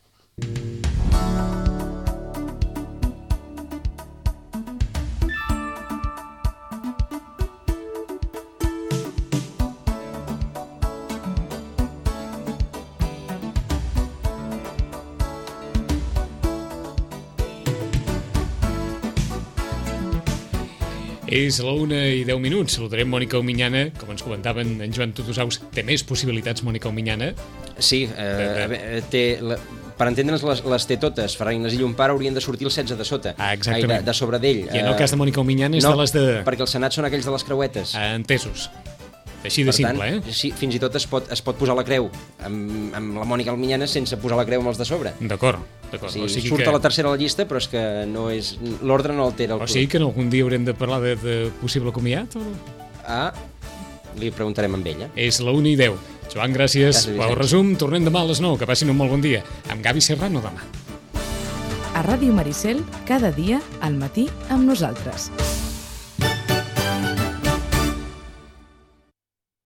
És la una i deu minuts. Saludarem Mònica Omiñana. Com ens comentaven en Joan Tutusaus, té més possibilitats Mònica Omiñana? Sí, eh, té... La... Per entendre'ns, les, les té totes. Ferran Iglesias i Llompart haurien de sortir el setze de sota. Ah, exactament. Ai, de, de sobre d'ell. I en el cas de Mònica Omiñana és no, de les de... perquè el Senat són aquells de les creuetes. Ah, entesos. Així de per simple, tant, eh? Sí, fins i tot es pot, es pot posar la creu amb, amb la Mònica Omiñana sense posar la creu amb els de sobre. D'acord, d'acord. O sigui, o sigui surt que... a la tercera a la llista, però és que no és... l'ordre no altera el O sigui que en algun dia haurem de parlar de, de possible comiat? O... Ah, li preguntarem amb ella. És la una i deu. Joan, gràcies. Pel resum, tornem demà a les nou. Que passin un molt bon dia. Amb Gavi Serrano demà. A Ràdio Maricel, cada dia, al matí, amb nosaltres.